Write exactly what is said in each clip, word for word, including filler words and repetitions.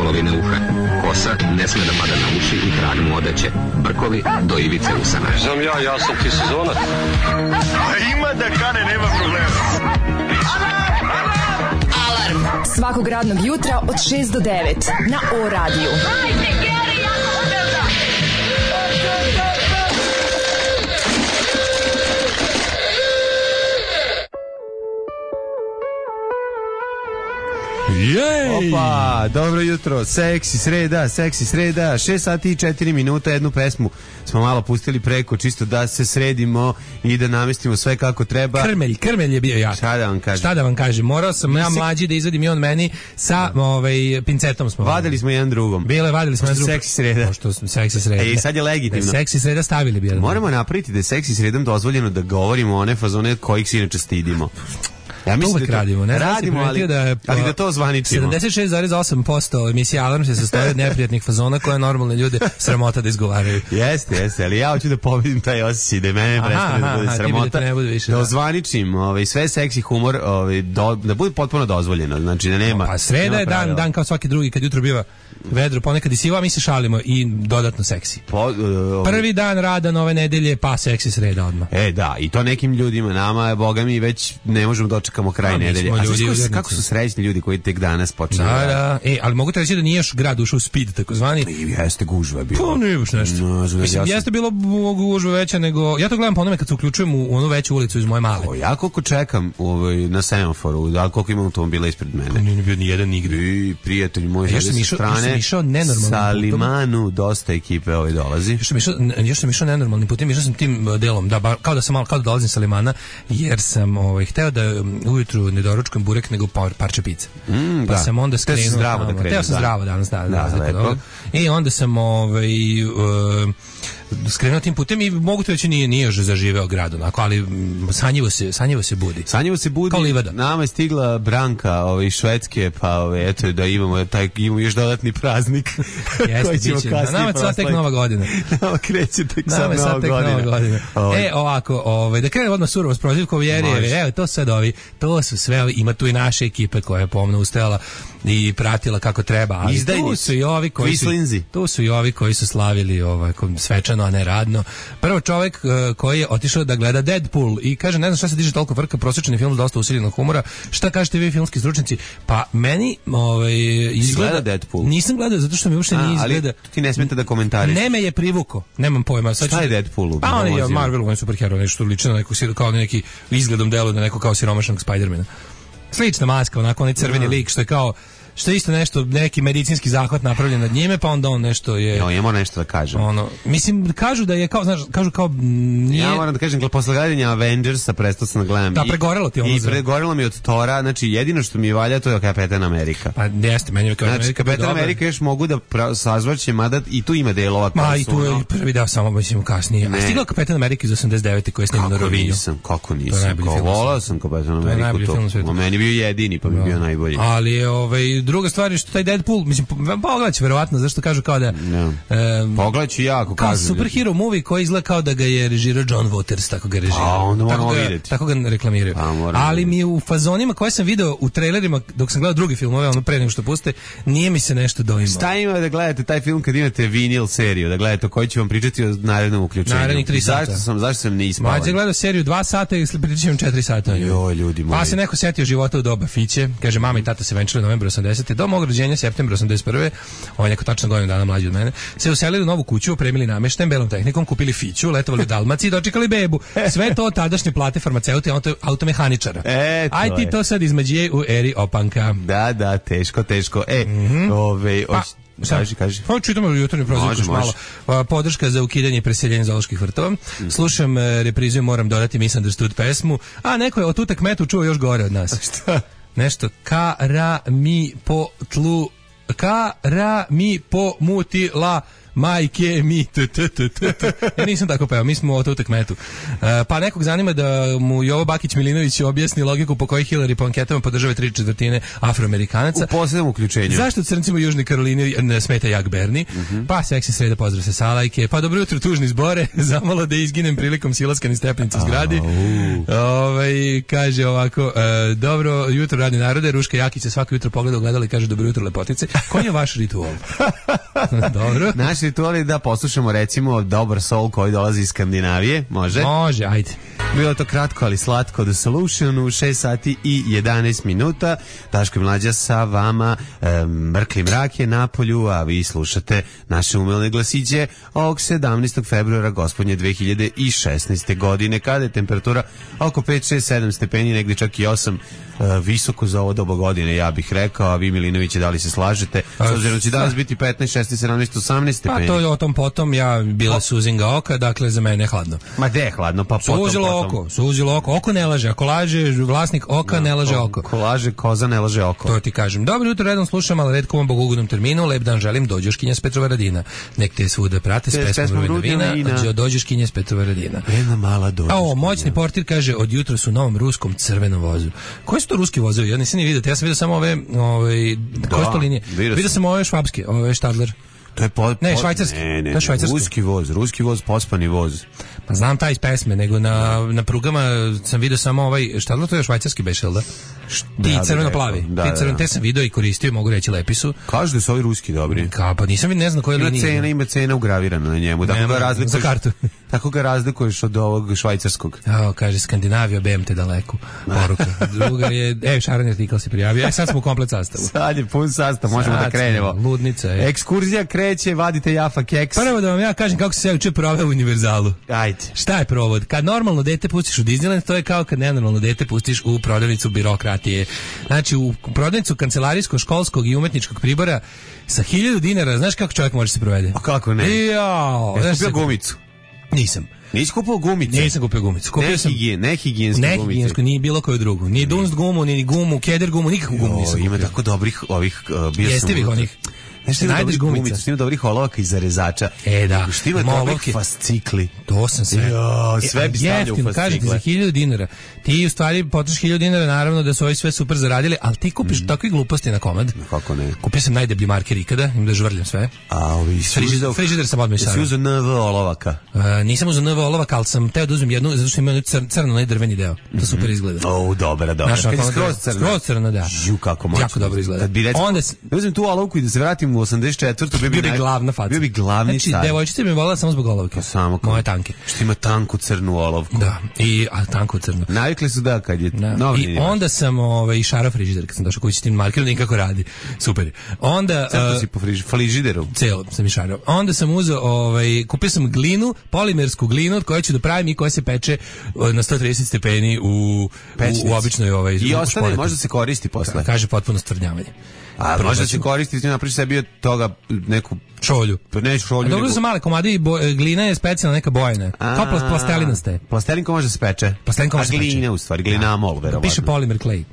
polovine uha. Kosa ne sme da pada na uši i trag mu odeće. Brkovi do ivice usana. Znam ja, ja sam ti sezonac. Ima da kane, nema problema. Alarm svakog radnog jutra od šest do devet na O radiju. Jej! Opa, dobro jutro, seksi sreda, seksi sreda, šest sati i četiri minuta, jednu pesmu smo malo pustili preko, čisto da se sredimo i da namestimo sve kako treba. Krmelj, krmelj je bio jak. Šta da vam kažem? Šta da vam kažem, morao sam ja mlađi da izvadim i on meni sa ovaj, pincetom smo. Vadili smo jedan drugom. Bile, vadili smo jedan drugom. Seksi sreda. Pošto smo seksi sreda. E, sad je legitimno. Da je seksi sreda stavili bi jedan. Moramo napraviti da je seksi sredom dozvoljeno da govorimo one fazone kojih se inače stidimo. Ja to uvek da radimo, ne? Radimo, ali da, je, ali da to zvaničimo. sedamdeset šest zarez osam posto emisije Alarm se sastoji od neprijatnih fazona koje normalne ljude sramota da izgovaraju. Jeste, jeste, ali ja hoću da pobedim taj osjećaj da mene prestane da bude sramota. Da, ne više, da da ozvaničim ovaj, sve seksi humor, ovaj, do, da bude potpuno dozvoljeno. Znači da nema. Pa sreda je dan, dan kao svaki drugi, kad jutro biva vedro, ponekad i sivo, a mi se šalimo i dodatno seksi. Po, uh, ovaj. Prvi dan rada nove nedelje, pa seksi sreda odmah. E da, i to nekim ljudima, nama, boga mi, već ne možemo dočekamo kraj nedelje. A ljudi, kako, kako su srećni ljudi koji tek danas počeli? Da, da. E, ali mogu te reći da nije još grad ušao u speed, takozvani. I jeste gužva bilo. Pa nije baš nešto. No, znači, mislim, ja jeste bilo gužva veća nego... Ja to gledam po onome kad se uključujem u onu veću ulicu iz moje male. O, ja koliko čekam ovaj, na semaforu, da koliko imam automobila ispred mene. Nije bio ni jedan nigde. I prijatelj moj ja sa strane. Sa Limanu dosta ekipe ovaj dolazi. Još sam išao, još sam išao nenormalnim putem, išao sam tim delom, da, ba, kao da sam malo, kao da dolazim sa Limana, jer sam ovaj, hteo da ujutru ne doručkujem burek, nego par, parče pice. Mm, pa da. sam onda skrenuo. Zdravo da krenuo. Hteo sam da. zdravo danas, da, da, da, da, i onda sam ovaj, uh, skrenuo tim putem i mogu to reći nije, nije još zaživeo grad, onako, ali sanjivo se, sanjivo se budi. Sanjivo se budi. Kao livada. Nama je stigla Branka ovaj, Švedske, pa ovaj, eto da imamo, taj, imamo još dodatni praznik. Jeste, biće. Nama je sad tek nova godina. Nama kreće tek sad, sad nova, tek godina. nova godina. Ovaj. E, ovako, ovaj, da krene odmah surovo s prozivkom Jerije, evo, to sad ovi, to su sve ovi, ima tu i naše ekipe koja je pomno ustajala i pratila kako treba, ali Izdajnici. Tu su i ovi koji su, tu su i ovi koji su slavili ovaj, svečano, a ne radno. Prvo čovjek uh, koji je otišao da gleda Deadpool i kaže, ne znam šta se diže toliko frka, prosječni film dosta usiljenog humora, šta kažete vi filmski stručnjaci? Pa meni ovaj, izgleda... Deadpool? Nisam gledao, zato što mi uopšte nije izgleda... Ali ti ne smete da komentariš. Ne me je privuko, nemam pojma. Sad šta je Deadpool? Pa on je Marvel, on je superhero, nešto liči na neku, kao neki izgledom delu na neko kao siromašnog Spidermana. Slična maska, onako onaj crveni lik što je kao što je isto nešto, neki medicinski zahvat napravljen nad njime, pa onda on nešto je... No, ja moram nešto da kažem. Ono, mislim, kažu da je kao, znaš, kažu kao... Nije... Ja moram da kažem, posle gledanja Avengersa prestao sam da gledam. Da, pregorelo ti ono. I pregorelo mi od Tora, znači jedino što mi valja to je Kapetan Amerika. Pa jeste, meni je Kapetan znači, Amerika. Kapetan Amerika još mogu da sazvaće, mada i tu ima delova. Ma i tu je ono... prvi deo samo, mislim, kasnije. Ne. A stigla Kapetan Amerika iz osamdeset devete koji je snimio na Rovinju. Nisam, kako nisam, kako volao sam Kapetan Ameriku to. Meni bio jedini, pa mi bio najbolji. Ali je, ovaj, druga stvar je što taj Deadpool, mislim, pogledać verovatno, zašto kažu kao da... No. Um, pogledać ja, ako kao kažu. Kao superhero movie koji izgleda kao da ga je režirao John Waters, tako ga režira. A, onda moramo tako vidjeti. Tako ga reklamiraju. A, ali mi u fazonima koje sam video u trailerima, dok sam gledao drugi filmove, ono pre nego što puste, nije mi se nešto doimalo. Šta ima da gledate taj film kad imate vinil seriju, da gledate koji ću vam pričati o narednom uključenju? Narednih tri sata. Zašto sam, zašto sam ne ispavan? Mađe gledao seriju dva sata i pričat ću četiri sata. Joj, ljudi moji. Pa se neko setio života u doba Fiće, kaže mama i tata se venčali novembra osamdesete do mog rođenja septembra osamdeset prve. On je neko tačno godinu dana mlađi od mene. Se uselili u novu kuću, opremili nameštajem, belom tehnikom, kupili Fiću, letovali u Dalmaciji i dočekali bebu. Sve to tadašnje plate farmaceuta i auto, automehaničara. E, aj ti to sad izmeđije u eri opanka. Da, da, teško, teško. E, mm-hmm. ove... Pa, Kaži, kaži. Pa čitamo jutarnju prozivku malo. Podrška za ukidanje i preseljenje zooloških vrtova. Mm. Slušam reprizu, moram dodati Misunderstood pesmu. A neko je o tutak metu čuo još gore od nas. Šta? Nešto. Ka, ra, mi, po, tlu... Ka, ra, mi, po, muti, la... majke mi, t, t, t, t, t. Ja nisam tako peo, mi smo o to tekmetu. Uh, pa nekog zanima da mu Jovo Bakić-Milinović objasni logiku po kojoj Hillary po anketama podržava tri četvrtine Afroamerikanaca. U poslednjem uključenju. Zašto crncima u Južnoj Karolini ne smeta jak Berni? Uh-huh. Pa seksi sreda, pozdrav se Salajke. Pa dobro jutro, tužni zbore, zamalo da izginem prilikom silaska ni stepenicu zgradi. Ovaj kaže ovako, e, dobro jutro radni narode, Ruška Jakić se svako jutro pogleda u gledalo i kaže dobro jutro lepotice. Koji je vaš ritual? Dobro. Naš ritual je da poslušamo recimo dobar soul koji dolazi iz Skandinavije, može? Može, ajde. Bilo to kratko, ali slatko, The Solution u šest sati i jedanaest minuta. Daško i Mlađa sa vama, e, mrkli mrak je na polju, a vi slušate naše umelne glasiće ovog sedamnaestog februara gospodnje dve hiljade šesnaeste. godine, kada je temperatura oko pet, šest, sedam stepeni, negdje čak i osam, e, visoko za ovo doba godine, ja bih rekao, a vi Milinoviće, da li se slažete? S obzirom da će danas biti petnaest, šesnaest, sedamnaest, osamnaest stepeni. Pa to je o tom potom, ja bila suzinga oka, dakle za mene je hladno. Ma de je hladno, pa potom, suzilo potom. Oko, suzilo oko, oko ne laže, ako laže vlasnik oka, no, ne laže oko. Ko laže koza, ne laže oko. To ti kažem. Dobro jutro, redom slušam, ali redko vam bogugodnom terminu, lep dan želim, dođoškinja s Petrovaradina. Nek te svuda prate s pesmom Rudina vina, dođoškinja s Petrovaradina. Jedna mala dođoškinja. A o, moćni portir kaže, od jutra su u novom ruskom crvenom vozu. Koji su to ruski vozovi? Ja nisam ni vidio, ja sam vidio samo ove, ove koje su to linije? Vidio sam ove švabske, ove Stadler. To je po, ne, po, švajcarski. Ne, ne, to je švajcarski. Ruski voz, ruski voz, pospani voz. Pa znam taj iz pesme, nego na, na prugama sam vidio samo ovaj, šta je to je švajcarski bešel, da? Ti da, crveno-plavi. Da, ti crveno, te sam vidio i koristio, mogu reći, lepi su. Kažu da su ovi ruski dobri. Ka, pa nisam vidio, ne znam koje linije. Ima cena, ima cena ugravirana na njemu. Tako ga razlikuješ, za kartu. Tako ga razlikuješ od ovog švajcarskog. Evo, kaže, Skandinavija, B M te daleko. Poruka. Druga je, evo, Šaran artikal se prijavio. E, sad smo u komplet sastavu. Sad je pun sastav, možemo sad da krenemo. Ludnica je. Ekskurzija kreće, vadite jafa keks. Prvo da vam ja kažem kako se sve uče proveo u univerzalu. Ajde. Šta je provod? Kad normalno dete pustiš u Disneyland, to je kao kad nenormalno dete pustiš u prodavnicu birokratije. Znači, u prodavnicu kancelarijskog, školskog i umetničkog pribora sa hiljadu dinara, znaš kako čovjek može se provede? A kako ne? Jao. Jesi kupio gumicu? Nisam. Nisi kupio gumicu? Nisam kupio gumicu. Kupio ne sam higijen, ne higijensku gumicu. Ne higijensku, ni bilo koju drugu. Ni Dunst gumu, ni gumu, Keder gumu, nikakvu gumu nisam kupio. Ima tako dobrih ovih... Uh, bio Jestivih onih. Nešto najdeš gumica, što ima dobrih olovaka i zarezača. E da. Što ima dobrih fascikli. To sam sve. Jo, sve bi stavljao u fascikle. Kažeš ti za hiljadu dinara. Ti u stvari potrošiš hiljadu dinara, naravno da su ovi sve super zaradili, ali ti kupiš mm. takve gluposti na komad. Kako ne? Kupio sam najdeblji marker ikada, im da žvrljam sve. A ovi frižider, frižider sam odmah isarao. Si uzeo N V olovaka? Uh, nisam uzeo N V olovaka, ali sam teo da uzmem jednu, zato što ima cr, crno, onaj drveni deo. To mm-hmm. super izgleda. O, dobra, dobra. Kad je skroz crno. Skroz crno, da. Ju, kako moćno. Jako dobro izgleda. Kad bi recimo, onda da uzmem tu olovku i da se vratim u osamdeset četvrtu bio bi, bio bi glavna faca. Bio bi glavni znači, car. Devojčica bi me volila samo zbog olovke. Pa samo moje tanke. Što ima tanku crnu olovku. Da, i a tanku crnu. Navikli su da kad je da. Novi. I onda sam ovaj šarao frižider kad sam došao kući s tim markerom, nikako radi. Super. Onda uh, si po frižideru. Celo sam išarao. Onda sam uzeo ovaj kupio sam glinu, polimersku glinu od koje ću da pravim i koja se peče na sto trideset stepeni u u, u običnoj ovaj i ostane može se koristi posle. Kaže potpuno stvrdnjavanje. A može da se koristiti, napraviš sebi od toga neku šolju. Pa ne šolju. A dobro su male komade i bo, glina je specijalna neka bojna. Kao plastelina ste. Plastelinko može se peče. Plastelinko može se peče. A glina u stvari, glina amol, verovatno. Piše polimer clay.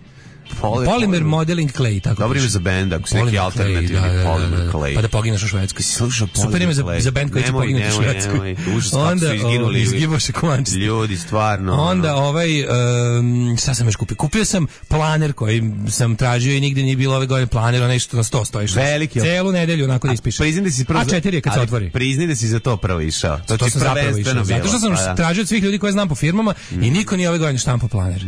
Poly, Polymer modeling clay, tako. Dobro ime za bend, ako si neki alternativni da, da, Polymer da, clay. Pa da pogineš u Švedskoj. Sluša, super ime za, za bend koji će poginuti u Švedskoj. Onda su izginuli. Izgiboše kovančice. Ljudi, stvarno. Onda ovaj, um, šta sam još kupio? Kupio sam planer koji sam tražio i nigde nije bilo ove godine planer, onaj što na sto stojiš. Veliki. Celu nedelju onako da ispišeš. Priznaj da si prvo. A četiri je kad se otvori. Priznaj da si za to prvo išao. To, to sam zapravo išao. Zato što sam tražio od svih ljudi koje znam po firmama i niko nije ove godine štampao planer.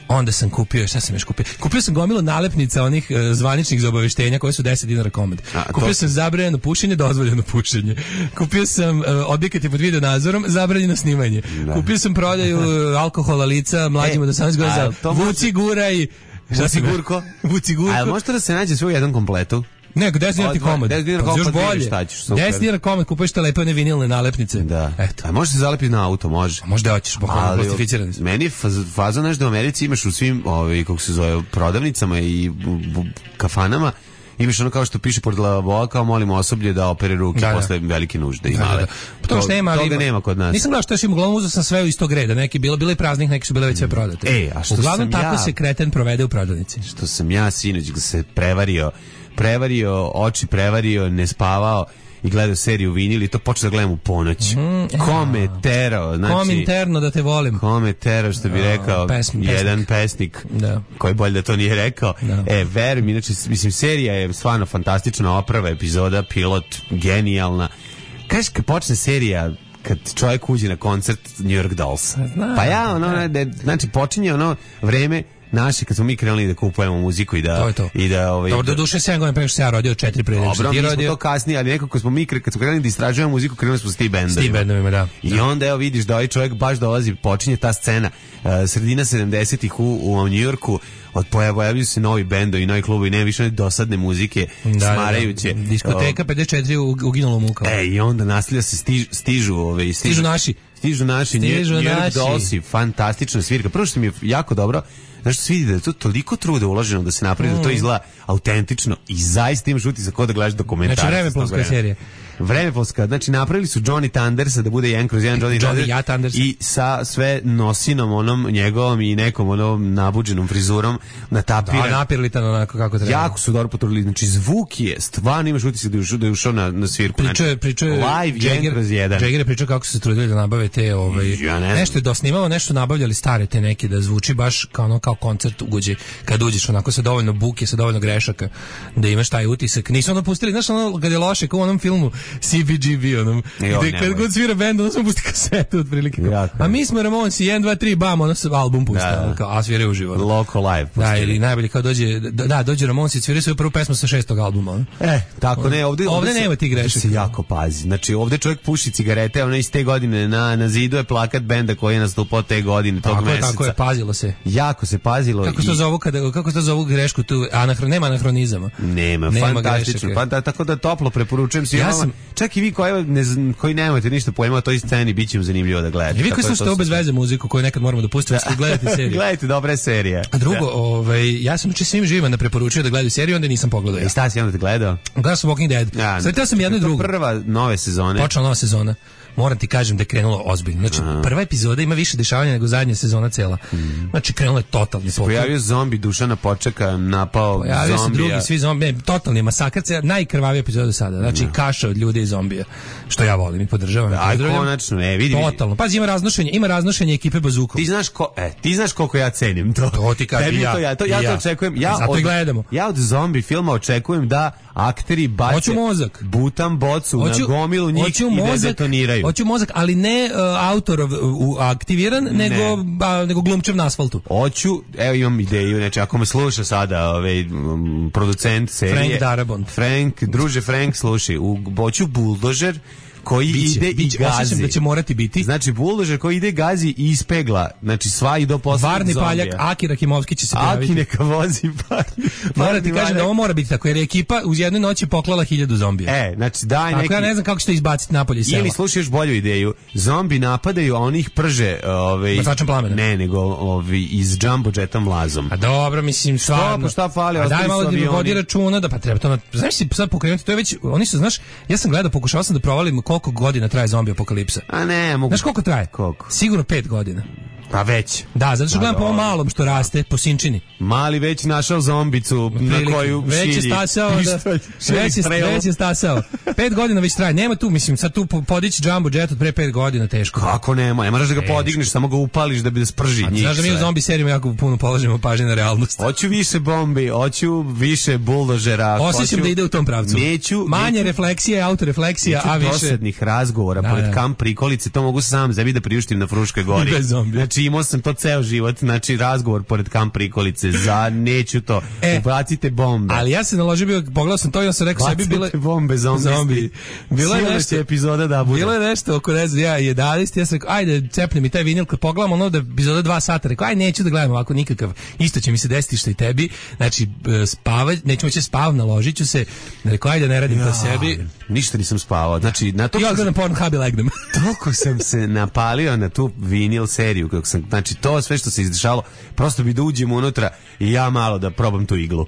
Onda sam kupio, šta sam još kupio? Kupio sam gomilu nalepnica onih uh, zvaničnih za obaveštenja koje su deset dinara komad. A, kupio to... sam zabranjeno pušenje, dozvoljeno pušenje. Kupio sam uh, objekat je pod video nadzorom, zabranjeno snimanje. Da. Kupio sam prodaju alkohola lica mlađim od osamnaest godina. Vuci guraj. Vuci gurko. Vuci gurko. A možete da se nađe sve u jednom kompletu? Ne, deset dinara ti komad. deset dinara komad, još bolje. deset dinara komad, kupuješ te lepe one vinilne nalepnice. Da. Eto. A može se zalepiti na auto, može. A možda hoćeš, pokojno plastificirani su. Meni je faza nešto u Americi, imaš u svim, ovaj, kako se zove, prodavnicama i kafanama, imaš ono kao što piše pored lavabo, kao molimo osoblje da opere ruke da, posle da. velike nužde i male. Da, da. To, to nema, toga nema kod nas. Nisam gledao što još im uglavnom uzeo sam sve u istog reda. Neki bilo, bilo i praznih, neki su bile već sve prodate. E, a što uglavnom sam tako ja, se kreten provede u prodavnici. Što sam ja sinoć se prevario, prevario, oči prevario, ne spavao i gledao seriju Vinil i to počeo da gledam u ponoć. Mm, Kome terao, znači... Kom interno da te volim. Kome terao, što bi uh, rekao pesm, jedan pesnik, da. koji bolje da to nije rekao. Da. E, verujem, inače, mislim, serija je stvarno fantastična, oprava epizoda, pilot, genijalna. Kažeš, kad počne serija, kad čovjek uđe na koncert New York Dolls. Znam, pa ja, ono, da. znači, počinje ono vreme naši, kad smo mi krenuli da kupujemo muziku i da... To je to. I da, ovaj, dobro, do duše sedam godina prema što se ja rodio, četiri prije. Dobro, mi smo to kasnije, ali nekako smo mi, kad smo krenuli da istražujemo muziku, krenuli smo s tim bendovima. S tim bendovima, da. I da. onda, evo, vidiš da ovaj čovjek baš dolazi, počinje ta scena, uh, sredina sedamdesetih u, u New Yorku, od pojavljaju se novi bendovi, novi klubovi, nema više dosadne muzike, da, smarajuće. Da, da. Diskoteka pedeset četiri uginulo muka. E, i onda nastavlja se, stiž, stižu, ove, stižu, stižu naši. Stižu naši, stižu New York naši. Dollsi, fantastična svirka. Prvo što mi je jako dobro, znaš što se vidi da je to toliko truda uloženo da se napravi, mm. da to izgleda autentično i zaista imaš utisak kao da gledaš dokumentarac. Znači vremeplonska serija. Vremeplonska, znači napravili su Johnny Thundersa da bude jedan kroz jedan Johnny, Johnny ja Thunders i sa sve nosinom onom njegovom i nekom onom nabuđenom frizurom na tapiran. Da, napirlitan onako kako treba. Jako su dobro potrudili, znači zvuk je, stvarno imaš utisak da je ušao, da je ušao na, na svirku. Pričao je, pričao je live jedan kroz jedan. Jagger je pričao kako su se trudili da nabave te, ovaj, ja ne nešto je dosnimalo, nešto nabavljali stare te neke da zvuči baš kao ono kao koncert uđe, kad uđeš onako sa dovoljno buke, sa dovoljno grešaka, da imaš taj utisak. Nisu ono pustili, znaš ono kad je loše, kao u onom filmu C B G B, onom, gde kad god svira bend, ono smo pusti kasetu otprilike. A mi smo Ramonsi, jedan, dva, tri, bam, ono se album pusti, da, da. A svire uživo. Local live. Da, ili najbolje kao dođe, da, dođe Ramonsi, svira svoju prvu pesmu sa šestog albuma. On. E, tako ne, ovde, ovde, ovde nema ti grešaka. Ovde se jako pazi. Znači, ovde čovjek puši cigarete, ono iz te godine, na, na zidu je plakat benda koji je nastupao te godine, tog tako meseca. Tako je, pazilo se. Jako se pazilo. Kako se to zovu, kada, kako se to zovu grešku tu, anahron, nema anahronizama. Nema, nema fantastično. Pa, da, tako da toplo preporučujem svima. Ja sam, čak i vi koji, ne, koji nemate ništa pojma o toj sceni, bit će vam zanimljivo da gledate. I vi koji slušate bez veze muziku koju nekad moramo da pustimo, da gledate seriju. Gledajte dobre serije. A drugo, ovaj, ja sam uči svim živima da preporučio da gledaju seriju, onda nisam pogledao. Ja. I šta si onda gledao? Gledao sam Walking Dead. Ja, Svetao sam jednu i drugu. Prva nove sezone. Počela nova sezona. Moram ti kažem da je krenulo ozbiljno. Znači, aha, prva epizoda ima više dešavanja nego zadnja sezona cela. Mm. Znači, krenulo je totalni poklon. Pojavio zombi, Dušana Počeka, napao zombija. Pojavio se drugi, svi zombi, totalni masakr, najkrvavija epizoda do sada. Znači, no. kaša od ljudi i zombija. Što ja volim i podržavam. Aj, konačno, e, vidi. Totalno. Pazi, ima raznošenje, ima raznošenje ekipe Bazukom. Ti znaš ko, e, ti znaš koliko ja cenim to. To ti kažem ja. To ja, to, ja, ja to očekujem. Ja zato od, i gledamo. Ja od zombi filma očekujem da akteri bace hoću mozak, butam bocu hoću, na gomilu njih i mozak, da detoniraju. Hoću mozak, ali ne uh, autorov uh, aktiviran, ne. nego, ba, nego glumčev na asfaltu. Hoću, evo imam ideju, znači ako me sluša sada ovaj, um, producent serije Frank Darabont. Frank, druže Frank, slušaj, u, hoću buldožer koji biće, ide biće, i gazi. Osjećam da će morati biti. Znači, buldožer koji ide gazi i ispegla. Znači, sva i do poslednjeg Varni zombija. paljak, Aki Rakimovski će se pojaviti. Aki neka vozi parni. Moram ti kažem da ovo mora biti tako, jer je ekipa uz jednoj noći poklala hiljadu zombija. E, znači, daj tako neki... ja ne znam kako ćete izbaciti napolje iz sela. Ili slušaš bolju ideju. Zombi napadaju, a oni ih prže... Ovaj, Bacačem plamena. Ne, nego ovaj, iz jumbo jetom vlazom. A dobro, mislim, stvarno. Šta, šta fali? A daj malo da vodi računa, da pa treba to... Znaš si sad pokrenuti, to je već... Oni su, znaš, ja sam gledao, pokušao sam da provalim koliko godina traje zombi apokalipsa. A ne, mogu... Znaš koliko traje? Koliko? Sigurno pet godina. Pa već. Da, zato što gledam po ovom malom što raste, po sinčini. Mali već našao zombicu prilike, na koju već šilji. Je stasao, da, već, je, već je stasao. Pet godina već traje. Nema tu, mislim, sad tu podići jumbo jet od pre pet godina teško. Kako nema? Ne moraš da ga teško podigneš, samo ga upališ da bi da sprži njih. Znaš da mi u zombi serijima jako puno položimo pažnje na realnost. Hoću više bombi, hoću više buldožera. Osjećam da ide u tom pravcu. Neću, manje neću, refleksije, autorefleksija, a više dosadnih razgovora da, pored da. kamp prikolice, to mogu sam sebi da priuštim na Fruškoj gori. Bez zombi. Znači imao sam to ceo život, znači razgovor pored kamp prikolice, za neću to. E, ubacite bombe. Ali ja se naložio, bio, pogledao sam to i ja sam rekao sebi bile bombe zombi. zombi. Bilo je nešto epizoda da bude. Bilo je nešto oko ne znam, ja jedanaest, ja sam rekao ajde cepni mi taj vinil, kad pogledamo ono da epizoda dva sata, rekao aj neću da gledam ovako nikakav. Isto će mi se desiti što i tebi. Znači spavać, neću moći spav, naložiću se. Rekao ajde ne radim ja, to sebi. Ništa nisam spavao. Znači na to ja gledam Pornhub i legnem. Toliko sam se napalio na tu vinil seriju kako sam, znači to sve što se izdešalo, prosto bi da uđem unutra i ja malo da probam tu iglu.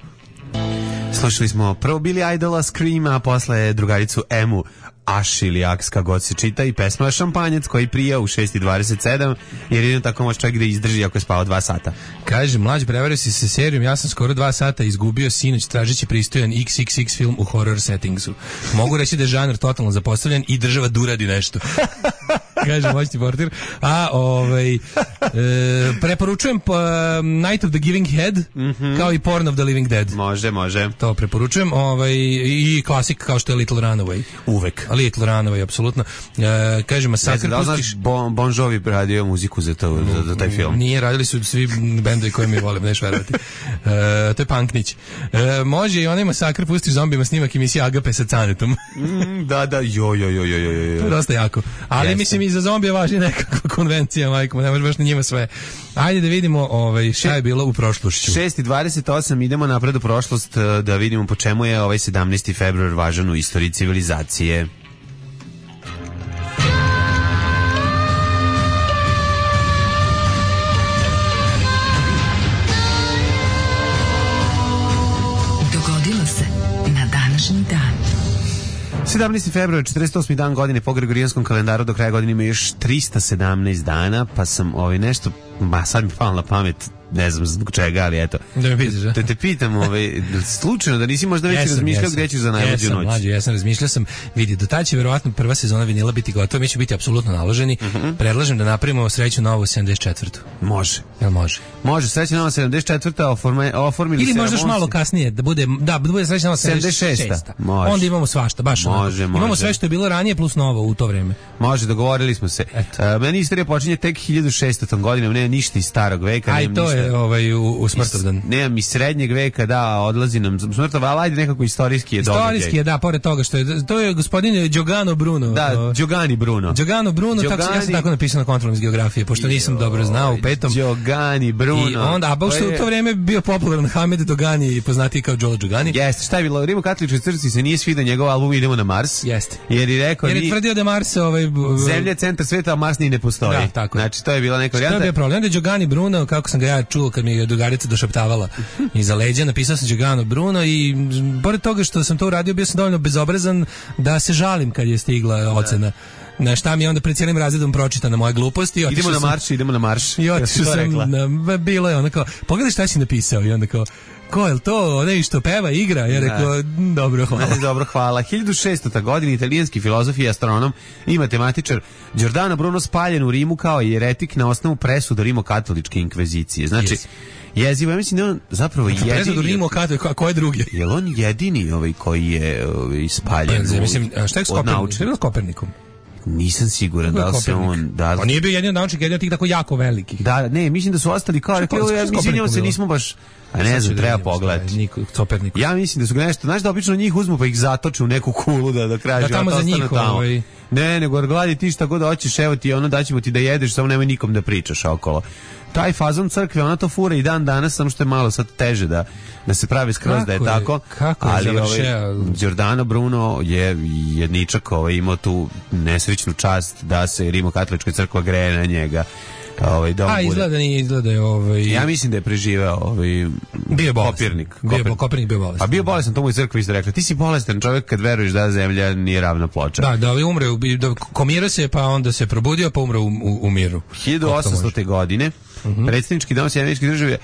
Slušali smo prvo Billy Idola Scream, a posle drugaricu Emu Aš ili Aks, kako god se čita, i pesma Šampanjac koji prija u šest i dvadeset sedam, jer jedino tako može čovjek da izdrži ako je spao dva sata. Kaže, mlađi, prevario si se serijom, ja sam skoro dva sata izgubio sinoć tražeći pristojan iks iks iks film u horror settingsu. Mogu reći da je žanr totalno zapostavljen i država duradi nešto. Kaže moćni portir. A ovaj e, preporučujem uh, Night of the Giving Head, mm-hmm. kao i Porn of the Living Dead. Može, može. To preporučujem, ovaj i klasik kao što je Little Runaway. Uvek. Little Runaway, apsolutno. E, kaže Masakr, da pustiš... Bon, bon Jovi radio muziku za, to, za, za taj film. Nije, radili su svi bendovi koje mi volim, neš verovati. E, to je Punknić. E, može i onaj Masakr, pustiš zombijima snimak emisije Agape sa Canetom. mm, da, da, jo, jo, jo, jo, jo. To je dosta jako. Ali Jeste. mislim i za zombije važi nekakva konvencija, majko, ne može baš na njima sve. Ajde da vidimo ovaj, šta je bilo u prošlošću. šest i dvadeset osam, idemo napred u prošlost da vidimo po čemu je ovaj sedamnaesti februar važan u istoriji civilizacije. Dogodilo se na današnji dan. sedamnaesti februar, četrdeset osmi dan godine po Gregorijanskom kalendaru, do kraja godine ima još tristo sedamnaest dana, pa sam ovaj nešto, ma sad mi palo na pamet, ne znam zbog čega, ali eto. Da me pitaš, da? Te, te pitam, ovaj, slučajno da nisi možda već jesam, razmišljao jesam, gdje ćeš za najluđu jesam, noć? Mlađo, jesam, razmišljao sam, vidi, do tada će verovatno prva sezona vinila biti gotova, mi će biti apsolutno naloženi. Uh-huh. Predlažem da napravimo Sreću novu sedamdeset četvrtu. Može. Jel može? Može, Sreća nova sedamdeset četvrta, oforme, oformili ili se... možda još malo kasnije, da bude, da, da bude Sreća nova sedamdeset šesta. Može. Onda imamo svašta, baš može, ono. može. Imamo sve što je bilo ranije plus novo u to vreme. Može, dogovorili smo se. Uh, meni istorija počinje tek hiljadu šestom godinom, nema ništa iz starog veka. Aj, to ništa. je ovaj, u, u smrtovdan. Nemam iz srednjeg veka, da, odlazi nam smrtov, ali ajde nekako istorijski je događaj. Istorijski je, da, pored toga što je, to je gospodin Giogano Bruno. Da, Giogani Bruno. Giogano Bruno, Giogani... tako, ja sam tako napisao na kontrolom iz geografije, pošto nisam dobro znao u petom. Giogani Bruno. I onda, a baš što u to vrijeme bio popularan Hamed Dogani, poznatiji kao Đolo Giogani. Jeste, šta je bilo? U Rimokatoličkoj crkvi se nije svidio njegov album Idemo na Mars. Jeste. Jer je rekao... Jer je tvrdio da Mars... Ovaj, Zemlja je centar sveta, a Mars ni ne postoji. Da, tako. Znači, to je bila neka varijanta. To je bio problem. Onda je Giogani Bruno, kako sam ga ja čuo kad mi je drugarica došaptavala iza leđa, napisao sam Giogano Bruno i pored toga što sam to uradio, bio sam dovoljno bezobrazan da se žalim kad je stigla ocena. Na šta mi je onda pred cijelim razredom pročitana moja glupost. I idemo na sam, marš, idemo na marš. I otišao sam, na, bilo je ono kao, pogledaj šta si napisao i onda kao, ko je to, onaj što peva, igra? Ja rekao, dobro, hvala. Dobro, hvala. hiljadu šestota godina italijanski filozof i astronom i matematičar Giordano Bruno spaljen u Rimu kao jeretik na osnovu presuda rimokatoličke inkvizicije. Znači, yes. Jezivo, ja mislim da on zapravo jedini... Presudu Rimu, a ko je drugi? Je li on jedini ovaj koji je ovaj, spaljen? Pa, mislim, šta je s Kopernikom? Kopernikom? Nisam siguran da li se on... Da, on nije bio jedin od naučnika, jedan od tih tako jako velikih. Da, ne, mislim da su ostali kao... Rekli, ja mislim se nismo baš... A ne znam, treba pogledati. Ja mislim da su ga nešto... Znaš da obično njih uzmu pa ih zatoče u neku kulu da do kraja života ostane tamo. Da tamo za njih ovaj... Ne, nego gladi ti šta god hoćeš, evo ti ono, daćemo ti da jedeš, samo nemoj nikom da pričaš okolo. Taj fazon crkve, ona to fura i dan danas, samo što je malo sad teže da, da se pravi skroz kako da je, je tako. Kako ali je ovaj, Giordano Bruno je jedničak ovaj, imao tu nesrećnu čast da se Rimokatolička crkva greje na njega. Ovaj, da a izgleda nije, izgleda ovaj... Ja mislim da je preživeo ovaj... bio bolestan. Kopernik. Bio Kopernik, Kopernik bio bolestan. A bio bolestan, to mu je crkva isto rekla. Ti si bolestan čovjek kad veruješ da zemlja nije ravna ploča. Da, da, umre, da komirao se, pa onda se probudio, pa umre u, u, u miru. hiljadu osamstote godine uh-huh. predsjednički dom Sjedinjenih Američkih Država je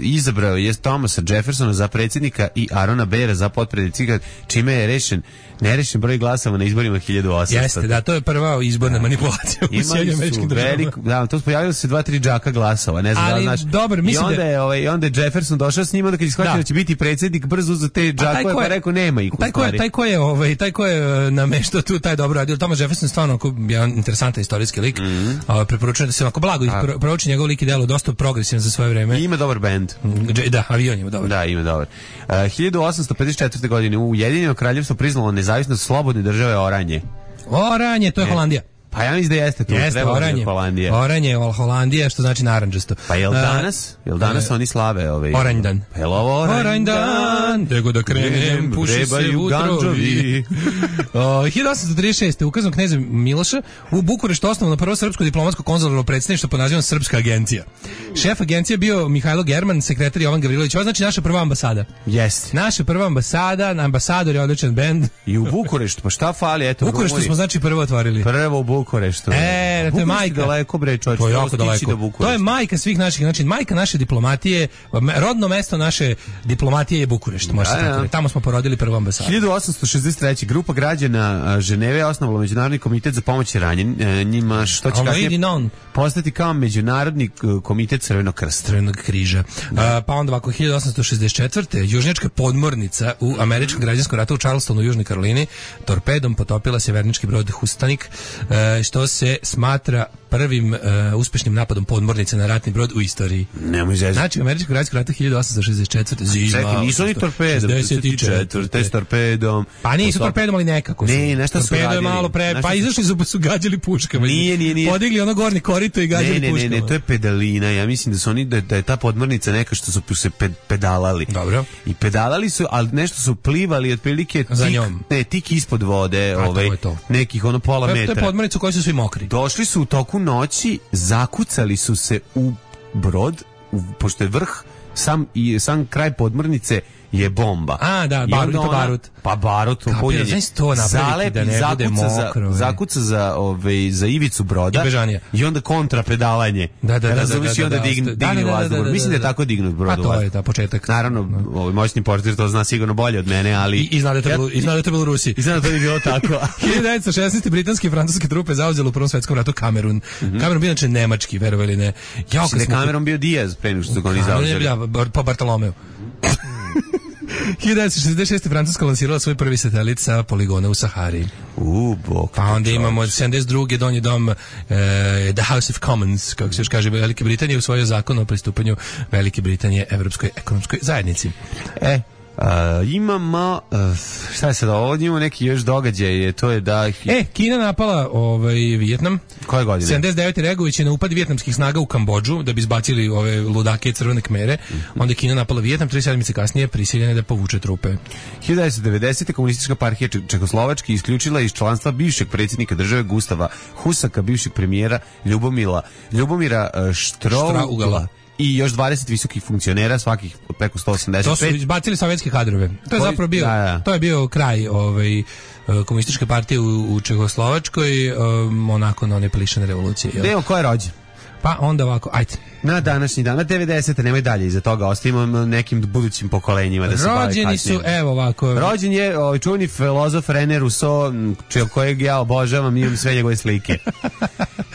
izabrao je Thomasa Jeffersona za predsjednika i Arona Bera za potpredsjednika, čime je rešen nerešen broj glasova na izborima hiljadu osamstote. Jeste, da, to je prva izborna da. manipulacija u Sjedinjenim Američkim Državama. Da, to pojavilo se dva, tri džaka glasova, ne znam ali, da znaš. Dobar, I onda je, ovaj, onda je Jefferson došao s njima da kad je shvatio da. da će biti predsjednik, brzo za te džakove, pa rekao nema ih u taj stvari. Ko je, taj ko je, ovaj, taj ko je nameštao tu taj dobro radio. Thomas Jefferson stvarno jedan interesantan istorijski lik. Mm-hmm. Uh, preporučujem da se onako blago pro, prouči njegov lik i delo, dosta progresivan za svoje vreme. I ima dobar bend. Da, avion ima dobar. Da, ima dobar. Uh, hiljadu osamsto pedeset četvrte. godine u Ujedinjeno kraljevstvo priznalo nezavisnost slobodne države Oranje. Oranje, to je ne. Holandija. Pa ja mislim da jeste tu. Jeste, oranje. Holandija. Oranje, Holandija, što znači narandžasto. Pa jel danas? Jel danas uh, oni slave ovaj? Oranj dan. Pa jel ovo oranj, oranj dan? Nego da krenem, puši se vutrovi. hiljadu osamsto trideset šeste. ukazom kneza Miloša u Bukureštu osnovano prvo srpsko diplomatsko konzularno predstavništvo pod nazivom Srpska agencija. Šef agencije bio Mihajlo German, sekretar Jovan Gavrilović. Ovo znači naša prva ambasada. Jeste. Naša prva ambasada, ambasador je odličan bend. I u Bukureštu, pa šta fali? Eto, u Bukureštu smo znači prvo otvorili. Prvo u Bukureštu. E, to je majka. Daleko bre, čovječe. To je jako daleko. To je majka svih naših, znači majka naše diplomatije, rodno mesto naše diplomatije je Bukurešt, može se tako reći. Tamo smo porodili prvu ambasadu. hiljadu osamsto šezdeset treće. grupa građana Ženeve osnovala Međunarodni komitet za pomoć ranjenima, što će kasnije postati kao Međunarodni komitet Crvenog krsta. Crvenog križa. A, pa onda ovako, hiljadu osamsto šezdeset četvrte. južnjačka podmornica u američkom građanskom ratu u Charlestonu u Južnoj Karolini torpedom potopila se vernički brod Hustanik, što se smatra prvim uh, uspešnim napadom podmornice na ratni brod u istoriji. Nemoj zezati. Znači, u američkom građanskom ratu hiljadu osamsto šezdeset četvrte. Zima. Čekaj, nisu oni torpedom. šezdeset četvrte. S torpedom. Pa nisu torpedom, ali nekako su. Ne, nešto su Torpedo radili. je malo pre... Pa izašli su, su gađali puškama. Nije, nije, nije. Podigli ono gornji korito i gađali ne, ne, puškama. Ne, ne, to je pedalina. Ja mislim da su oni, da, da je ta podmornica neka što su se ped, pedalali. Dobro. I pedalali su, ali nešto su plivali otprilike tik, za njom. Ne, tik ispod vode, A, ovaj, to to. nekih ono pola to je, metra. To je podmornica u kojoj su svi mokri. Došli su u toku noći, zakucali su se u brod, u, pošto je vrh, sam, i, sam kraj podmornice je bomba. A, da, barut, to barut. Pa barut, Kapira, znaš to napraviti da ne bude mokro. Za, zakuca za, ove, za ivicu broda. I bežanija. I onda kontra pedalanje. Da, da, da. Razumiješ, i onda dignu vazduh. Mislim da je tako dignut brod. A to je ta početak. Naravno, ovaj moćni portir to zna sigurno bolje od mene, ali... I, i zna da je to bilo, i zna da je to bilo u Rusiji. I zna da to je bilo tako. hiljadu devetsto šesnaeste. britanske i francuske trupe zauzele u Prvom svetskom ratu Kamerun. Mm-hmm. Kamerun bio inače nemački, verovali ne. Ja, kad smo... Kamerun bio Diaz pre nego što su ga oni zauzeli. Pa Bartolomeo. hiljadu devetsto šezdeset šeste. Francuska lansirala svoj prvi satelit sa poligona u Sahari. U, bok. Pa onda imamo sedamdeset druge. donji dom uh, The House of Commons, kako se još kaže, Velike Britanije usvojio zakon o pristupanju Velike Britanije Evropskoj ekonomskoj zajednici. E, Uh, imamo uh, šta je sad ovo, imamo neki još događaj, to je da... E, Kina napala ovaj, Vijetnam. Koje godine? sedamdeset devete. reagujući na upad vijetnamskih snaga u Kambodžu da bi izbacili ove ludake i crvene kmere. Mm-hmm. Onda je Kina napala Vijetnam, tri sedmice kasnije prisiljene da povuče trupe. hiljadu devetsto devedesete. komunistička partija Čekoslovačke isključila iz članstva bivšeg predsjednika države Gustava Husaka, bivšeg premijera Ljubomila, Ljubomira uh, Štrougala i još dvadeset visokih funkcionera, svakih preko sto osamdeset pet. To su izbacili sovjetske kadrove. To je zapravo bio, da, da. To je bio kraj ovaj, komunističke partije u, u Čehoslovačkoj, um, onako na one plišane revolucije. Evo, ko je rođen? Pa onda ovako, ajde. Na današnji dan, na devedesete. Nemoj dalje iza toga, ostavimo nekim budućim pokolenjima da se bave kasnije. Rođeni su, evo ovako. Rođen je ovaj čuveni filozof René Rousseau, kojeg ja obožavam, imam sve njegove slike.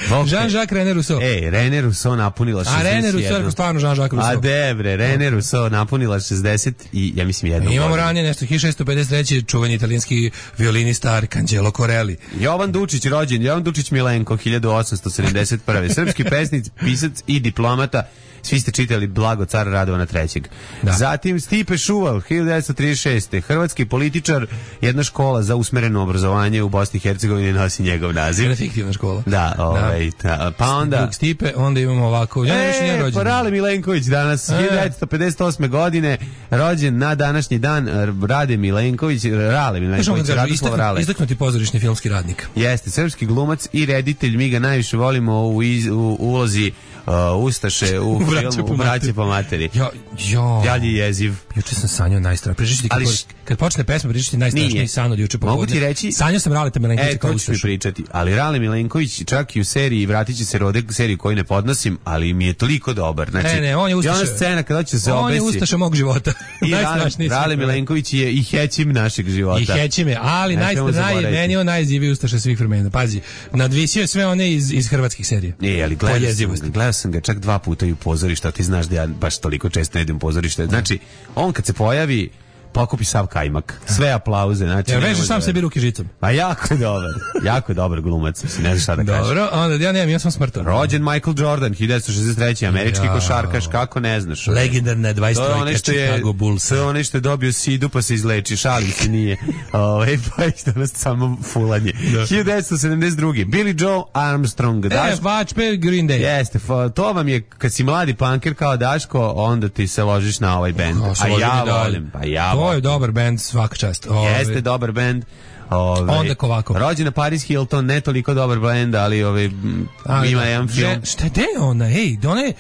Jean-Jacques René Rousseau. Ej, René Rousseau napunila šezdeset jednu. A René Rousseau, stvarno Jean-Jacques Rousseau. A debre, René Rousseau napunila šezdeset i ja mislim jednu. Imamo godinu. Ranije nešto, hiljadu šessto pedeset treće. čuveni italijanski violinista Arcangelo Corelli. Jovan Dučić rođen, Jovan Dučić Milenko, hiljadu osamsto sedamdeset prve. Srpski pesnik, pisac i diplomata. Svi ste čitali Blago cara Radovana trećeg. Da. Zatim Stipe Šuval, hiljadu devetsto trideset šeste. Hrvatski političar, jedna škola za usmereno obrazovanje u Bosni i Hercegovini nosi njegov naziv. Jedna fiktivna škola. Da, ovaj, da. Pa onda... Drug Stipe, onda imamo ovako... Ja e, pa Rale Milenković danas, e. hiljadu devetsto pedeset osme. godine, rođen na današnji dan, Rade Milenković, Rale Milenković, Radoslav Rale. Izdaknuti pozorišni filmski radnik. Jeste, srpski glumac i reditelj, mi ga najviše volimo u, iz, u ulozi uh, Ustaše u filmu Braće po materi. Jo, jo. Jalji jeziv. Juče sam sanjao najstrašnije. Pričati kad, š... kad počne pesma, pričati najstrašniji san od juče popodne. Mogu ti reći? Sanjao sam Raleta Milenkovića e, kao Ustašu. E, to ću mi pričati. Ali Rale Milenković čak i u seriji Vratit će se rode, seriju koju ne podnosim, ali mi je toliko dobar. Znači, ne, ne, on je Ustaša. I ona scena kada će se on obesi. On je Ustaša mog života. I Rale, Rale Milenković je i hećim našeg života. I hećim je, ali najstrašniji meni je on najziviji Ustaša svih vremena. Pazi, nadvisio je sve one iz, iz hrvatskih serija. Ne, ali gledao sam, gledao sam ga čak dva puta i u pozorišta, ti znaš da ja baš toliko često ne idem u pozorište. Znači, on kad se pojavi, pokupi sav kajmak. Sve aplauze. Znači, ja veže sam sebi ruke žicom. Pa jako je dobar. Jako je dobar glumac. Ne znam šta da kažem. Dobro, onda ja nemam, ja sam smrtan. Rođen Michael Jordan, hiljadu devetsto šezdeset treće američki ja. košarkaš, kako ne znaš. Legendarna dvadeset trojka Chicago Bulls. To je onaj što je dobio sidu pa se izleči, šalim se nije. Ovaj pa je danas samo fulanje. Da. hiljadu devetsto sedamdeset druge Billy Joe Armstrong. E, Daš... Vačpe Green Day. Jeste, to vam je, kad si mladi punker kao Daško, onda ti se ložiš na ovaj bend. Oh, a ja volim, pa ja to volim. je dobar bend, svaka čast. Ove... Jeste dobar bend. Ove, onda Kovako. Rođena Paris Hilton, ne toliko dobar bend, ali ove, ali, ima jedan film. Že, šta je ona? Ej, da ona je...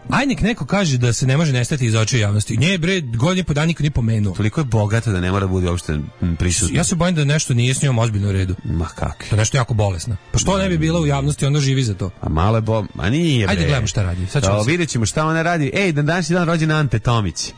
Aj nek neko kaže da se ne može nestati iz očiju javnosti. Nje bre, godine po dan niko nije pomenuo. Toliko je bogata da ne mora da bude uopšte prisutna. Ja se bojim da nešto nije s njom ozbiljno u redu. Ma kakvi. Da nešto jako bolesno. Pa što ne bi bila u javnosti, onda živi za to. A malo je bo... A nije bre. Ajde gledamo šta radi. Sad ćemo. Vidjet ćemo šta ona radi. Ej, dan danas je dan rođen Ante Tomić.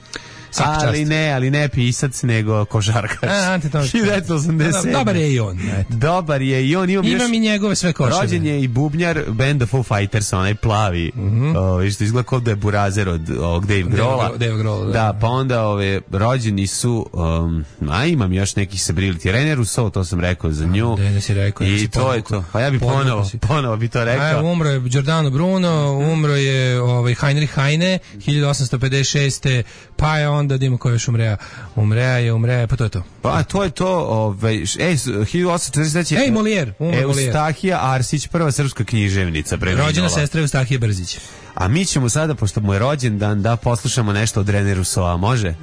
Ali ne, ali ne pisac, nego košarkaš. A, Ante Tomić. hiljadu devetsto osamdeset sedme. Dobar je i on. Eto. Dobar je i on. Imam, Imam još... i njegove sve koševe. Rođen je i bubnjar benda Foo Fighters, onaj plavi. Mm -hmm. o, što izgleda kao da je burazer od ovog Dave Grohla. Dave Grohl, da. Da, pa onda ove, rođeni su, um, a imam još nekih Sabrili티. René Rousseau, to sam rekao za nju. Da, si rekao. I to je to. Pa ja bi ponovo, ponovo bi to rekao. A, umro je Giordano Bruno, umro je ovaj, Heinrich Heine, hiljadu osamsto pedeset šeste. Pa je onda, da ima ko još umre. Umreja je, umreja, pa to je to. Pa to je to, ovaj, ej, hiljadu osamsto četrdeset treće. Ej, Molière, umre Molière. Eustahija Arsić, prva srpska književnica. Rođena sestra Eustahije Brzić. A mi ćemo sada, pošto mu je rođendan, da poslušamo nešto od René Rousseau, može?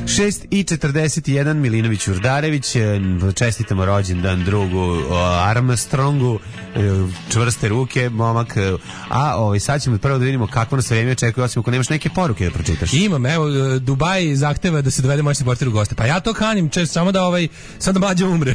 šest i četrdeset jedan Milinović Urdarević, čestitamo rođendan drugu Armstrongu, čvrste ruke, momak. A ovaj, sad ćemo prvo da vidimo kako nas vreme očekuje, osim ako nemaš neke poruke da pročitaš. Imam, evo, Dubaj zahteva da se dovede moćni portir u goste. Pa ja to kanim, čest, samo da ovaj, sad da Mlađa umre.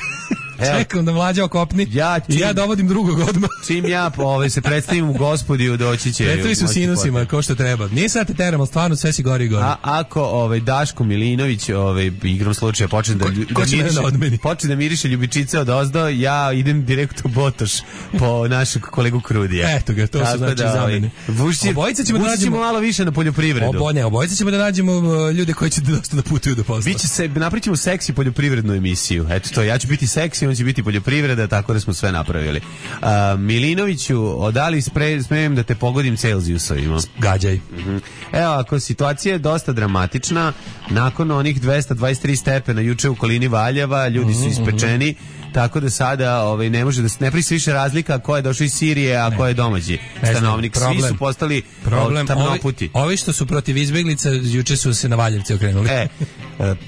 Čekam da Mlađa okopni ja, čim, i ja dovodim drugog odmah. Čim ja ovaj, se predstavim u Gospodiju, doći će... Predstavi su sinusima, kao što treba. Nije sad te teram, ali stvarno sve si gori i gori. A ako ovaj, Daško Milinović, ovaj, igrom slučaja, počne da, ko, da, ko miriše, počne da miriše ljubičice od ozdo, ja idem direkt u Botoš po našeg kolegu Krudija. Eto ga, to su znači da, zamene. Vušći, obojica ćemo da nađemo malo više na poljoprivredu. Obo, ne, obojica ćemo da nađemo ljude koji će dosta da putuju do posla. Biće se, napravićemo seksi poljoprivrednu emisiju. Eto to, ja ću biti seksi, on će biti poljoprivredna, tako da smo sve napravili. Uh, Milinoviću, odali spre, smijem da te pogodim Celzijusovima. Gađaj. Uh-huh. Evo, ako situacija je dosta dramatična, nakon onih dvesta dvadeset tri stepena juče u okolini Valjeva, ljudi su ispečeni, tako da sada ovaj, ne može da se ne pravi više razlika ko je došao iz Sirije, a ko je domaći stanovnik. Svi su postali problem. Tamnoputi. Ovi, ovi što su protiv izbeglica, juče su se na Valjevci okrenuli. E,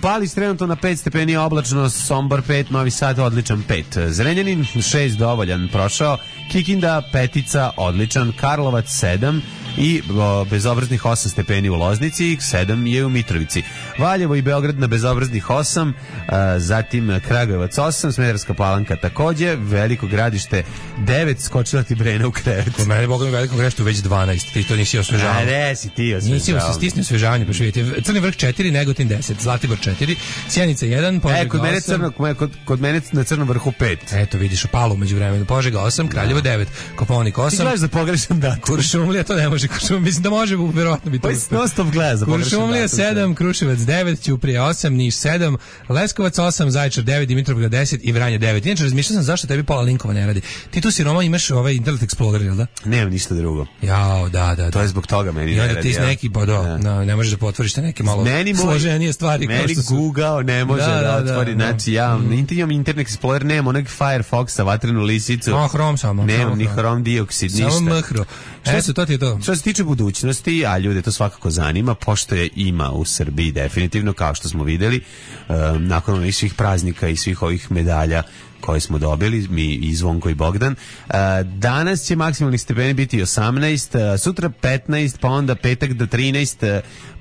Palić trenutno na pet stepeni, oblačno, Sombor pet, Novi Sad odličan pet. Zrenjanin šest dovoljan prošao, Kikinda petica odličan, Karlovac sedam i o, bezobraznih osam stepeni u Loznici, sedam je u Mitrovici. Valjevo i Beograd na bezobraznih osam, a, zatim Kragujevac osam, Smederevska Palanka takođe, Veliko Gradište devet, skočila ti Brena u krevet. Kod mene Bogom Veliko Gradište već dvanaest, ti to nisi osvežavao. A ne, si ti osvežavao. Nisi se stisni osvežavanje, pa vidite. Crni vrh četiri, Negotin deset, Zlatibor četiri, Sjenica jedan, Požega e, kod mene osam. Crno, kod, kod mene na Crnom vrhu pet. Eto, vidiš, Palu među vremenu. Požega osam, Kraljevo devet, Kopaonik osam. Ti gledaš za pogrešan datum. Kuršumlija, to ne može. Kuršumlija, mislim da može, verovatno bi to. Pa non stop gleda za pogrešan datum. Kuršumlija sedam, Kruševac devet, Ćuprija osam, Niš sedam, Leskovac osam, Zaječar devet, Dimitrovgrad deset i Vranje devet. Inače, razmišljao sam zašto tebi pola linkova ne radi. Ti tu si Roma imaš ovaj Internet Explorer, jel da? Nemam ništa drugo. Jao, da, da, da. To je zbog toga meni ne radi. I onda ti s neki, pa do, ja. no, ne možeš da potvoriš te neke malo meni složenije stvari. Meni kao što Google ne može da, da, da otvori. Da, znači, ja mm. imam Internet Explorer, nemam onog Firefoxa, vatrenu lisicu. No, Chrome samo. Nemam ni Chrome dioksid, ništa. Samo mhro. Eto, to ti je to. Što se tiče budućnosti, a ljude to svakako zanima, pošto je ima u Srbiji definitivno, kao što smo videli, um, nakon ovih svih praznika i svih ovih medalja koje smo dobili, mi i Zvonko i Bogdan. Uh, danas će maksimalni stepeni biti osamnaest, uh, sutra petnaest, pa onda petak do trinaest, uh,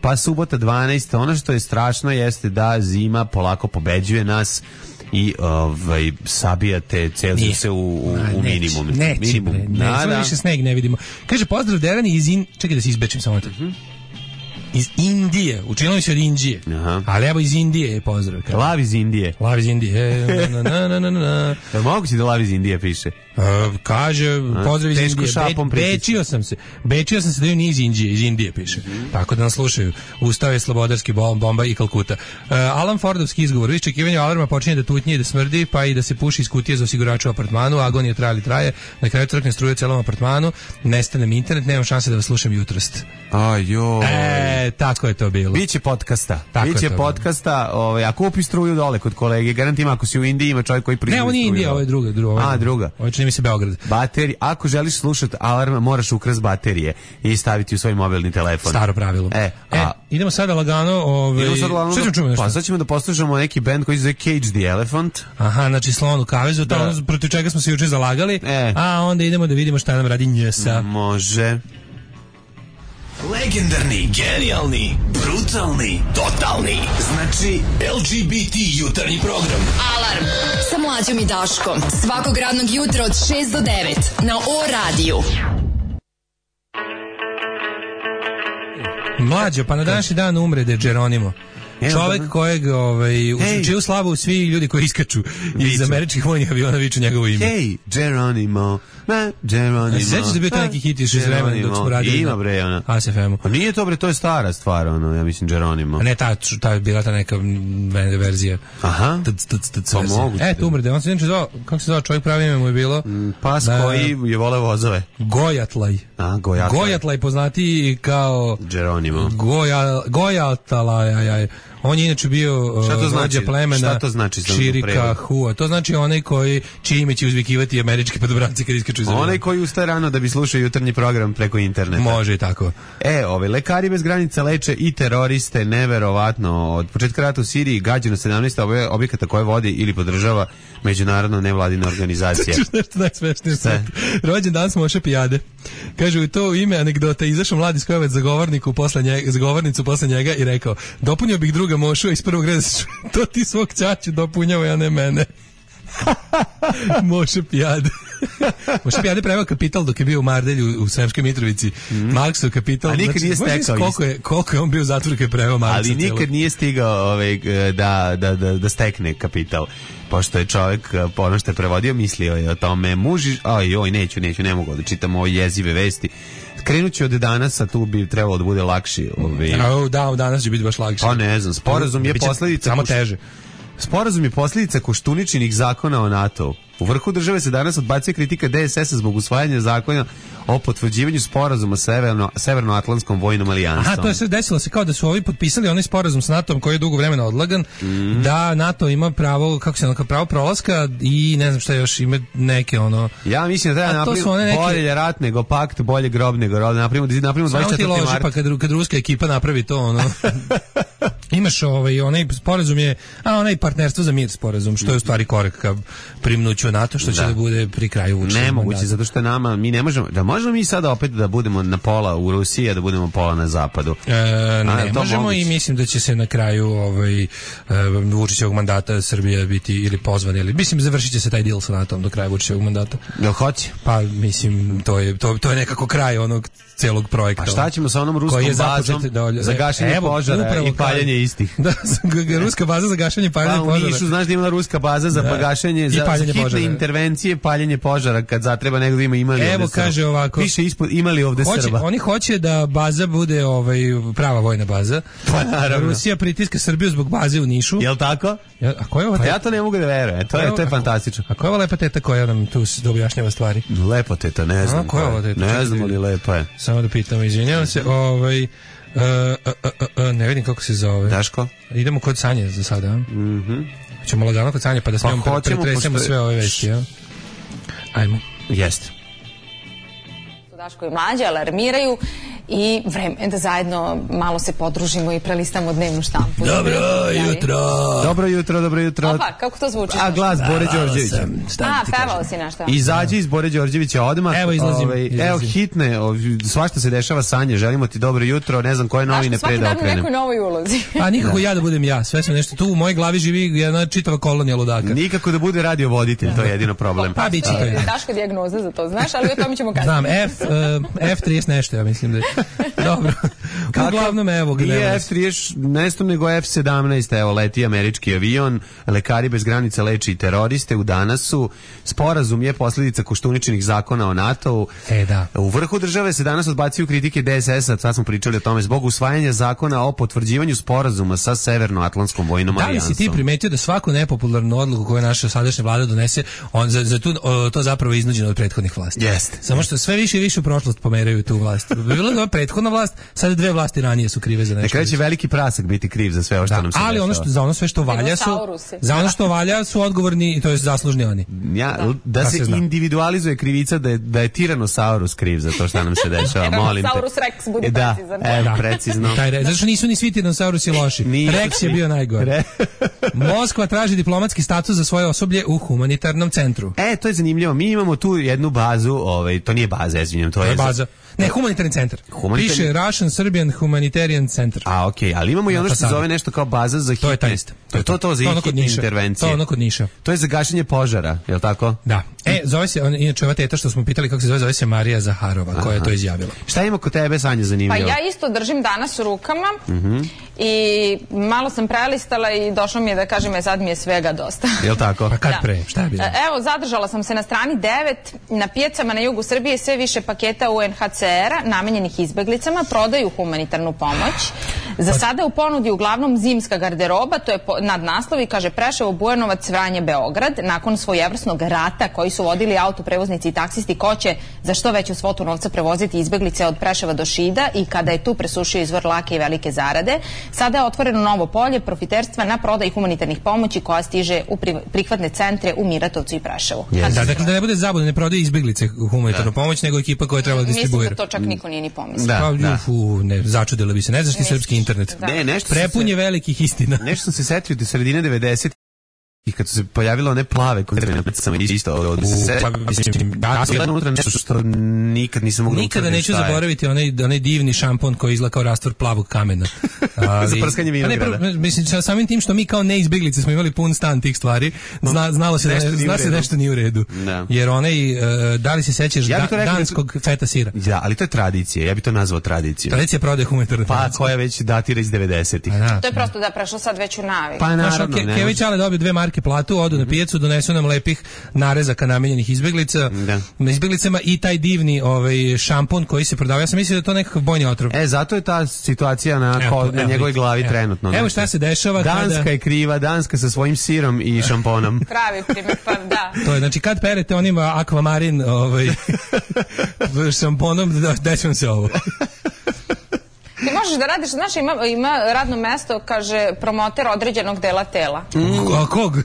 pa subota dvanaest. Ono što je strašno jeste da zima polako pobeđuje nas i ovaj sabijate Celzijuse u, u, u minimum. Neće, minimum. Ne, ne, da, da. više sneg ne vidimo. Kaže, pozdrav Derani iz in... Čekaj da se izbečim samo to. Uh-huh. Iz Indije, učinilo mi se od Indije. Aha. Ali evo iz Indije je pozdrav. Lav iz Indije. Lav iz Indije. Na, na, na, na, na. Da moguće da Lav iz Indije piše? Uh, kaže, pozdrav iz Teško Indije. šapom Be, pritiče. bečio sam se. Bečio sam se da ju nije iz Indije, iz Indije piše. Mm-hmm. Tako da nas slušaju. Ustao je slobodarski bom, bomba i Kalkuta. Uh, Alan Fordovski izgovor. U iščekivanju alarma počinje da tutnje i da smrdi, pa i da se puši iz kutije za osigurača u apartmanu. Agonija traje li traje. Na kraju crkne struje u celom apartmanu. Nestane mi internet, nemam šanse da vas slušam jutrost. Ajoj. E, tako je to bilo. Biće podcasta. Tako Biće je to podcasta, ovaj, a kupi struju dole kod kolege. Garantim ako si u Indiji ima čovjek koji proizvodi Ne, ovo nije struju Indija, dole. ovo je druga. druga A, druga. Ovo čini mi se Beograd. Baterije. Ako želiš slušati alarm, moraš ukras baterije i staviti u svoj mobilni telefon. Staro pravilo. E, e a, idemo sada lagano, ovaj. idemo sad lagano Šta ćemo čuti nešto? Pa sad ćemo da poslušamo neki band koji se zove Cage the Elephant. Aha, znači slon u kavezu, to Da. ono protiv čega smo se juče zalagali. E. A onda idemo da vidimo šta nam radi Njesa. Može. Legendarni, genijalni, brutalni, totalni. Znači L G B T jutarnji program. Alarm sa Mlađom i Daškom. Svakog radnog jutra od šest do devet na O radiju. Mlađo, pa na današnji dan umre de Geronimo. Čovek kojeg, ovaj, Hey. čiju slavu svi ljudi koji iskaču iz Viču. američkih vojnih aviona viču njegovo ime. Hey, Geronimo, ma, Geronimo. Sećaš da bio to neki hit još iz vremena dok smo radili Ima na bre, ona. A S F M-u. Pa nije to bre, to je stara stvar, ono, ja mislim Geronimo. A ne, ta, ta je bila ta neka mm, verzija. Aha. Tc, tc, tc, Pa verzija. moguće. E, tu umrde. On se inače zvao, kako se zvao čovjek, pravi ime mu je bilo? Pas Da. koji je vole vozove. Gojatlaj. A, Gojatlaj. Gojatlaj poznati kao Geronimo. Goja, Gojatlaj, aj, aj. On je inače bio Šta to uh, znači? vođa plemena Šta to znači za Čirika prevod? Hua. To znači onaj koji čije ime će uzvikivati američki padobranci kad iskaču iz aviona. Onaj koji ustaje rano da bi slušao jutarnji program preko interneta. Može i tako. E, ove, lekari bez granica leče i teroriste, neverovatno. Od početka rata u Siriji gađeno sedamnaest obje- objekata koje vodi ili podržava međunarodna nevladina organizacija. Čuš nešto najsmešnije. Sve. Rođen dan smo Moše Pijade. Kaže, u to ime anegdota izašao mladi skojevac za govorniku posle njega, za govornicu posle njega i rekao, dopunio bih druga Mošu iz prvog reda, to ti svog ćaću dopunjava, a ne mene. Moše Pijade. Moše Pijade preveo Kapital dok je bio u Mardelju u Sremskoj Mitrovici. Mm. Marksov Kapital. A nikad nije možeš stekao koliko je, koliko je on bio u zatvoru kad je preveo Marksa. Ali nikad celog. nije stigao ovaj, da, da, da, da stekne kapital. Pošto je čovjek, po ono što je prevodio, mislio je o tome. Muži, aj, oj, neću, neću, ne mogu da čitam ove jezive vesti. Krenut ću od danas, a tu bi trebalo da bude lakši. Ovaj. A, da, danas će biti baš lakše. Pa ne znam, sporazum je Biće posljedica... samo koš- teže. Sporazum je posljedica Koštuničinih zakona o NATO-u. U vrhu države se danas odbacuje kritika D S S-a zbog usvajanja zakona o potvrđivanju sporazuma sa Severno, Severnoatlantskom vojnom alijansom. Aha, to je sve desilo se kao da su ovi potpisali onaj sporazum s NATO-om koji je dugo vremena odlagan, mm. da NATO ima pravo, kako se ono, pravo prolaska i ne znam šta još, ima neke ono... Ja mislim da treba A to su one napraviti neke- bolje rat nego pakt, bolje grob nego rob. Napravimo, da napravimo Samo ti dvadeset četvrti loži, mart. pa kad, kad ruska ekipa napravi to, ono... Imaš ovaj, onaj sporazum je, a onaj partnerstvo za mir sporazum, što je u stvari korak ka primnuću NATO, što će da, Da. bude pri kraju Vučićevog Nemoguće, mandata. zato što nama, mi ne možemo, da možemo mi sada opet da budemo na pola u Rusiji, a da budemo pola na zapadu. E, ne to možemo moguće? i mislim da će se na kraju ovaj, e, Vučićevog mandata Srbija biti ili pozvana, ili mislim završit će se taj deal sa NATO-om do kraja Vučićevog mandata. Jel hoće? Pa mislim to je to, to je nekako kraj onog celog projekta. Pa šta ćemo sa onom ruskom koji je bazom započet dolje- za gašenje Evo, požara upravo i paljenje kao- istih? Da, ruska baza za gašenje i paljenje Pa u požara. Nišu, znaš da ima ruska baza za Da. gašenje, I za, za paljenje hitne požara. intervencije, paljenje požara kad zatreba nego da ima imali Evo, ovde Srba. kaže ovako. Piše ispod imali ovde Hoće, Srba. oni hoće da baza bude ovaj prava vojna baza. Pa naravno. Rusija pritiska Srbiju zbog baze u Nišu. Jel tako? Ja, a ko je ova Pa teta? ja to ne mogu da verujem. To je, to je fantastično. A ko je ova lepa teta koja nam tu s- da objašnjava stvari? Lepo teta, ne znam. ko je ovo teta? Ne Čekaj znam da ali vidim. lepo je. Samo da pitamo, izvinjavam se. Ovaj uh, uh, uh, uh, ne vidim kako se zove. Daško? Idemo kod Sanje za sada. Mhm. Mm Ćemo lagano kod Sanje pa da s Pa njom hoćemo, pretresemo pošto je- sve ove vesti, ja. Ajmo. Jeste. Daško i Mlađa alarmiraju i vreme da zajedno malo se podružimo i prelistamo dnevnu štampu. Dobro jutro. Dobro jutro, dobro jutro. Opa, kako to zvuči? A glas Bore Đorđevića. A, pevao si nešto. Izađi iz Bore Đorđevića odmah. Evo, izlazim, Ovaj, izlazim. Evo hitne, ov- svašta se dešava, Sanje, želimo ti dobro jutro, ne znam koje novine pre Svaki da dan u okrenem. nekoj novoj ulozi. A nikako ja da budem ja, sve sam nešto tu u mojoj glavi živi jedna čitava kolonija ludaka. Nikako da bude radio voditelj, to je jedino problem. Pa biće to. Je Daško dijagnoza za to, znaš, ali o tome ćemo kasnije. Znam, F, uh, F trideset nešto, ja mislim da je. Dobro. Uglavnom, evo ga. Nije F trideset, nešto nego F sedamnaest, evo, leti američki avion, lekari bez granica leči teroriste u Danasu, sporazum je posljedica koštuničnih zakona o NATO-u. E, da. U vrhu države se danas odbacuju kritike D S S-a, sad smo pričali o tome, zbog usvajanja zakona o potvrđivanju sporazuma sa Severnoatlantskom vojnom alijansom. Da li si ti primetio da svaku nepopularnu odluku koju naša sadašnja vlada donese, on za, za tu, o, to zapravo je iznuđeno od prethodnih vlasti? Jeste. Samo što sve više i više u prošlost pomeraju tu vlast. Bila je prethodna vlast, sada dve vlasti ranije su krive za nešto. Nekada će veliki prasak biti kriv za sve ovo što da, nam se ali dešava. Ono što, za ono sve što valja su, za ono što valja su odgovorni, to je zaslužni oni. Ja, da, da se, se individualizuje krivica da je, da je Tiranosaurus kriv za to što nam se dešava, molim te. Tiranosaurus Rex, budi da, precizan. E, da, precizno. Taj, zato što nisu ni svi Tiranosaurus loši. Rex je bio najgore. Moskva traži diplomatski status za svoje osoblje u humanitarnom centru. E, to je zanimljivo. Mi imamo tu jednu bazu, ovaj, to nije baza, izvinjam, to, to je baza. Ne, humanitarni centar. Humanitarni... Piše Russian Serbian Humanitarian Center. A, okej, okay. Ali imamo i ono što se zove nešto kao baza za hitne. To je taj isto. To je to, to za to hitne intervencije. To je ono kod Niša. To je za gašenje požara, je li tako? Da. E, zove se, on, inače ova teta što smo pitali kako se zove, zove se Marija Zaharova, koja je to izjavila. Šta ima kod tebe, Sanja, zanimljivo? Pa ja isto držim danas u rukama uh-huh. i malo sam prelistala i došlo mi je da kažem, je sad mi je svega dosta. Je li tako? Pa kad da. pre? Šta je bilo? Evo, zadržala sam se na strani devet. Na pijacama na jugu Srbije sve više paketa U N H C R-a namenjenih izbeglicama prodaju humanitarnu pomoć. Za sada u ponudi uglavnom zimska garderoba, to je nad naslovi, kaže Preševo, Bujanovac, Vranje, Beograd. Nakon svojevrsnog rata koji su vodili autoprevoznici i taksisti, ko će za što veću svotu novca prevoziti izbeglice od Preševa do Šida i kada je tu presušio izvor lake i velike zarade, sada je otvoreno novo polje profiterstva na prodaj humanitarnih pomoći koja stiže u prihvatne centre u Miratovcu i Preševu. Yes. Da, dakle da ne bude zabune, ne prodaje izbeglice humanitarnu da. pomoć, nego ekipa koja treba da distribuira. Mislim da to čak niko nije ni pomislio. Da, pa, da. Ufu, ne, začudilo bi se. Ne znaš ti srpski internet. Da. Ne, nešto prepun je se, velikih istina. Nešto sam se setio do sredine devedesetih i kad su se pojavilo one plave konzervne pecama isto od se pa mislim da je unutra nešto što nikad nisam mogao nikada neću zaboraviti onaj onaj divni šampon koji izgleda kao rastvor plavog kamena. Ali, za prskanje vinograda. Ne, mislim samim tim što mi kao neizbeglice smo imali pun stan tih stvari, zna, znalo se da ne, zna se nešto nije u redu. Da. Jer onaj uh, da li se sećaš ja da, danskog da, feta sira? Da, ali to je tradicija. Ja bih to nazvao tradicijom. Tradicija prodaje humanitarne pa koja već datira iz devedesetih. Da. To je prosto da prešlo sad već u naviku. Pa naravno. Ke, Kević ale dobio dve marke platu, odu na pijacu, donesu nam lepih narezaka namenjenih izbeglica, da. izbeglicama i taj divni ovaj šampon koji se prodava. Ja sam mislio da je to nekakav bojni otrov. E, zato je ta situacija na, evo, ko, na evo, njegovoj glavi evo, trenutno. Evo šta se dešava. Danska kada... je kriva, Danska sa svojim sirom i šamponom. Pravi primjer, pa da. To je, znači, kad perete onim Aquamarin ovaj, šamponom, dećem se ovo. Ti možeš da radiš, znaš, ima, ima radno mesto, kaže, promoter određenog dela tela. Mm. A kog?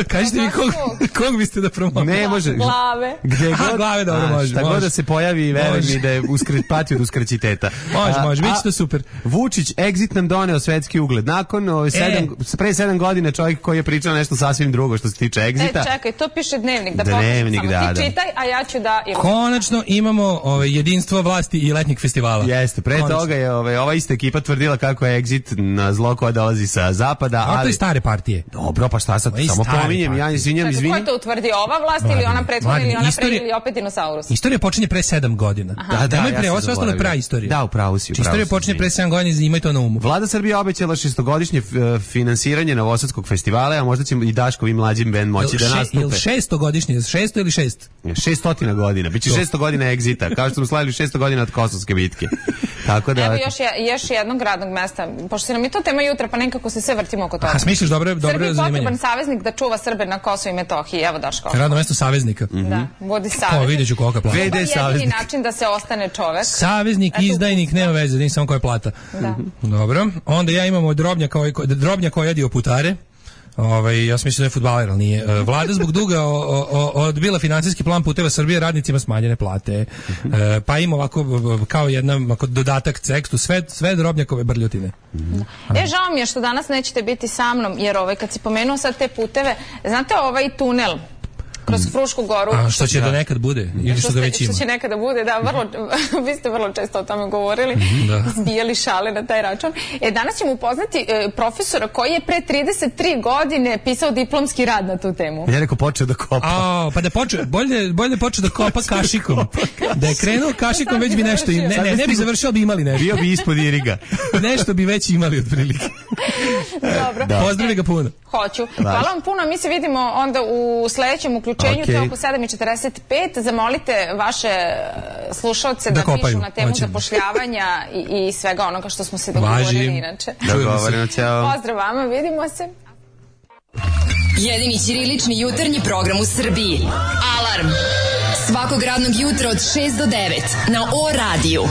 Kažete mi kog, kog biste da promoter? Ne, može. Glave. Gde god, a, glave, dobro, može. Šta god da se pojavi, veruj mi da je uskre, pati od uskraćiteta. Može, može, bit će to super. Vučić, exit nam doneo svetski ugled. Nakon ove, sedam, e. pre sedam godina čovjek koji je pričao nešto sasvim drugo što se tiče exita. E, čekaj, to piše dnevnik, da dnevnik, samo da, ti da. čitaj, a ja ću da... Konačno imamo ove, jedinstvo vlasti i letnjeg festivala. Jeste, pre Konačno. toga je ove, ova ista ekipa tvrdila kako je exit na zlo koja dolazi sa zapada, ali... A to je stare partije. Dobro, pa šta sad, samo pominjem, ja izvinjam, izvinjam. Ko je to utvrdi, ova vlast ili ona prethodna ili ona pre ili opet dinosaurus? Istorija počinje pre sedam godina. Da, da, da, ja pre, ovo sve ostalo je praistorija. Da, upravo si, upravo Istorija počinje pre sedam godina, imaj to na umu. Vlada Srbije obećala šestogodišnje finansiranje Novosadskog festivala, a možda će i Daško i mlađim bend moći da nastupe. Jel šestogodišnje, šesto ili šest? šestotina godina, biće šesto godina egzita, kao što smo slavili šesto godina od Kosovske bitke. Tako da... Evo još, je, još jednog radnog mesta, pošto se nam je to tema jutra, pa nekako se sve vrtimo oko toga. A smisliš dobro, dobro zanimanje? Srbiji potreban saveznik da čuva Srbe na Kosovu i Metohiji, evo Daško. Radno mesto saveznika. Mm-hmm. Da, vodi saveznik. Ko, vidjet ću koga plata. V D saveznik. Jedini način da se ostane čovek. Saveznik, eto, izdajnik, nema veze, nisam samo koja plata. Da. Dobro, onda ja imamo drobnja koji, drobnja koji jedi oputare. Ovaj, ja sam mislio da je fudbaler, ali nije. Vlada zbog duga o, o, odbila finansijski plan Puteva Srbije, radnicima smanjene plate. E, pa ima ovako kao jedna ovako dodatak tekstu, sve, sve drobnjakove brljotine. Da. E, žao mi je što danas nećete biti sa mnom, jer ovaj, kad si pomenuo sad te puteve, znate ovaj tunel kroz Frušku goru. A što će da nekad bude? Ili što, što, da već ima? Što će nekada bude, da, vrlo, vi ste vrlo često o tome govorili, da. Zbijali šale na taj račun. E, danas ćemo upoznati e, profesora koji je pre trideset tri godine pisao diplomski rad na tu temu. Ja rekao počeo da kopa. A, pa da počeo, bolje, bolje počeo da kopa kašikom. Da je krenuo kašikom, već bi nešto, ne, ne, ne bi završio, bi imali nešto. Bio bi ispod iriga. Nešto bi već imali otprilike. Dobro. Da. Pozdravljaj ga puno. Hoću. Hvala vam puno, mi se vidimo onda u sledećem uključenju, okay. To je oko sedam i četrdeset pet. Zamolite vaše slušaoce da, da pišu na temu Hoćemo. zapošljavanja i, i svega onoga što smo se dogovorili inače. Dogovoreno, ćao. Pozdrav vama, vidimo se. Jedini ćirilični jutarnji program u Srbiji. Alarm. Svakog radnog jutra od šest do devet na O radiju.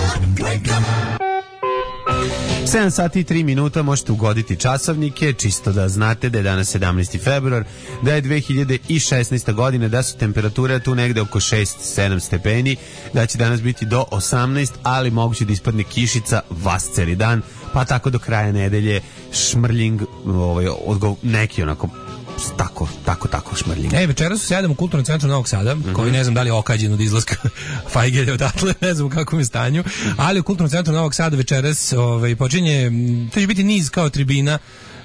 sedam sati i tri minuta možete ugoditi časovnike, čisto da znate da je danas sedamnaesti februar, da je dve hiljade šesnaesta godina, da su temperature tu negde oko šest sedam stepeni, da će danas biti do osamnaest, ali moguće da ispadne kišica vas celi dan, pa tako do kraja nedelje šmrljing, ovaj, odgov, neki onako tako, tako, tako šmrljing. E, večera su sedam u Kulturnom centru Novog Sada, mm-hmm. koji ne znam da li je okađen od izlaska Fajgelja odatle, ne znam u kakvom je stanju, ali u Kulturnom centru Novog Sada večeras ovaj, počinje, to će biti niz kao tribina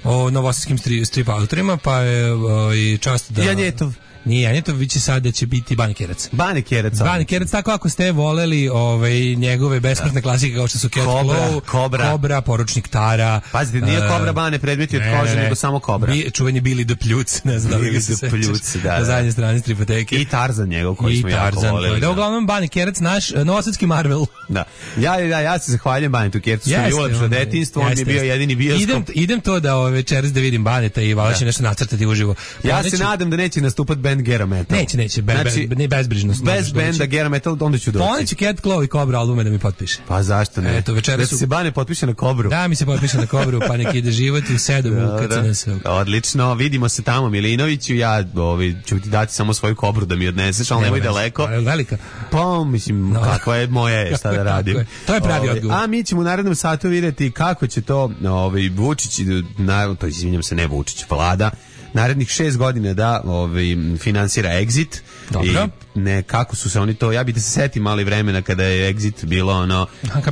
o novosadskim strip, strip autorima, pa je ovaj, čast da... Janjetov. Nije Janjetov, vi će sad da će biti Bane Kerac. Bane Kerac. Bane Kerac, tako ako ste voleli ovaj, njegove besmrtne klasike kao što su Cat Claw, Kobra, Kobra, Poručnik Tara. Pazite, nije uh, Kobra Bane predmeti od kože, nego samo Kobra. Bi, čuveni Billy the Pljuc, ne znam da li se sećaš. Pljuc, da, da. Na zadnje strane stripoteke. I Tarzan njegov koji I smo Tarzan, jako voleli. Da, uglavnom Bane Kerac, naš novosadski Marvel. Da. Ja, ja, ja se zahvaljujem Banetu Keracu, što mi je ulepšao detinjstvo, on mi je bio jedini bioskop. Idem, idem to da ove večeras da vidim Baneta i valjda će nešto nacrtati uživo. Ja se nadam da neće nastupati band Gera Metal. Neće, neće, be, znači, be, ne bezbrižnost. Bez benda Gera Metal, onda ću doći. Pa onda će Cat Claw i Cobra albume da mi potpiše. Pa zašto ne? Eto, večeras da se Bane potpiše na Kobru. Da, mi se potpiše na Kobru, pa neki ide život u sedam u K C N S. Odlično, vidimo se tamo Milinoviću, ja ovi, ću ti dati samo svoju Kobru da mi odneseš, ali nemoj daleko. Je velika? Pa, mislim, no. kakva je moja, šta da radim. To je pravi odgovor. A mi ćemo u narednom satu vidjeti kako će to ovaj, Vučić, na, to izvinjam se, ne Vučić, Vlada, narednih šest godina da ovaj, finansira Exit. Dobro. I ne, kako su se oni to, ja bih da se setim mali vremena kada je Exit bilo ono,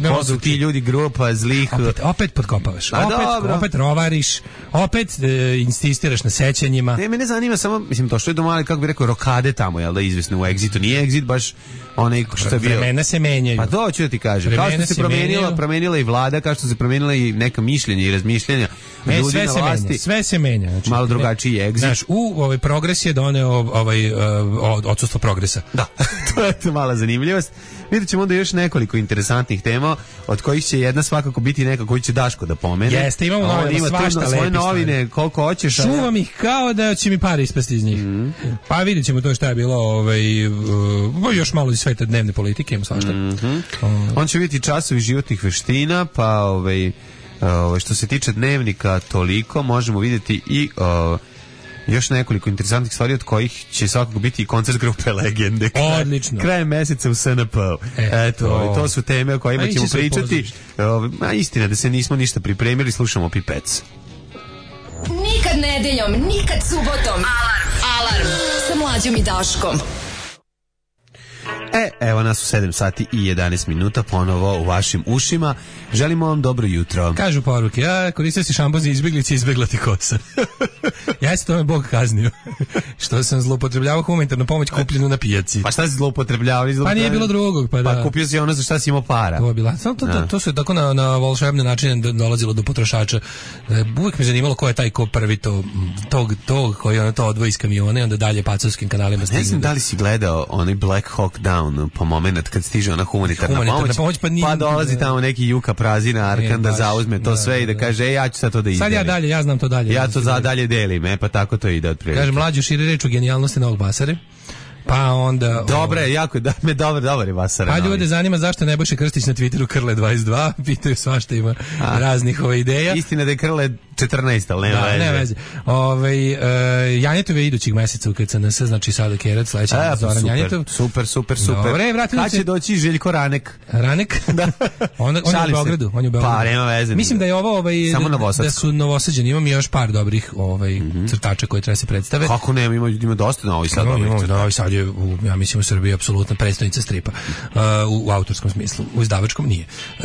ko su ti ljudi, grupa zlih. Opet, opet podkopavaš, opet, opet rovariš, opet e, insistiraš na sećanjima. Ne, mene zanima samo, mislim, to što je domali, kako bi rekao, rokade tamo, jel da, izvesno u Exitu. Nije Exit baš onaj što je bio. Vremena se menjaju. Pa to ću da ti kažem. Kao što se promenila, promenila i vlada, kao što se promenila i neka mišljenja i razmišljanja e, ljudi sve na se vlasti. Menja, sve se menja. Znači, malo drugačiji Exit. Znaš, u ovaj progres je doneo ovaj, uh, odsustvo progresa. Da, to je to mala zanimljivost. Vidjet ćemo onda još nekoliko interesantnih tema, od kojih će jedna svakako biti neka koju će Daško da pomene. Jeste, imamo novine, ima svašta lepi svoje novine, koliko hoćeš. Čuvam ih kao da će mi pare ispasti iz njih. Mm. Pa vidjet ćemo to šta je bilo, ovaj, uh, još malo iz sveta dnevne politike, imamo svašta. Mm-hmm. Uh. On će vidjeti časovi životnih veština, pa ovaj, uh, što se tiče dnevnika toliko, možemo vidjeti i... Uh, još nekoliko interesantnih stvari od kojih će svakako biti i koncert grupe Legende. Kraj, odlično. Krajem meseca u S N P. E, Eto, to. to su teme o kojima ćemo pričati. A istina da se nismo ništa pripremili, slušamo Pipec. Nikad nedeljom, nikad subotom. Alarm. Alarm. Sa Mlađom i Daškom. E, evo nas u sedam sati i jedanaest minuta ponovo u vašim ušima. Želimo vam dobro jutro. Kažu poruke, ja koristio si šampon za izbjeglice i izbjegla ti kosa. Ja se tome Bog kaznio. Što sam zloupotrebljavao humanitarnu pomoć kupljenu na pijaci. Pa šta si zloupotrebljavao? Pa nije bilo drugog. Pa, da. Pa kupio si ono za šta si imao para. To je bila. To, to, to, to su tako na, na volšebne načine dolazilo do potrošača. Uvijek me zanimalo ko je taj ko prvi to, tog, tog koji ono to odvoji iz kamiona i onda dalje pacovskim kanalima stigne. Ne znam da li si gledao onaj Black Hawk Down po moment kad stiže ona humanitarna, humanitarna pomoć, pomoć pa, nije, pa dolazi tamo neki Juka Prazina Arkan da zauzme to da, sve da, i da kaže ej, ja ću sad to da izdelim. Sad ja dalje, ja znam to dalje. Ja to za dalje delim, e, pa tako to ide otprilike. Kaže mlađu širi reč o genijalnosti Novog Basare. Pa onda... Dobre, o... jako, da, me dobar, dobar je Basara. Pa ljude zanima zašto Nebojša Krstić na Twitteru Krle dvadeset dva, pitaju svašta ima A, raznih ove ideja. Istina da je Krle četrnaesta, ali nema da, veze. Ne veze. Ove, uh, Janjetove idućih meseca u K C N S, znači sada Kerac, sledeća A, Zoran super, Janjetov. super, super, super. Dobre, vratimo Kad se. će doći Željko Ranek? Ranek? Da. On, on je u Šalim se. Beogradu. On je u Beogradu. Pa, nema veze. Mislim da je ovo ovaj, Samo da, Novosadsko. da su Novosađani. Imam još par dobrih ovaj, Mm-hmm. crtača koji treba se predstave. Kako nema, ima, ima dosta Novi Sad. Imamo, dobrih imamo, crtača. Novi Sad je, u, ja mislim, u Srbiji apsolutna predstavnica stripa. Uh, u, u autorskom smislu. U izdavačkom nije. Uh,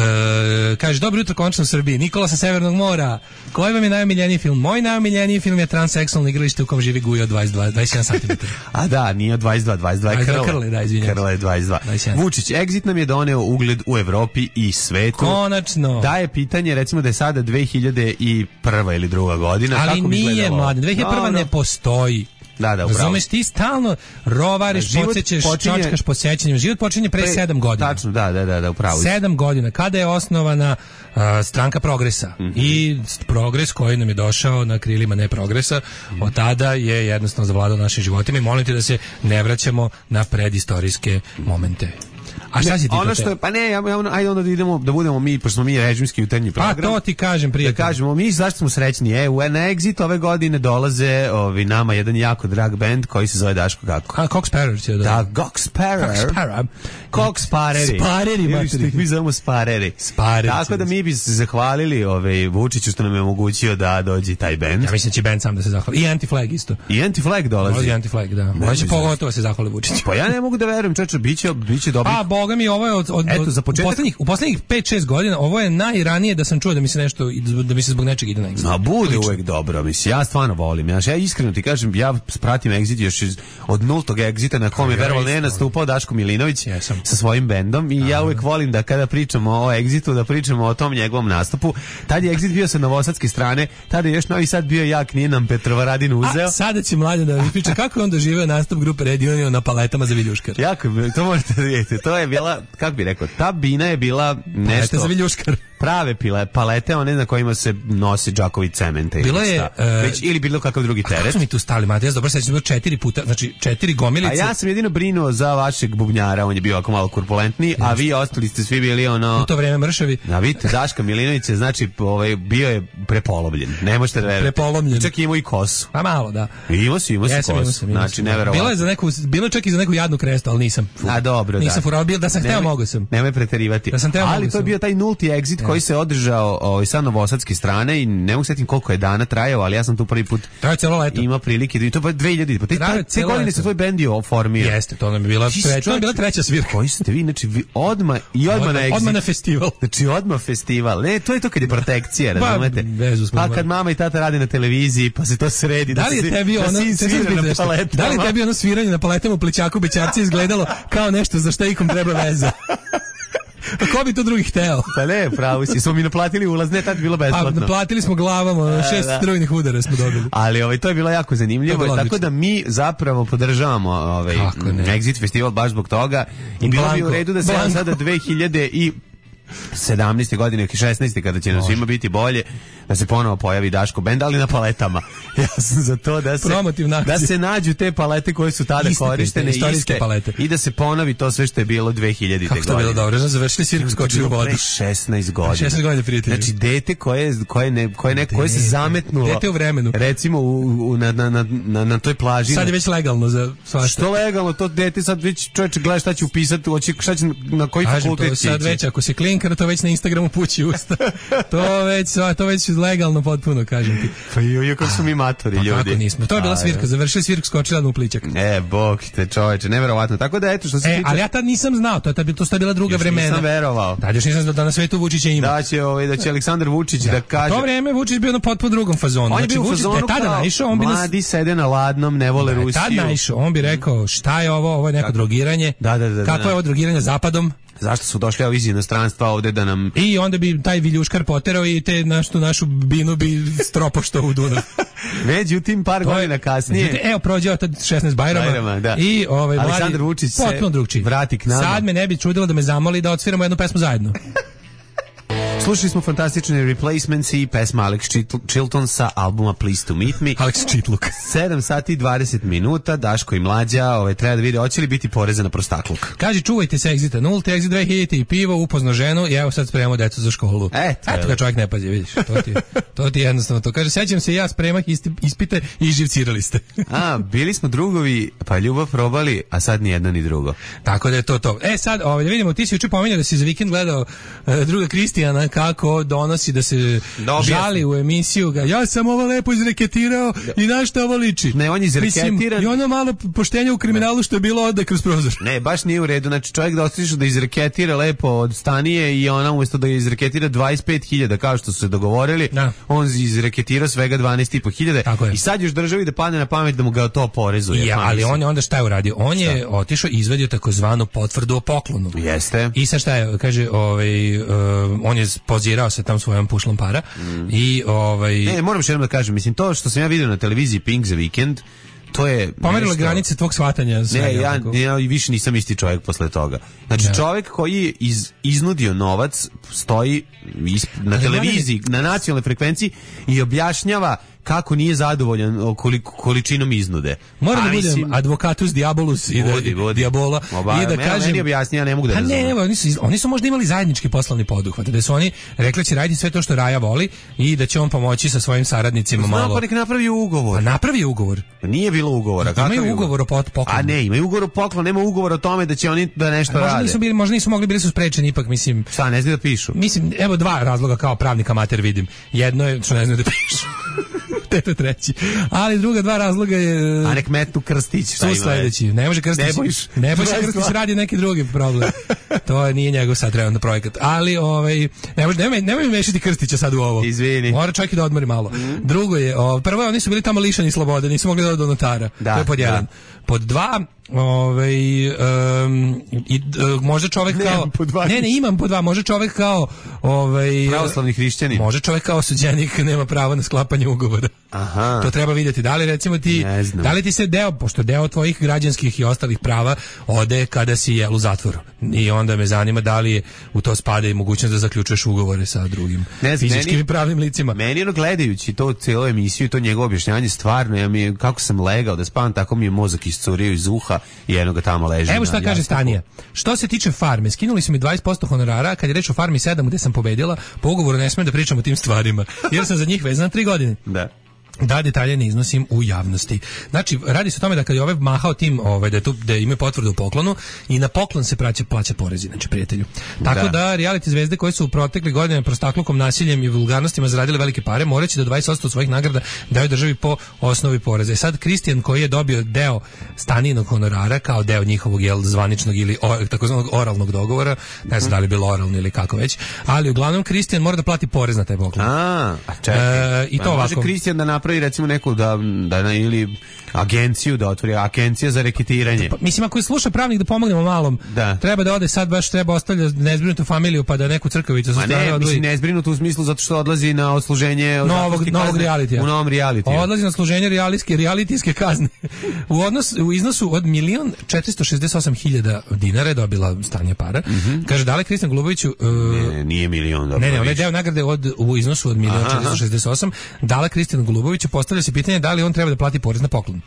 kaže, dobro jutro, končno u Srbiji. Nikola sa Severnog mora. Koji vam je najomiljeniji film? Moj najomiljeniji film je Transseksualno igralište u kom živi Gujo od dvadeset dva, dvadeset jedan santimetara. A da, nije od dvadeset dva, dvadeset dva je dvadeset dva Krle. Krle, da, izvinjam. Krle je dvadeset dva. dvadeset jedan. Vučić, Exit nam je doneo ugled u Evropi i svetu. Konačno. Da je pitanje, recimo da je sada dve hiljade prva ili druga godina. Ali kako bi nije, izgledalo? mlade. dve hiljade prva Dobro. ne postoji. Da, da, upravo. Razumeš, ti stalno rovariš, Život podsjećaš, počinje- čočkaš po sećanjima. Život počinje pre, Pre- sedam godina. Tačno, da, da, da, da, upravo. si. Sedam godina, kada je osnovana uh, stranka Progresa Mm-hmm. i Progres koji nam je došao na krilima ne Progresa, Mm-hmm. od tada je jednostavno zavladao našim životima i molim te da se ne vraćamo na predistorijske momente. A šta si ti Ono to što te- je, pa ne, ja, ja, ono- ajde onda da idemo, da budemo mi, pošto smo mi režimski jutarnji Pa program. to ti kažem, Da prijatelj. kažemo, mi zašto smo srećni? E, u na Exit ove godine dolaze ovi, nama jedan jako drag band koji se zove Daško kako? A, Cox Sparrow će da... Da, Cox Sparrow. Cox Sparrow. Cox Spareri. Spareri, Ili materi. što ih mi zovemo Spareri. Spareri. Tako da mi bi se zahvalili ovaj, Vučiću što nam je omogućio da dođe taj band. Ja mislim da će band sam da se zahvali. I Anti-Flag isto. I Anti-Flag dolazi. Dolazi Anti-Flag, da. Ne On će znam. pogotovo da se zahvali Vučiću. Pa ja ne mogu da verujem, čoče, biće, biće dobro. Pa, boga mi, ovo je od, od, Eto, od- za početak- u poslednjih, u poslednjih pet šest godina, ovo je najranije da sam čuo da mi se nešto, da mi se zbog nečeg ide na Exit. A bude Lično. uvek dobro, mislim, ja stvarno volim. Ja, ja iskreno ti kažem, ja pratim Exit još iz, od nultog Exita na kom je Ja veroval isto. ne nastupao Daško Milinović Jesam. sa svojim bendom i ja uvek volim da kada pričamo o Exitu, da pričamo o tom njegovom nastupu. Tad je Exit bio sa novosadske strane, tada je još Novi Sad bio jak, nije nam Petrovaradin uzeo. A sada će mlađe da mi priča kako je on doživeo nastup grupe Red Union na paletama za Viljuškar. Jako, je- to možete da vidjeti. To je bila, kako bi rekao, ta bina je bila Palete nešto za Viljuškar. prave pile, palete, one na kojima se nosi džakovi cementa ili Bilo je, šta. e, Već, ili bilo kakav drugi Kako teret. smo mi tu stali, Mate? Ja se dobro sećam, bilo četiri puta, znači četiri gomilice. A ja sam jedino brinuo za vašeg bubnjara, on je bio ovako malo korpulentniji, a vi ostali ste svi bili ono... U to vreme mršavi. A vidite, Daška Milinović je, znači, ovaj, bio je prepolovljen. Ne možete da verujete. Prepolomljen. Čak i imao i kosu. Pa malo, da. Imao si, imao si Jesam, imao kosu. sam, imao Znači, sam, da. neverovatno. Bilo je za neku, bilo je čak i za neku jadnu krestu, ali nisam. A dobro, da. Nisam furao, bil da sam hteo, Nemoj- mogo sam. Nemoj preterivati. Da sam teo, Ali mogu to je sam. bio taj nulti exit koji se održao ovaj, sa novosadske strane i ne mogu setim koliko je dana trajao, ali ja sam tu prvi put Traje celo leto. imao prilike da i to pa dve hiljade. Pa te, Traje te, te celo godine leto. se tvoj bend je oformio. Jeste, to nam je bila, Ti si tre, to nam je bila čovječe- treća svirka. Koji ste vi, znači vi odma i odma na exit. Odmah na festival. Znači odmah festival. Ne, to je to kad je protekcija, Ba, razumete? vezu smo Pa imali. kad mama i tata rade na televiziji, pa se to sredi. Da li je se- tebi da ono, sin sad svira sam na nešto, paletama? da li je tebi ono sviranje na paletama u Plićaku Bećarci izgledalo kao nešto za šta ikom treba veza? Pa ko bi to drugi hteo? Pa ne, pravo si. Smo mi naplatili ulaz, ne, tad je bilo A besplatno. naplatili smo glavama, šest da. strujnih udara smo dobili. Ali ovaj to je bilo jako To zanimljivo, je bilo tako odlično. da mi zapravo podržavamo ovaj Kako ne. Exit festival baš zbog toga i bilo bi u Blanko, redu da se Blanko. sada dve hiljade sedamnaeste godine, šesnaeste kada će nam svima biti bolje, da se ponovo pojavi Daško bend, ali na paletama. Ja sam za to da se Promotivna akcija. da se nađu te palete koje su tada Iste te, korištene, te istorijske iste, palete. i da se ponovi to sve što je bilo dve hiljadite Kako to godine. bilo dobro, završili svirku, skočili u vodu. Pre šesnaest godina. šesnaest godina, prijatelju. Znači dete koje koje ne koje ne koje se Dete. zametnulo. Dete u vremenu. Recimo u, u, na, na, na, na, na toj plaži. Sad je već legalno za svašta. Što legalno, to dete sad već čovječe gleda šta će upisati, hoće šta će na koji Kažem, fakultet to će sad ići. već, ako se klinkar, to već na Instagramu pući usta. to već, to već legalno potpuno, kažem ti. Pa joj, kako su mi matori Pa ljudi. kako nismo? To je bila A, svirka, završili svirku, skočila u Plićak. E, bog te čoveče, neverovatno. Tako da eto što se E, tiče. ali ja tad nisam znao, to je tad, to su tad bila druga Još vremena. nisam verovao. Tad još nisam znao da na svetu Vučića ima. Da će ovaj da će Aleksandar Vučić da, kaže. To vreme Vučić bio na potpuno drugom fazonu. On je Znači, bio u Vučić, da fazonu je tada kao naišao, on bi nas... mladi sede na ladnom, ne vole Da je Rusiju. tad naišao, on bi rekao šta je ovo, ovo je neko Kako? drogiranje. Da, da, da, da, Kako da. je ovo drogiranje zapadom? Zašto su došli ovi iz inostranstva ovde da nam I onda bi taj Viljuškar poterao i te našu, našu binu bi stropoštao u Dunav. međutim par To je- godina kasnije. Međutim, evo prođeo tad šesnaest Bajrama, Bajrama, da. i ovaj mladi Aleksandar Vučić se potpuno drugčiji. vrati k nama. Sad me ne bi čudilo da me zamoli da odsviramo jednu pesmu zajedno. Slušali smo fantastične Replacements i pesma Alex Chilton sa albuma Please to Meet Me. Alex Čitluk. sedam sati i dvadeset minuta, Daško i Mlađa, ovaj, treba da vide, hoće li biti poreza na prostakluk. Kaži, čuvajte se Exita nulti, Exit dve hiljade i pivo, upozno ženu i evo sad spremamo decu za školu. E, Eto kad čovjek ne pazi, vidiš, to ti, to ti jednostavno to. Kaže, sećam se ja spremah ispite i živcirali ste. A, bili smo drugovi, pa ljubav probali, a sad ni jedno ni drugo. Tako da je to to. E sad, ovaj, da vidimo, ti si juče pominjao da si za vikend gledao uh, druga Kristijana kako donosi da se Dobija žali u emisiju. Ga, ja sam ovo lepo izreketirao i na što ovo liči? Ne, on je izreketiran. I ono malo poštenja u kriminalu što je bilo ode kroz prozor. Ne, baš nije u redu. Znači čovjek da ostišu da izreketira lepo od stanije i ona umjesto da izreketira dvadeset pet hiljada kao što su se dogovorili, da. On izreketira svega dvanaest i po hiljade i sad još državi da padne na pamet da mu ga to porezuje. Ja, ali on je onda šta je uradio? On šta? je otišao i izvadio takozvanu potvrdu o poklonu. Jeste. I sad šta je, kaže, ovaj, uh, on je pozirao se tam svojom pušlom para mm. i ovaj... Ne, moram što jednom da kažem, mislim, to što sam ja vidio na televiziji Pink za vikend, to je pomerilo granice tvog shvatanja. Ne, ja, ja više nisam isti čovjek posle toga. Znači ja. čovjek koji je iz, iznudio novac stoji isp, na ali televiziji, ne, ne. na nacionalnoj frekvenciji i objašnjava kako nije zadovoljan koliko, količinom iznude. Moram da budem advocatus diabolus i da, vodi, vodi. diabola Oba, i da kažem... Meni objasni, ja ne mogu da razumem. Ne, ne, oni su, oni su možda imali zajednički poslovni poduhvat, da su oni rekli će raditi sve to što Raja voli i da će on pomoći sa svojim saradnicima Znam, malo. Pa nek napravi ugovor. A napravi ugovor. Nije bilo ugovora. Imaju ugovor o poklonu. A ne, imaju ugovor o poklonu, nema ugovor o tome da će oni da nešto možda rade. Nisu bili, možda nisu mogli, bili su sprečeni ipak, mislim. Šta, ne znaju da pišu? Mislim, evo dva razloga kao pravnik amater vidim. Jedno je što ne znaju da pišu. Teto treći. Ali druga dva razloga je... A nek metnu Krstić. Su sledeći. Ne može Krstić. Ne bojiš. Ne bojiš Krstić radi neki drugi problem. To nije njegov sad trenutno projekat. Ali, ovaj, ne može, nemoj, nemoj mešati Krstića sad u ovo. Izvini. Mora čovjek i da odmori malo. Mm. Drugo je, o, prvo, oni su bili tamo lišani slobode, nisu mogli da do notara. Da, to je pod jedan. Pod dva, ovaj um, i uh, može čovjek ne, kao ne ne imam po dva, može čovjek kao ovaj pravoslavni hrišćanin, može čovjek kao osuđenik nema pravo na sklapanje ugovora. Aha. To treba vidjeti. Da li recimo ti da li ti se deo, pošto deo tvojih građanskih i ostalih prava ode kada si jel u zatvoru. I onda me zanima da li je u to spada i mogućnost da zaključuješ ugovore sa drugim ne, fizičkim i pravnim licima. Meni ono gledajući to cijelu emisiju i to njegovo objašnjavanje stvarno ja mi kako sam legao da spavam tako mi je mozak iscurio iz uha i jedno ga tamo leži. Evo šta kaže Stanija. Što se tiče farme, skinuli su mi dvadeset posto honorara, kad je reč o farmi sedam gde sam pobedila, po ugovoru ne smijem da pričam o tim stvarima, jer sam za njih vezana tri godine. Da. Da detalje ne iznosim u javnosti. Znači, radi se o tome da kad je ovaj mahao tim, ovaj, da, je tu, da ima potvrdu u poklonu i na poklon se plaća, plaća porezi, znači prijatelju. Tako da, da reality zvezde koje su u protekli godine prostaklukom, nasiljem i vulgarnostima zaradile velike pare, moraće da dvadeset posto svojih nagrada daju državi po osnovi poreza. I sad Kristijan koji je dobio deo Stanijinog honorara kao deo njihovog jel, zvaničnog ili o, takozvanog oralnog dogovora, ne znam da li je bilo oralno ili kako već, ali uglavnom Kristijan mora da plati porez na taj poklon. A, a čekaj. E, i to pa ovako. Može Kristijan da napravi recimo neku da, da ili agenciju da otvori, agencija za reketiranje. Pa, mislim, ako je sluša pravnik da pomognemo malom, da. Treba da ode sad baš treba ostavlja nezbrinutu familiju pa da neku crkavicu sa strane odvoji. Mislim, nezbrinutu u smislu zato što odlazi na odsluženje novog, novog realitija. U novom realitiju. Odlazi na služenje realitijske, realitijske kazne. u, odnos, u iznosu od milion četiristo šezdeset osam hiljada dinara je dobila Stanja para. Mm -hmm. Kaže, dale Kristijan Goluboviću... Uh, ne, nije milion. Dobro, ne, ne, onaj deo nagrade od, u iznosu od milion četiristo šezdeset osam dala Kristijan Goluboviću, postavlja se pitanje da li on treba da plati porez na poklon.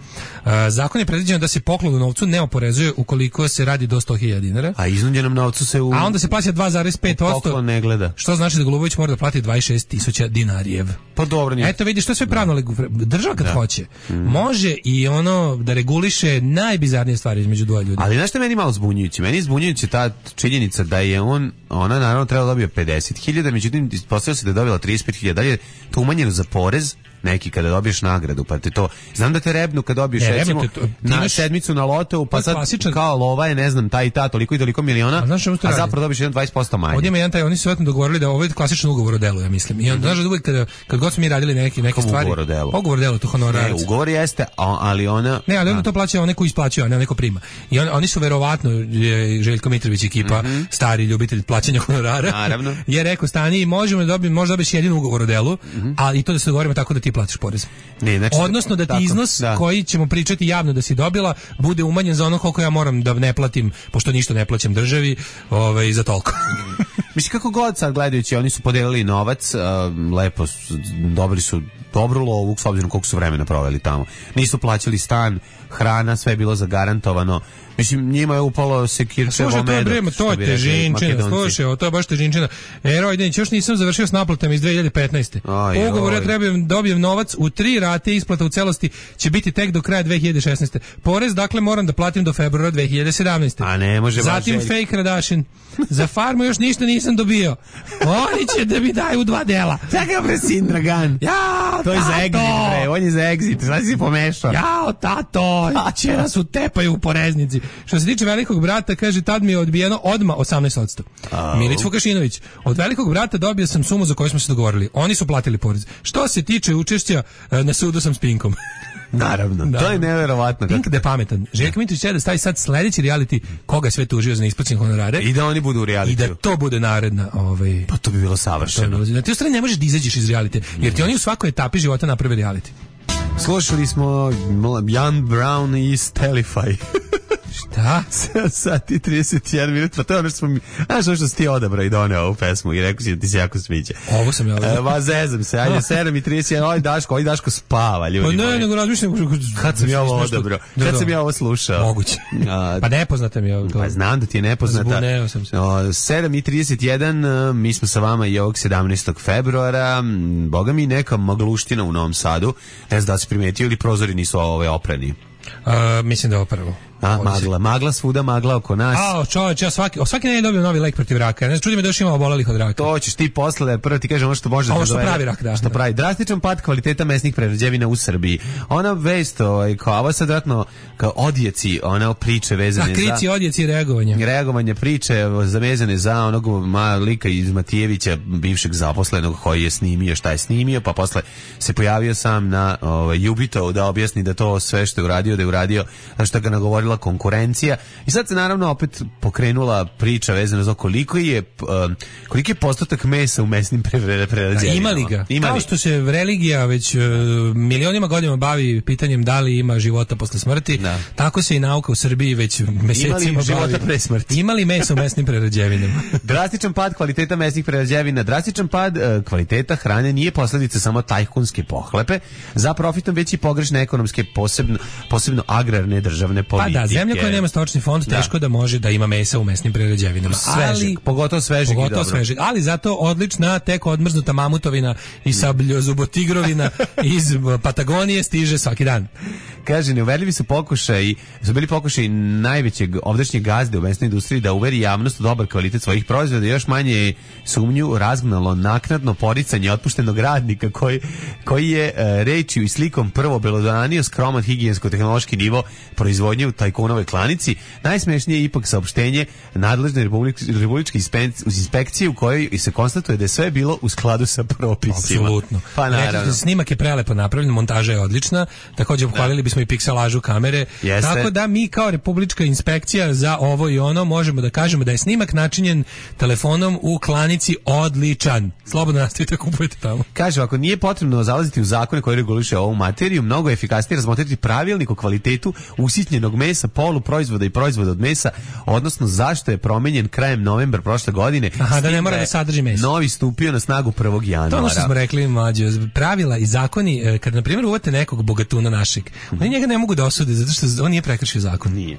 Uh, zakon je predviđeno da se poklon u novcu ne oporezuje ukoliko se radi do sto hiljada dinara. A iznuđenom novcu se u... A onda se plaća dva zarez pet posto. Poklon ne gleda. Što znači da Golubović mora da plati dvadeset šest tisuća dinarijev. Pa dobro nije. Eto vidiš, što je sve pravno. Država kad da. hoće, mm. može i ono da reguliše najbizarnije stvari između dvoje ljudi. Ali znaš što meni malo zbunjujući? Meni je zbunjujući ta činjenica da je on, ona naravno trebala dobio pedeset hiljada, međutim ispostavilo se da je dobila trideset pet hiljada. Da je to umanjeno za porez? Neki kada dobiješ nagradu, pa te to... Znam da te rebnu kad dobiješ, ne, recimo, te, to, na imaš, sedmicu na lotovu, pa sad klasičan, kao lova je, ne znam, taj i ta, toliko i toliko miliona, a, znaš, a zapravo dobiješ jedan dvadeset posto manje. Ovdje ima jedan taj, oni su vetno dogovorili da ovo je klasičan ugovor o delu, ja mislim. I on, mm-hmm. znaš da uvijek kada, kad god smo mi radili neki, neke Kom stvari... Ugovor o delu? Ugovor o delu, to honorarac. Ne, ugovor jeste, ali ona... Ne, ali ona to plaća onaj ko isplaćuje, a ne onaj ko prima. I on, oni su verovatno, je Željko Mitrović ekipa, mm-hmm. stari ljubitelj plaćanja honorara, naravno. Je rekao, Stani, možemo da dobijemo, možda dobiješ jedin ugovor o delu, mm-hmm. ali i to da se dogovorimo tako da ti platiš porez. Ne, znači, odnosno da ti tako, iznos da. koji ćemo pričati javno da si dobila bude umanjen za ono koliko ja moram da ne platim, pošto ništa ne plaćam državi, ovaj, za toliko. Mislim, kako god sad gledajući, oni su podelili novac, uh, lepo, su, dobili su dobru lovu, s obzirom koliko su vremena proveli tamo. Nisu plaćali stan, hrana, sve je bilo zagarantovano. Mislim, njima je upalo sekirčevo medo. Slušaj, to je, to je težinčina, slušaj, to je baš težinčina. E, Rojdenić, još nisam završio s naplatama iz dve hiljade petnaeste. Aj, ugovor ja trebam dobijem novac u tri rate, isplata u celosti će biti tek do kraja dve hiljade šesnaeste. Porez, dakle, moram da platim do februara dve hiljade sedamnaeste. A ne, može. Zatim fake Kardashian. Za farmu još ništa nisam dobio. Oni će da mi daju dva dela. Čekaj, bre, sin Dragan. Ja, to je za exit, bre, on je za exit. Šta si pomešao? Jao, tato, će nas utepaju u poreznici. Što se tiče velikog brata, kaže, tad mi je odbijeno odmah osamnaest posto. Oh. Milić Vukašinović, od velikog brata dobio sam sumu za koju smo se dogovorili. Oni su platili porez. Što se tiče učešća, na sudu sam s Pinkom. Naravno, da. To je neverovatno. Pink da je pametan. Željko Mitrović će da stavi sad sledeći reality koga sve tužio za neisplaćene honorare. I da oni budu u realitiju. I da to bude naredna. Ovaj, pa to bi bilo savršeno. Na ti strani ne možeš da izađeš iz reality, jer ti oni u svakoj etapi života naprave reality. Slušali smo Jan Brown i Stelify. Šta? sedam sati i trideset jedan minut, pa to je ono što smo mi... Znaš ono što si ti odabrao i doneo ovu pesmu i rekao si da ti se jako sviđa. Ovo sam ja odabrao. E, ma zezam se, ajde, sedam i trideset jedan, oj Daško, oj Daško spava, ljudi. Pa ne, nego razmišljam... Kad sam ja ovo odabrao? Kad sam ja ovo slušao? Moguće. Pa nepoznata mi je ovo. Pa znam da ti je nepoznata. Zbuneo sam se. sedam i trideset jedan, mi smo sa vama i ovog sedamnaestog februara, boga mi neka magluština u Novom Sadu, ne znam da si primetio ili prozori nisu ove oprani. Uh, mislim da je ovo prvo. A, magla, magla svuda, magla oko nas. A, čovječ, ja svaki, svaki ne dobijem novi lek protiv raka. Ne čudi me da još ima obolelih od raka. To ćeš ti posle, prvo ti kažem ono što može da ovo što dovede, pravi rak, da. Što pravi. Drastičan pad kvaliteta mesnih prerađevina u Srbiji. Ona vest, ovaj, kao ovo sad vratno, kao odjeci, ona priče vezane da, krici, za... krici, odjeci, reagovanje. Reagovanje priče vezane za onog malika iz Matijevića, bivšeg zaposlenog koji je snimio šta je snimio, pa posle se pojavio sam na ovaj, Jubito da objasni da to sve što je uradio, da je uradio, što ga nagovorila konkurencija. I sad se naravno opet pokrenula priča vezana za koliko je um, koliki je postotak mesa u mesnim prerađevinama. Ima li ga? Ima Kao li? Što se religija već uh, milionima godina bavi pitanjem da li ima života posle smrti, da. Tako se i nauka u Srbiji već mesecima bavi. Ima li života pre smrti? Ima li mesa u mesnim prerađevinama? Drastičan pad kvaliteta mesnih prerađevina, drastičan pad uh, kvaliteta hrane nije posledica samo tajkunske pohlepe, za profitom već i pogrešne ekonomske, posebno, posebno agrarne državne politike. Pa da, zemlja koja nema stočni fond teško da. da može da ima mesa u mesnim prerađevinama. Svežeg, pogotovo svežeg pogotovo i dobro. Svežeg, ali zato odlična tek odmrznuta mamutovina i sabljozubotigrovina iz Patagonije stiže svaki dan. Kaže, neuverljivi su pokušaj, su bili pokušaj najvećeg ovdašnjeg gazde u mesnoj industriji da uveri javnost u dobar kvalitet svojih proizvoda, još manje sumnju razgnalo naknadno poricanje otpuštenog radnika koji, koji je e, rečju i slikom prvo belodanio skroman higijensko-tehnološki nivo proizvodnje u tajkunove klanici. Najsmešnije je ipak saopštenje nadležne republik, republičke inspekcije u kojoj se konstatuje da je sve bilo u skladu sa propisima. Apsolutno. Pa naravno. Snimak je prelepo napravljen, montaža je odlična, također pohvalili bismo i pikselažu kamere. Jeste. Tako da mi kao republička inspekcija za ovo i ono možemo da kažemo da je snimak načinjen telefonom u klanici odličan. Slobodno nastavite, kupujete tamo. Kaže, ako nije potrebno zalaziti u zakone koji reguliše ovu materiju, mnogo je efikasnije razmotriti pravilnik o kvalitetu usitnjenog mesa, poluproizvoda i proizvoda od mesa, odnosno zašto je promenjen krajem novembra prošle godine. Aha, da ne mora da sadrži meso. Novi stupio na snagu prvog januara. To ono što smo rekli, mlađe, pravila i zakoni, kad na primjer uvate nekog bogatuna našeg, oni njega ne mogu da osude zato što on nije prekršio zakon. Nije.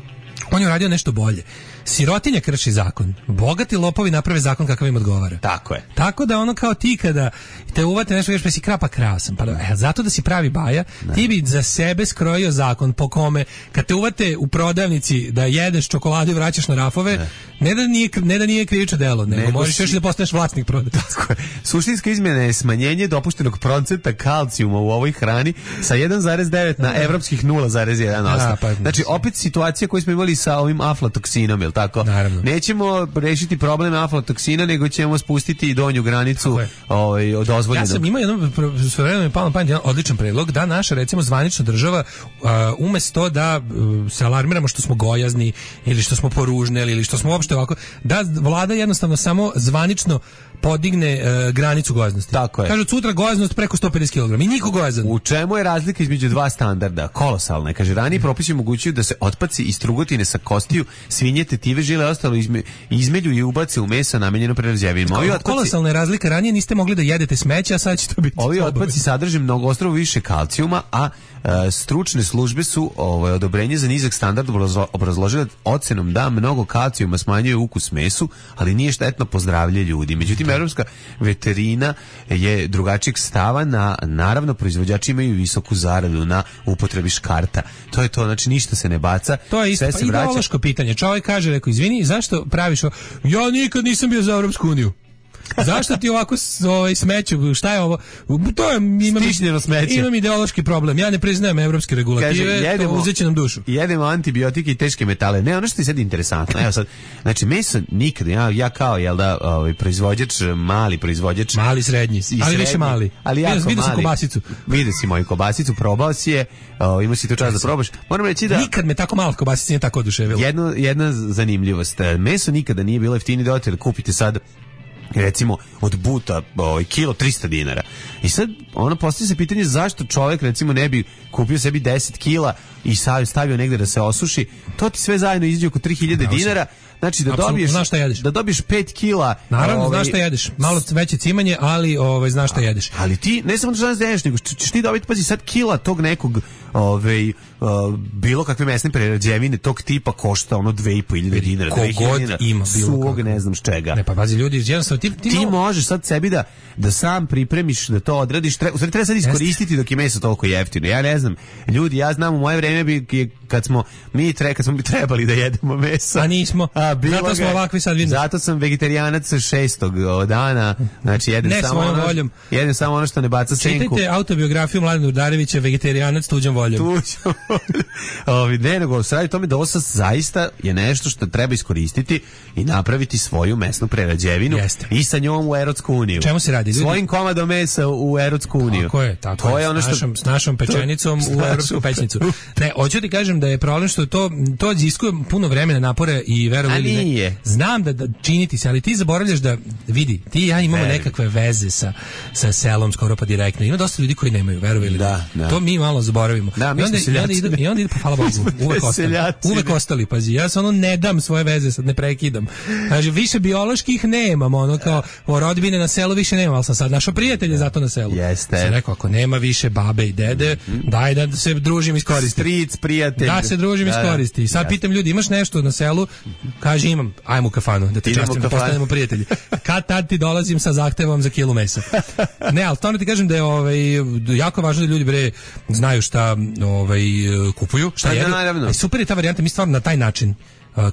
On je uradio nešto bolje. Sirotinja krši zakon. Bogati lopovi naprave zakon kakav im odgovara. Tako je. Tako da ono kao ti kada te uvate nešto, pa si krapa krao sam. Pa da, zato da si pravi baja, ne. Ti bi za sebe skrojio zakon po kome kad te uvate u prodavnici da jedeš čokoladu i vraćaš na rafove, ne, ne da nije ne da nije krivično delo, nego, nego možeš si... još da postaneš vlasnik prodavnice. Tako je. Suštinska izmjena je smanjenje dopuštenog procenta kalcijuma u ovoj hrani sa jedan zarez devet na evropskih nula zarez jedan posto. Pa, znači opet situacija koju smo imali sa ovim aflatoksinom, je l' tako? Naravno. Nećemo rešiti problem aflatoksina, nego ćemo spustiti donju granicu ovaj, od dozvoljeno. Ja sam imao jedno, s vremenom je palo na pamet jedan odličan predlog, da naša, recimo, zvanična država uh, umesto da uh, se alarmiramo što smo gojazni ili što smo poružne ili što smo uopšte ovako, da vlada jednostavno samo zvanično podigne uh, granicu gojaznosti. Tako je. Kažu sutra gojaznost preko sto pedeset kilograma i niko gojazan. U čemu je razlika između dva standarda? Kolosalna. Kaže, raniji propisi omogućuju da se otpaci iz trugotine sa kostiju, svinjete, aditive, žile, ostalo izme, izmelju i ubace u meso namenjeno prerađevinama. Ovi otpaci, kolosalna je razlika, ranije niste mogli da jedete smeće, a sad će to biti. Ovi otpaci sadrže mnogo ostrovo više kalcijuma, a e, stručne službe su ovaj, odobrenje za nizak standard obrazložile ocenom da mnogo kalcijuma smanjuje ukus mesu, ali nije štetno po zdravlje ljudi. Međutim, evropska veterina je drugačijeg stava, na, naravno proizvođači imaju visoku zaradu na upotrebi škarta. To je to, znači ništa se ne baca. To je isto, pa ideološko pitanje. Čovjek kaže, rekao, izvini, zašto praviš ovo? Ja nikad nisam bio za Evropsku uniju. Zašto ti ovako ovaj smeću? Šta je ovo? To je imam stišnjeno smeće. Imam ideološki problem. Ja ne priznajem evropske regulative, kaže, jedemo, to uzeće nam dušu. Jedemo antibiotike i teške metale. Ne, ono što je sad interesantno. Evo sad, znači meso nikad ja, ja kao jel da, ovaj proizvođač, mali proizvođač, mali srednji, ali srednji, više mali. Ali ja vidio sam kobasicu. Vidio si moju kobasicu, probao si je, o, imao si to čas da probaš. Moram reći da nikad me tako malo kobasica nije tako oduševilo. Jedno, jedna zanimljivost. Meso nikada nije bilo jeftinije, da da kupite sad recimo od buta ovaj, kilo trista dinara. I sad ono postavlja se pitanje zašto čovjek recimo ne bi kupio sebi deset kila i stavio negde da se osuši. To ti sve zajedno izađe oko tri hiljade dinara. Znači da Absolutno, dobiješ znaš šta jedeš. Da dobiješ pet kila. Naravno, ovaj, znaš šta jedeš. Malo veće cimanje, ali ovaj znaš šta jedeš. Ali ti ne samo da znaš da jedeš, nego ćeš ti dobiti pazi sad kila tog nekog ovaj uh, bilo kakve mesne prerađevine tog tipa košta ono dve i po hiljade dinara, kogod ima suvog ne znam čega. Ne, pa pazi ljudi, jednostavno ti ti, ti malo... možeš sad sebi da da sam pripremiš, da to odradiš, tre, u stvari treba sad iskoristiti dok je meso toliko jeftino. Ja ne znam, ljudi, ja znam u moje vreme bi kad smo mi tre, kad smo bi trebali da jedemo meso. A nismo. A, zato smo ovakvi sad vidimo. Zato sam vegetarijanac šestog dana, znači jedem ne samo ono, voljom. jedem samo ono što ne baca senku. Čitajte autobiografiju Mladena Udarevića, vegetarijanac tuđom voljom. Tuđom voljom. Ovi, ne, nego se radi tome da ovo zaista je nešto što treba iskoristiti i napraviti svoju mesnu prerađevinu. Jeste. I sa njom u Evropsku uniju. Čemu se radi? Ljudi? Svojim komadom mesa u Evropsku uniju. Tako je, tako to je. je ono što... S našom, s našom pečenicom to, u Evropsku pećnicu. Ne, hoću ti kažem da je problem što to, to iziskuje puno vremena, napora i verovali ili ne. Znam da, da činiti se, ali ti zaboravljaš da vidi, ti i ja imamo Verujem. nekakve veze sa, sa selom skoro pa direktno. Ima dosta ljudi koji nemaju, verovali ili da, ne. Da. To mi malo zaboravimo. Da, mi I onda, smo i onda idu, i onda idu, pa hvala Bogu, uvek ostali. Uvek ostali, pazi. Ja se ono ne dam svoje veze, sad ne prekidam. Znači, više bioloških nemam, ono kao o rodbine na selu više nemam, ali sam sad našao prijatelje zato na selu. Jeste. Sam rekao, ako nema više babe i dede, mm-hmm. daj da se družim iskoristi. Stric, prijatelj. Da se družim da, iskoristi. I sad ja. pitam ljudi, imaš nešto na selu? Kaže, imam, ajmo u kafanu, da te častim, da postanemo prijatelji. Kad tad ti dolazim sa zahtevom za kilu mesa. Ne, ali to ne ti kažem da je ovaj, jako važno da ljudi bre znaju šta ovaj, kupuju, šta jedu. Da, super je ta varijanta, mi stvarno na taj način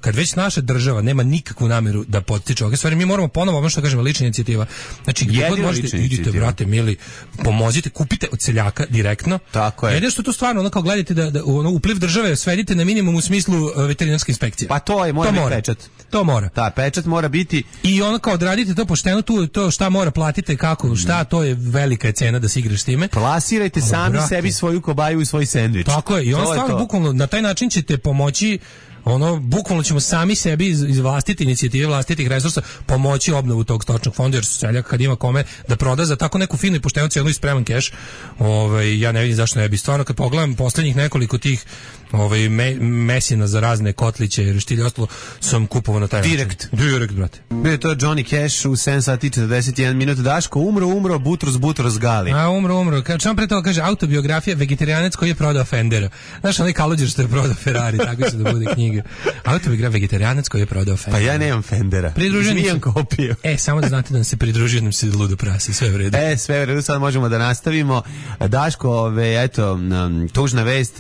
kad već naša država nema nikakvu nameru da potiče ove stvari, mi moramo ponovo, ono što kažemo, lična inicijativa. Znači, gdje god možete, idite, brate, mili, pomozite, kupite od seljaka direktno. Tako je. Jedino što to stvarno, ono kao gledajte da, da ono, upliv države svedite na minimum u smislu uh, veterinarske inspekcije. Pa to je, mora to biti mora. pečat. To mora. Da, pečat mora biti. I ono kao odradite to pošteno, tu to šta mora platite, kako, šta, to je velika je cena da se igraš s time. Plasirajte o, sami brate. sebi svoju kobaju i svoj sendvič. Tako je, i ono stvarno bukvalno na taj način ćete pomoći. Ono, bukvalno ćemo sami sebi iz, iz vlastite inicijative, vlastitih resursa pomoći obnovu tog stočnog fonda, jer seljak kad ima kome da proda za tako neku finu i poštenu cijenu i spreman keš, ovaj, ja ne vidim zašto ne bi. Stvarno, kad pogledam poslednjih nekoliko tih ovaj, me, mesina za razne kotliće i štilje ostalo, sam kupovao na taj Direkt. način. Direkt, brate. Bio je to Johnny Cash u sedam sati četrdeset jedan minut. Daško, umro, umro, Butros, Butros Gali. A, umro, umro. Kad čemu pre toga kaže autobiografija, vegetarijanac koji je prodao Fendera. Znaš, onaj Kaluđer što je prodao Ferrari, tako će da bude knjiga. Autobiografija, vegetarijanac koji je prodao Fendera. Pa ja nemam Fendera. Pridruženi se... kopiju. E, samo da znate da nam se pridružio, nam se ludo prase, sve u redu. E, sve u redu, sad možemo da nastavimo. Daško, ove, eto, tužna vest,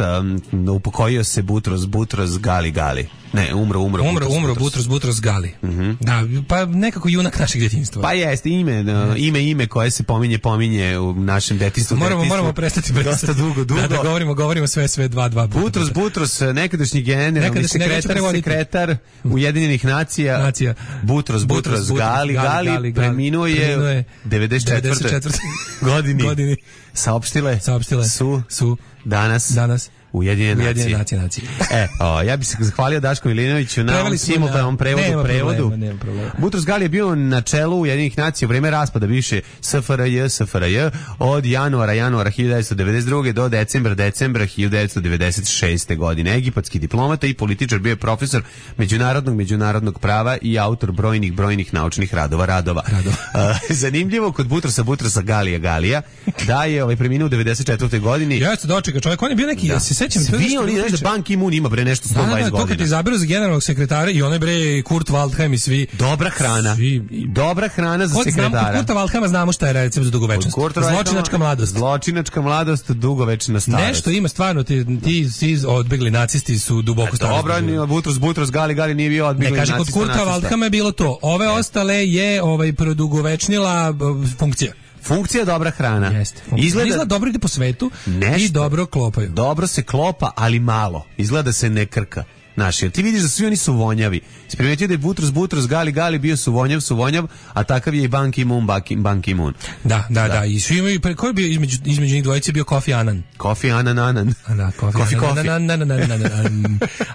upokojio se Butros, Butros Gali Gali. Ne, umro, umro, umro, Butros, umro, Butros, Butros Gali. Uh-huh. Da, pa nekako junak našeg djetinjstva. Pa jeste, ime, no, ime, ime koje se pominje, pominje u našem detinjstvu. Moramo, detinjstvu. moramo prestati prestati. Dosta dugo, dugo. Da, da govorimo, govorimo sve, sve, dva, dva. Butros, Butros, nekadašnji generalni sekretar, sekretar Ujedinjenih nacija. Nacija. Butros, Butros, Butros Gali, Gali, Gali, preminuo je devedeset četvrte godine. Godini. Saopštile, Saopštile su, su danas, danas Ujedinjene Ujedinjene nacije. nacije. E, o, ja bih se zahvalio Daško Milinoviću na ovom simultanom prevodu. Nema prevodu. problema, nema problema. Butros Gali je bio na čelu Ujedinjenih nacija u vreme raspada bivše S F R J, S F R J od januara, januara hiljadu devetsto devedeset druge do decembra, decembra hiljadu devetsto devedeset šeste godine. Egipatski diplomata i političar, bio je profesor međunarodnog međunarodnog prava i autor brojnih, brojnih naučnih radova. radova. radova. Zanimljivo kod Butrosa, Butrosa Galija Galija, da je ovaj preminuo u devedeset četvrtoj godini. Ja se dočeka čovjek, on je bio neki, da. Ja se sećam, svi oni, znaš da Ban Ki-moon ima bre nešto sto dvadeset da, da, godina. To kad ti izaberu za generalnog sekretara i onaj bre Kurt Waldheim i svi. Dobra hrana. Svi. Dobra hrana za kod sekretara. Znamo, kod Kurta Waldheima znamo šta je recept za dugovečnost. Zločinačka mladost. Zločinačka mladost, dugovečna starost. Nešto ima stvarno, ti, ti, ti odbegli nacisti su duboko starost. Dobro, Butros, Butros Gali Gali nije bio odbegli nacista. Ne, kaže, kod Kurta Waldheima je bilo to. Ove ostale je ovaj, produgovečnila funkcija. Funkcija dobra hrana. Jeste. Izgleda, izgleda dobro ide po svetu nešto, i dobro klopaju. Dobro se klopa, ali malo. Izgleda da se ne krka. Naši, ti vidiš da svi oni su vonjavi. Primetio da je Butros, Butros, Gali, Gali bio su vonjav, su vonjav, a takav je i Ban Ki-moon, Ban Ki-moon. Da, da, da, da. I svi imaju, ko je bio između, između njih dvojice bio Kofi Annan. Kofi Annan, Annan. Da, Kofi, Kofi, Kofi. Kofi.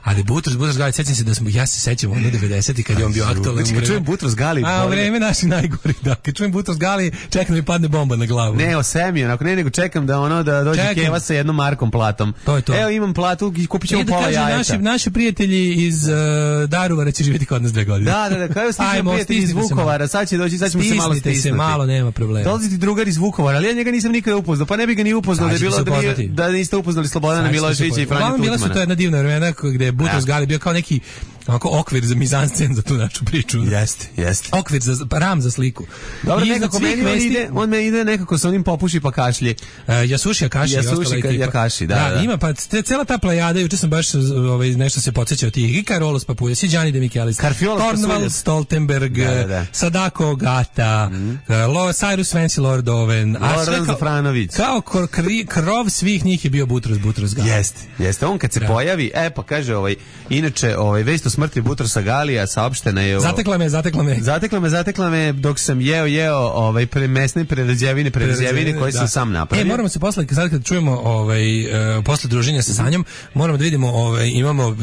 Ali Butros, Butros, Gali, sećam se da smo, ja se sećam ono devedesetih kad je on bio aktualan. Kad čujem Butros, Gali. A u vreme naših najgori, da. Kad čujem Butros, Gali, čekam da mi padne bomba na glavu. Ne, o semi, onako, ne, nego čekam da ono, da dođe čekam. Keva sa jednom markom platom. To je to. Evo imam platu, kupit ćemo pola jajeta. Naši, naši prijatelji iz uh, Daruvara će živjeti kod nas dve godine. Da, da, da, kao stižem prijatelj iz Vukovara, sad će doći, sad ćemo se malo stisnuti. se malo, nema problema. Dolazi ti drugar iz Vukovara, ali ja njega nisam nikada upoznao, pa ne bi ga ni upoznao da je bilo da, bi, da niste upoznali Slobodana Miloševića i Franju Tuđmana. Bila su to jedna divna vremena gde je Butros Gali bio kao neki onako okvir za mizanscen za tu našu priču. Jeste, jeste. Okvir za ram za sliku. Dobro, nekako meni on ide, on me ide nekako sa onim popuši pa kašlje. Uh, Jasuši Akaši i ostala ekipa. Jakaši, da, da, da. Ima pa te, cela ta plejada, juče sam baš ovaj nešto se podsećao tih i Karolos Papuljas i Gianni De Michelis, Torvald Stoltenberg, da, da, da. Sadako Gata, mm -hmm. Lo, Cyrus Vance Lord Owen, a sve Zafranović. Kao kri, krov svih njih je bio Butros Butros Gali. Jeste, jeste. On kad se da. pojavi, e pa kaže ovaj, inače ovaj vest o smrti Butrosa Galija saopštena je. Zatekla me, zatekla me. Zatekla me, zatekla me dok sam jeo, jeo ovaj pre mesne prerađevine, prerađevine koje da. sam sam napravio. E, moramo se posle sad kad čujemo ovaj uh, posle druženja sa Sanjom, moramo da vidimo ovaj imamo uh,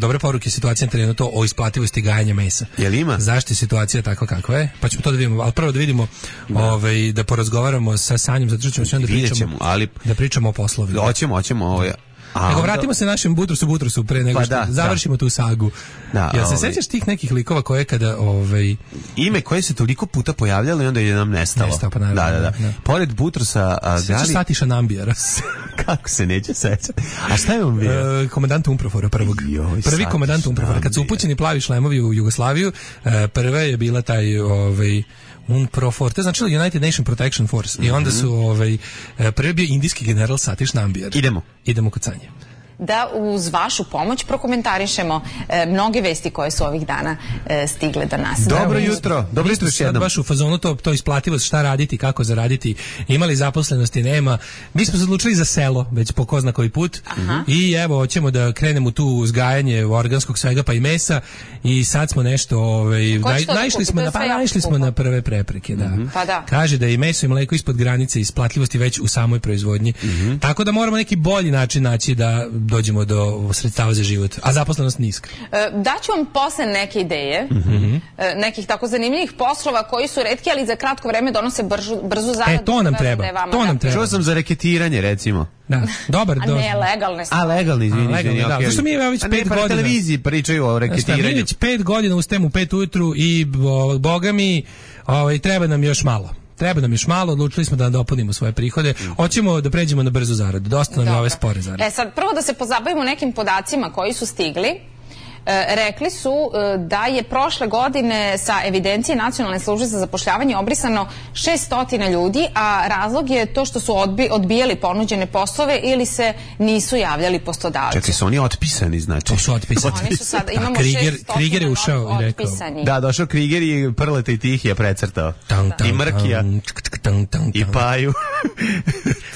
dobre poruke situacije na terenu to o isplativosti gajenja mesa. Jel ima? Zašto je situacija takva kakva je? Pa ćemo to da vidimo, al prvo da vidimo da. ovaj da porazgovaramo sa Sanjom, zato što ćemo sve da pričamo, ćemo, ali da pričamo o poslovima. Hoćemo, hoćemo ovaj A nego vratimo onda... se našem Butrosu Butrosu pre nego pa što da, završimo da. tu sagu. Da, ja se ovaj... sećaš tih nekih likova koje kada ovaj ime koje se toliko puta pojavljalo i onda je nam nestalo. Nestao, pa naravno, da, da, da, da. Pored Butrosa Gali Satiša Nambijara. Kako se neće sećati. A šta je on bio? Uh, komandant Umprofora prvog. Joj, Prvi komandant Umprofora. Kad su upućeni plavi šlemovi u Jugoslaviju, uh, prva je bila taj ovaj Unprofor, to je znači United Nation Protection Force. I onda su ovaj prvi bio indijski general Satiš Nambiar. Idemo. Idemo kod Sanje. Da uz vašu pomoć prokomentarišemo e, mnoge vesti koje su ovih dana e, stigle do nas. Dobro jutro, dobro jutro još jednom. Baš u fazonu to, to isplativost, šta raditi, kako zaraditi, imali zaposlenosti, nema. Mi smo se odlučili za selo, već po ko zna koji put. Aha. I evo, hoćemo da krenemo tu uzgajanje organskog svega pa i mesa i sad smo nešto, ovaj, naj, naišli, smo na, pa, naišli smo na prve prepreke. Da. Mm-hmm. Pa da. Kaže da je i meso i mleko ispod granice isplativosti već u samoj proizvodnji. Mm-hmm. Tako da moramo neki bolji način naći da dođemo do sredstava za život, a zaposlenost niska. E, daću vam posle neke ideje, mm-hmm. e, nekih tako zanimljivih poslova koji su retki, ali za kratko vreme donose bržu, brzu zaradu. E, to nam treba. To nam treba. Čuo sam za reketiranje, recimo. Da, dobar. A ne, legalne stvari. A, legalni, izvini. A, legalni, da. Zašto mi već pet godina... televiziji pričaju o reketiranju. Mi već pet godina ustajem u pet ujutru i, o, boga mi, o, treba nam još malo. Treba nam još malo, odlučili smo da nadopunimo svoje prihode. Hoćemo da pređemo na brzu zaradu. Dosta nam je ove spore zarade. E sad, prvo da se pozabavimo nekim podacima koji su stigli. E, rekli su e, da je prošle godine sa evidencije Nacionalne službe za zapošljavanje obrisano šessto ljudi, a razlog je to što su odbi, odbijali ponuđene poslove ili se nisu javljali poslodavci. Čekaj, su oni otpisani, znači? To su otpisani. Oni su sada, imamo šeststo Kriger je ušao i rekao. Da, došao Kriger i Prleta i Tih je precrtao. Tam, tam, I Mrkija. Tam, tam, tam, I Paju.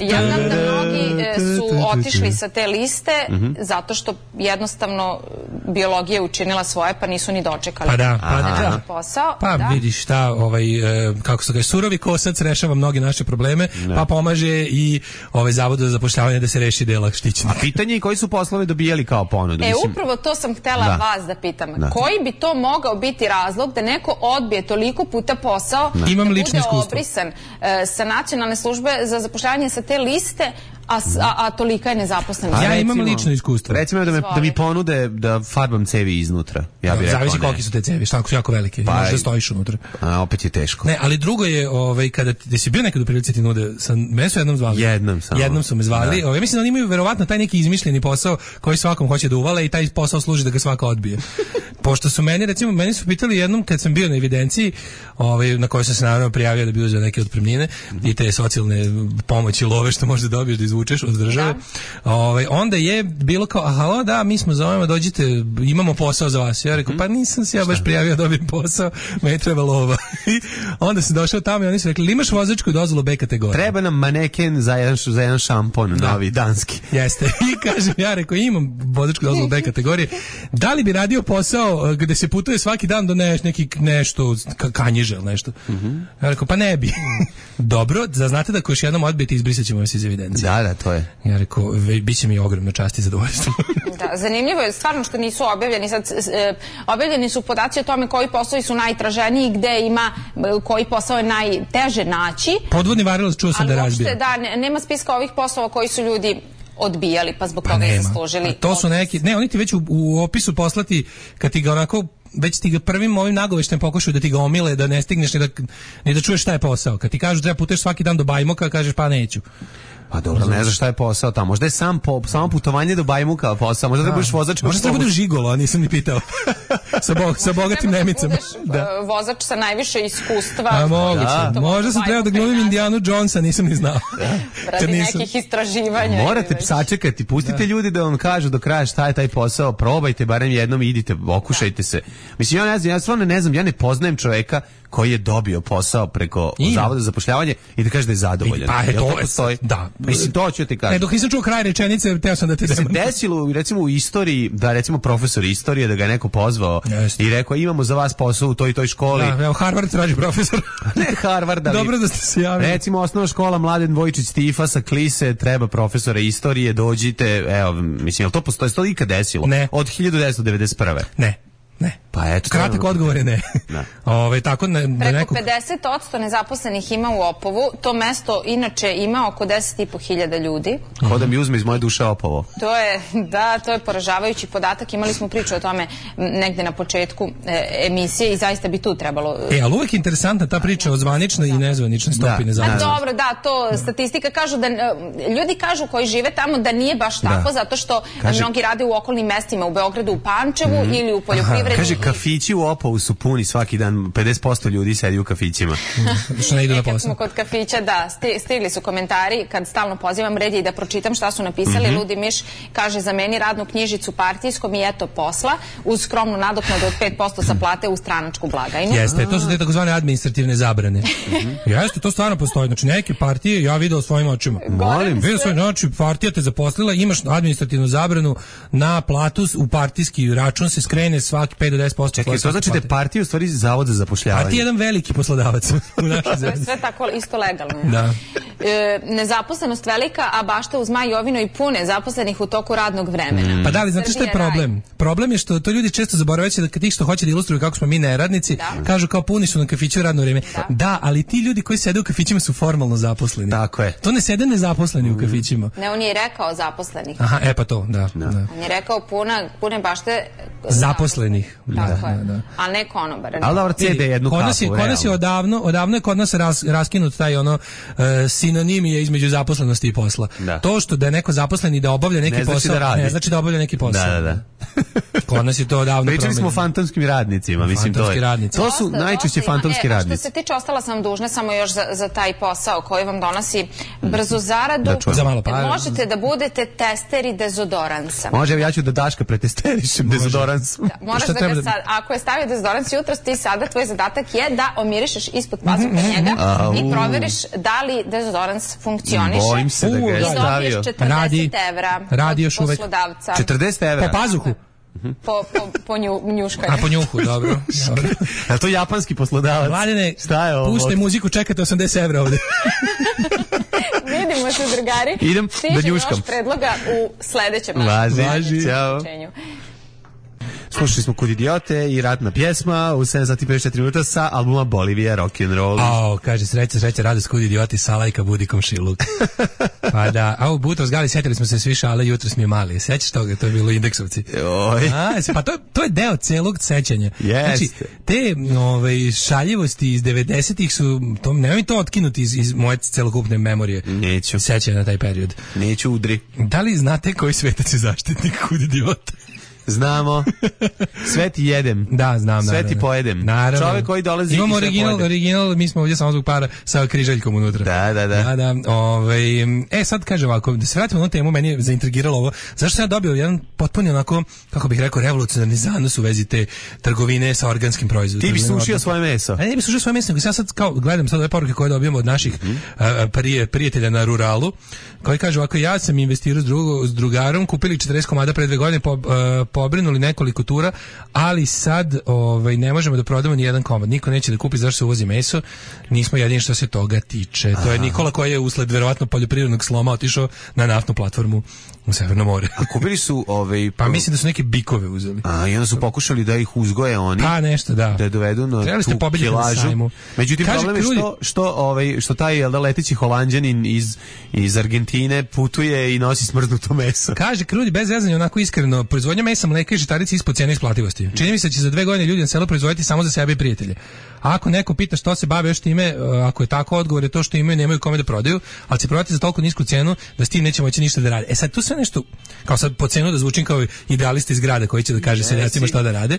Ja znam da mnogi e, su otišli sa te liste mm-hmm. zato što jednostavno biološki biologija učinila svoje, pa nisu ni dočekali. Pa da, pa da. da. Posao, pa da. vidiš šta, ovaj, e, kako se kaže, surovi kosac rešava mnoge naše probleme, ne. pa pomaže i ovaj zavod za zapošljavanje da se reši dela štićenih. A pitanje je koji su poslove dobijali kao ponudu? E, mislim... upravo to sam htela da. vas da pitam. Da. Koji bi to mogao biti razlog da neko odbije toliko puta posao, da, Imam da lično bude iskustvo. obrisan e, sa nacionalne službe za zapošljavanje sa te liste, A, a, a tolika je nezaposlenost. Ja imam lično iskustvo. Recimo da, me, da mi ponude da farbam cevi iznutra. Ja bih rekao zavisi koliki su te cevi, šta ako su jako velike, pa, možda stojiš unutra. A opet je teško. Ne, ali drugo je, ovaj, kada ti si bio nekad u prilici ti nude, sam, mene su jednom zvali. Jednom samo. Jednom su me zvali. Da. Ovaj, mislim da oni imaju verovatno taj neki izmišljeni posao koji svakom hoće da uvale i taj posao služi da ga svako odbije. Pošto su meni, recimo, meni su pitali jednom kad sam bio na evidenciji, ovaj, na kojoj sam se naravno prijavio da bi uzeo neke otpremnine i te socijalne pomoći love što možda dobiješ da izvučeš od države. Da. Ovaj, onda je bilo kao, aha, da, mi smo zovemo, dođite, imamo posao za vas. Ja rekao, pa nisam se ja baš prijavio da dobijem posao, meni treba lova. I onda sam došao tamo i oni su rekli, imaš vozačku dozvolu B kategorije? Treba nam maneken za jedan, za jedan šampon, da. Novi, danski. Jeste. I kažem, ja rekao, imam vozačku dozvolu B kategorije. Da li bi radio posao gde se putuje svaki dan do ne, neki nešto, kanjiže ili nešto? Mm-hmm. Ja rekao, pa ne bi. Dobro, da znate da ako još jednom odbijete, izbrisat ćemo vas iz evidencije. Da, da, to je. Ja rekao, bit će mi ogromna čast i zadovoljstvo. Da, zanimljivo je stvarno što nisu objavljeni. Sad, e, objavljeni su podaci o tome koji poslovi su najtraženiji, gde ima, koji posao je najteže naći. Podvodni varilac čuo sam da razbija. Ali uopšte, da, nema spiska ovih poslova koji su ljudi odbijali, pa zbog pa toga i zaslužili. A to su neki, ne, oni ti već u, u opisu poslati, kad ti ga onako, već ti ga prvim ovim nagoveštem pokušaju da ti ga omile, da ne stigneš ni da, ni da čuješ šta je posao. Kad ti kažu treba puteš svaki dan do Bajmoka, kažeš pa neću. Pa dobro, ne znaš šta je posao tamo. Možda je sam po, samo putovanje do Bajmuka posao. Možda da budeš vozač. Možda treba budeš žigolo, a nisam ni pitao. sa, bo, sa bogatim Nemicama. Da budeš vozač sa najviše iskustva. A moguće. Da. Možda sam trebao da glumim Indianu Jonesa, nisam ni znao. Radi nekih istraživanja. Morate sačekati, pustite da. ljudi da vam kažu do kraja šta je taj posao, probajte barem jednom i idite, okušajte da. se. Mislim, ja ne znam, ja stvarno ne znam, ja ne poznajem čoveka koji je dobio posao preko I. Zavoda za zapošljavanje i da kaže da je zadovoljan. Pa je to, postoji? Da. Mislim, to ću ti kažem. Ne, dok nisam čuo kraj rečenice, teo sam da te se desilo, recimo u istoriji, da recimo profesor istorije, da ga je neko pozvao Jeste. i rekao, imamo za vas posao u toj i toj školi. Da, evo, Harvard traži profesor. Ne Harvard, ali... Dobro da ste se javili. Recimo, osnovna škola Mladen Vojčić Stifa sa Klise, treba profesora istorije, dođite, evo, mislim, jel to postoji, to ikad desilo? Ne. Od hiljadu devetsto devedeset prve. Ne. Ne. Pa eto, kratak odgovor je ne. ne. Ove, tako ne, Preko nekog... pedeset posto nezaposlenih ima u Opovu. To mesto inače ima oko deset i po hiljada ljudi. Ko da mi uzme iz moje duše Opovo. To je, da, to je poražavajući podatak. Imali smo priču o tome negde na početku e, emisije i zaista bi tu trebalo... E, ali uvek interesantna ta priča o zvaničnoj i nezvaničnoj stopi nezaposlenosti. A dobro, da, to statistika kažu da... Ljudi kažu koji žive tamo da nije baš tako, da. zato što Kaže... mnogi rade u okolnim mestima, u Beogradu, u Pančevu mm. ili u poljoprivredi. Kaže, kafići u Opovu su puni svaki dan, pedeset posto ljudi sedi u kafićima. Što ne idu na posao. Kad smo kod kafića, da, stigli su komentari, kad stalno pozivam red je i da pročitam šta su napisali. Mm-hmm. Ludi Miš kaže, za meni radnu knjižicu partijskom i eto posla, uz skromnu nadoknadu od pet posto sa plate u stranačku blagajnu. Jeste, to su te takozvane administrativne zabrane. Mm-hmm. Jeste, to stvarno postoji. Znači, neke partije, ja vidio svojim očima. Molim. Vidio svojim očima, partija te zaposlila, imaš administrativnu zabranu na platu, u partijski račun se skrene svaki pet do deset posto. Čekaj, to znači da je partija u stvari zavod za zapošljavanje. Partija je jedan veliki poslodavac u našoj zemlji. Sve tako isto legalno. Da. E, nezaposlenost velika, a bašta uz Maj Jovino i pune zaposlenih u toku radnog vremena. Mm. Pa da li, znate što je problem? Raj. Problem je što to ljudi često zaboravaju da kad ih što hoće da ilustruju kako smo mi neradnici, da. kažu kao puni su na kafiću radno vreme. Da. da, ali ti ljudi koji sede u kafićima su formalno zaposleni. Tako je. To ne sede nezaposleni mm. u kafićima. Ne, on je rekao zaposlenih. Aha, e pa to, da. da. da. On je rekao puna, pune bašte zaposlenih. Tako da, je. Da, da. A ne konobara. Ali dobro, cede jednu kapu. Kod nas je odavno, odavno je kod nas ras, raskinut taj ono uh, sinonimije između zaposlenosti i posla. Da. To što da je neko zaposlen i da obavlja neki ne posao, znači da ne znači da obavlja neki posao. Da, da, da. Kod nas je to odavno promenjeno. Pričali smo o fantomskim radnicima, mislim to je. Radnici. To su dosta, najčešće dosta fantomski e, radnici. Što se tiče, ostala sam dužna samo još za, za taj posao koji vam donosi brzu zaradu. Da za malo para. Možete da budete testeri dezodoransa. Može, ja ću da Daška pretesterišem dezodorans. Da, moraš da ga sad, ako je stavio dezodorans jutros, ti sada tvoj zadatak je da omirišeš ispod pazuha njega i proveriš da li dezodorans funkcioniše. Bojim se da ga je stavio. I dobiješ četrdeset evra Radi još uvek. Poslodavca. četrdeset evra? Po pazuhu? po, po, po nju, njuškanju. A po njuhu, dobro. dobro. A to japanski poslodavac? Mladene, šta je ovo? Puštaj muziku, čekate osamdeset evra ovde. Vidimo se, drugari. Idem Stiže da njuškam. još predloga u sledećem. Važi, našem ćao. priopćenju. Slušali smo Kud idiote i ratna pjesma u sedam sati i pedeset četiri minuta sa albuma Bolivija Rock'n'Roll. Ao, kaže, sreća, sreća, radost, Kud idioti, Salajka, budi komšiluk. Pa da, a u Butros Gali, sjetili smo se svi šale, jutro smo mali. Sjećaš toga, to je bilo Indeksovci. Oj. A, pa to, to je deo celog sećanja. Jeste. Znači, te ove, šaljivosti iz devedesetih su, to, nemoj mi to otkinuti iz, iz moje celokupne memorije. Neću. Sećanja na taj period. Neću, udri. Da li znate koji svetac je zaštitnik Kud idiota? Znamo. Sve ti jedem. Da, znam, sve naravno. ti pojedem. Naravno. Čovek koji dolazi imamo i sve original, pojede. original, mi smo ovdje samo zbog para sa križaljkom unutra. Da, da, da. Da, da. Ovaj, e, sad kaže ovako, da se vratimo na temu, meni je zaintrigiralo ovo. Zašto sam ja dobio jedan potpuni onako, kako bih rekao, revolucionarni zanos u vezi te trgovine sa organskim proizvodima. Ti bi sušio svoje meso. A ne bi sušio svoje meso, nego ja sad kao gledam sad ove poruke koje dobijamo od naših mm -hmm. a, prije, prijatelja na ruralu, koji kaže ovako, ja sam investirao s, drugo, s drugarom, kupili četrdeset komada pre dve godine, po, a, pobrinuli nekoliko tura, ali sad ovaj, ne možemo da prodamo ni jedan komad. Niko neće da kupi zašto se uvozi meso. Nismo jedini što se toga tiče. To je Nikola koji je usled verovatno poljoprivrednog sloma otišao na naftnu platformu u Severno more. A kupili su ovaj pa mislim da su neke bikove uzeli. A i onda su pokušali da ih uzgoje oni. Pa nešto, da. Da je dovedu na trebali ste tu kilažu. Međutim, kaže, problem je što, što, ovaj, što taj jel da, leteći Holanđanin iz, iz Argentine putuje i nosi smrznuto meso. Kaže Krudi, bez zezanja, onako iskreno, proizvodnja mesa, mleka i žitarica ispod cene isplativosti. Čini mi se da će za dve godine ljudi na selu proizvoditi samo za sebe i prijatelje. A ako neko pita što se bave još time, ako je tako, odgovor je to što imaju, nemaju kome da prodaju, ali će prodati za toliko nisku cenu da s tim neće moći ništa da rade. E sad tu sve nešto, kao sad po cenu da zvučim kao idealista iz grada koji će da kaže seljacima šta da rade.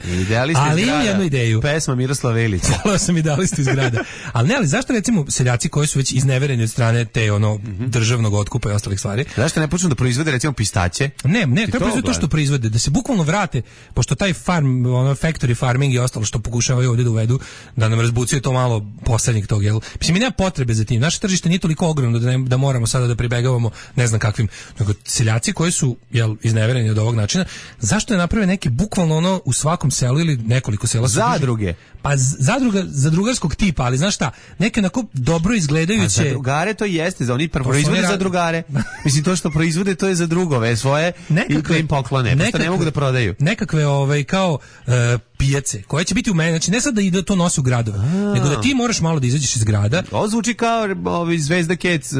Ali imam jednu ideju. Pesma Miroslav Velić. Volao sam idealista iz grada. Ali ne, ali zašto recimo seljaci koji su već iznevereni od strane te ono mm-hmm. državnog otkupa i ostalih stvari? Zašto ne počnu da proizvode recimo pistaće? Ne, ne, treba proizvode to što proizvode, da se bukvalno vrate, pošto taj farm, ono factory farming i ostalo što pokušavaju ovdje da uvedu, da nam razbucuje to malo poslednjeg tog, jel? Mislim, mi nema potrebe za tim. Naše tržište nije toliko ogromno da, ne, da moramo sada da pribegavamo ne znam kakvim, nego seljaci koji su, jel, iznevereni od ovog načina, zašto ne naprave neki bukvalno ono u svakom selu ili nekoliko sela zadruge? Pa zadruga, zadrugarskog tipa, ali znaš šta, neke onako dobro izgledajuće. A zadrugare to jeste, za oni proizvode zadrugare. Mislim, to što proizvode to je za drugove svoje nekakve, i da im poklone, nekakve, ne mogu da prodaju. Nekakve ovaj, kao uh, pijace, koje će biti u meni, znači ne sad da ide to nosi u gradove, A. nego da ti moraš malo da izađeš iz grada. Ovo zvuči kao ovaj, Zvezda Kec,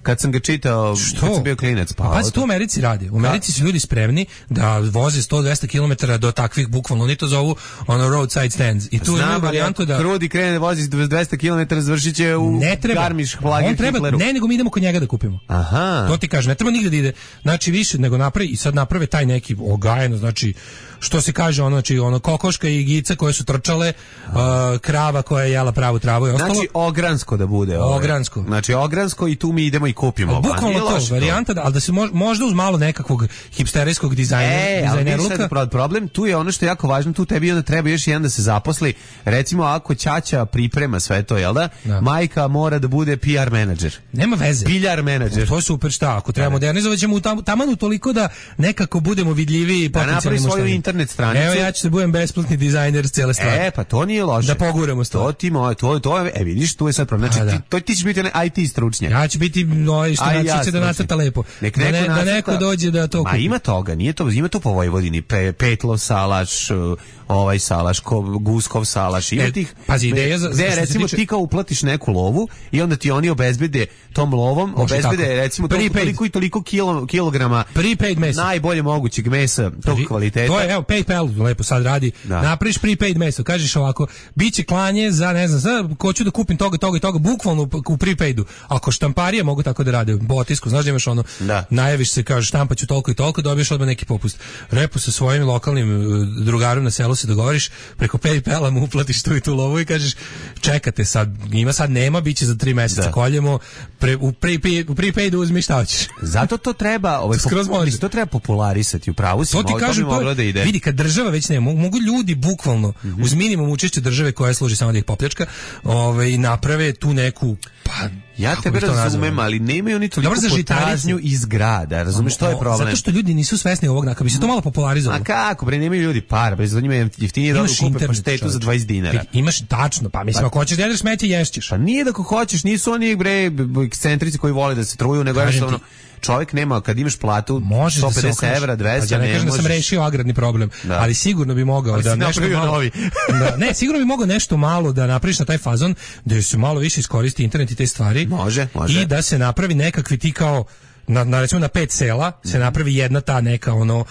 kad sam ga čitao, što? Kad sam bio klinac. Pa, pa to u Americi radi. U Americi su ljudi spremni da voze sto do dvesta kilometara do takvih, bukvalno, oni to zovu ono roadside stands. I tu ima varijantu da... Krudi krene da vozi dvesta kilometara, završit će u Garmisch Plager Hitleru. Ne, nego mi idemo kod njega da kupimo. Aha. To ti kažem, ne treba nigde da ide. Znači više nego napravi i sad naprave taj neki ogajeno, znači što se kaže, ono, znači ono kokoška i gica koje su trčale, uh, krava koja je jela pravu travu i ostalo. Znači ogransko da bude. Ove. Ogransko. Znači ogransko i tu mi idemo i kupimo. Bukvalno to, varijanta, da, ali da se mož, možda uz malo nekakvog hipsterijskog dizajna, e, dizajnerluka. Ali problem, tu je ono što je jako važno, tu tebi onda treba još jedan da se zaposli. Recimo ako ćaća priprema sve to, jel da? da. Majka mora da bude P R menadžer. Nema veze. Piljar menadžer. To je super, šta, ako treba modernizovat ćemo tam, tamanu toliko da nekako budemo vidljiviji i potencijalni mušteriji. Internet stranicu. Evo ja ću da budem besplatni dizajner cele stvari. E, pa to nije loše. Da poguramo stvari. To ti moj, to, to, e vidiš, tu je sad problem. Znači, da. ti, to, ti ćeš biti onaj I T stručnjak. Ja ću biti no, što naći će da nacrta lepo. Nek da, neko ne, nacrta, da neko dođe da to kupi. Ma ima toga, nije to, ima to po Vojvodini. Pe, petlo, salaš, ovaj salaš, ko, Guskov salaš. Ima e, tih... Pazi, ideja za... Gde, recimo, tiče... ti kao uplatiš neku lovu i onda ti oni obezbede tom lovom, može obezbede, tako. Recimo, toliko i toliko kilo, kilograma prepaid mesa. Najbolje mogućeg mesa tog Vi, kvaliteta. To je, evo, PayPal lepo sad radi. Da. Napraviš prepaid meso, kažeš ovako, biće klanje za, ne znam, za, hoću da kupim toga, toga i toga, bukvalno u prepaidu. Ako štamparije mogu tako da rade, botisku, znaš da imaš ono, da. najaviš se, kažeš štampaću toliko i toliko, dobiješ odmah neki popust. Repo sa svojim lokalnim drugarom na selu se dogovoriš, preko PayPala mu uplatiš tu i tu lovu i kažeš, čekate sad, ima sad nema, biće za tri meseca, da. Koljemo, pre, u, prepaid, u prepaidu uzmi šta hoćeš. Zato to treba, ovaj, to, to treba popularisati, u pravu si, to ti kažem, to bi da ide. Vidi, kad država već ne, mogu ljudi bukvalno, mm-hmm. uz minimum učešća države koja služi samo da ih popljačka, ovaj, naprave tu neku, pa Ja tebe razumem, ali nemaju oni toliko potražnju iz grada, razumeš, što je problem? Zato što ljudi nisu svesni ovog, kako bi se to malo popularizovalo. A kako, bre, nemaju ljudi para, bre, za njima je jeftinije da kupe paštetu za dvadeset dinara. Imaš tačno, pa mislim, ako hoćeš da jedeš smeće, ješćeš. Pa nije da ako hoćeš, nisu oni, bre, ekscentrici koji vole da se truju, nego jednostavno čovjek nema, kad imaš platu sto pedeset evra, dvesta, ne, ne kažem da sam rešio agrarni problem, da. Ali sigurno bi mogao ali da nešto malo, da, ne, sigurno bi mogao nešto malo da napraviš na taj fazon, da se malo više iskoristi internet i te stvari. Može, može. I da se napravi nekakvi ti kao na, na recimo na pet sela se napravi jedna ta neka ono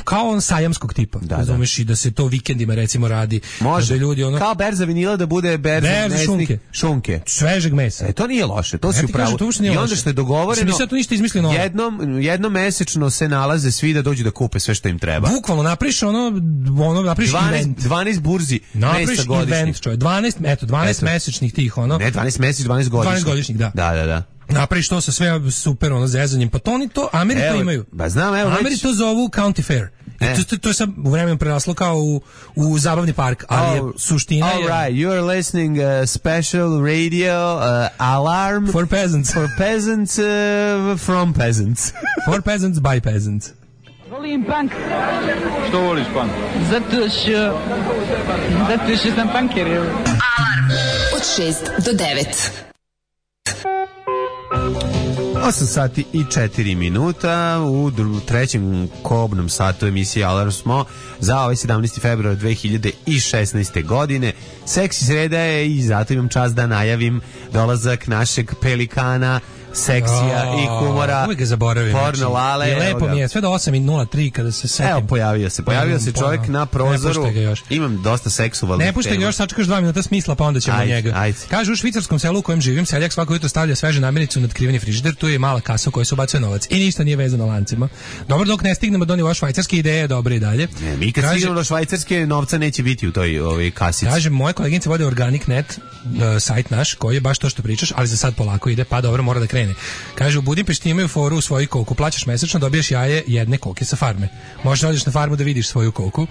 kao on sajamskog tipa, da, razumeš, da. I da se to vikendima recimo radi. Može, da ljudi ono kao berza vinila da bude berza, berza šunke. šunke, svežeg mesa. E, to nije loše, to si upravo. I onda što je dogovoreno, mislim, to ništa izmislio novo. Jednom jednom mesečno se nalaze svi da dođu da kupe sve što im treba. Bukvalno napriš ono ono napriš event, dvanaest burzi mesa godišnjih. Event, čovjek, dvanaest, eto, dvanaest eto. Mesečnih tih ono. Ne, dvanaest meseci, dvanaest godišnjih. dvanaest godišnjih, da. Da, da, da. Napraviš to sa sve super ono zezanjem, pa to oni to Ameri to imaju. Ba znam, evo. Ameri to zovu county fair. E. To, to, to je sad u vremenu preraslo kao u, u zabavni park, ali oh, je suština all je... All right, you are listening uh, special radio uh, alarm for peasants. For peasants uh, from peasants. For peasants by peasants. Volim punk. Što voliš punk? Zato što... Zato što sam punker. Alarm od šest do devet. osam sati i četiri minuta u trećem kobnom satu emisije Alarm smo za ovaj sedamnaesti februar dve hiljade šesnaeste. godine. Seksi sreda je i zato imam čast da najavim dolazak našeg pelikana, seksija oh, i humora. Uvijek ga zaboravim. Porno Lale. I lepo mi je, sve do osam i nula tri kada se setim. Evo, pojavio se. Pojavio se čovjek na prozoru. Imam dosta seksualnih tema. Ne puštaj ga još, sačekaš dva minuta smisla, pa onda ćemo ajde, njega. Ajde. Kaže, u švicarskom selu u kojem živim, seljak svako jutro stavlja sveže namirnicu na otkriveni frižider, tu je mala kasa u kojoj se ubacuje novac. I ništa nije vezano lancima. Dobro, dok ne stignemo do nivoa švajcarske ideje, dobre i dalje. Ne, mi kad kaže, stignemo do švajcarske, novca neće biti u toj ovoj kasici. Kaže, moje koleginice vode Organic punkt net, uh, sajt naš, koji je baš to što pričaš, ali za sad polako ide, pa dobro, mora da krene. Kaže, u Budimpešti imaju foru u svoju koku, plaćaš mesečno, dobiješ jaje jedne koke sa farme. Možeš da odeš na farmu da vidiš svoju koku,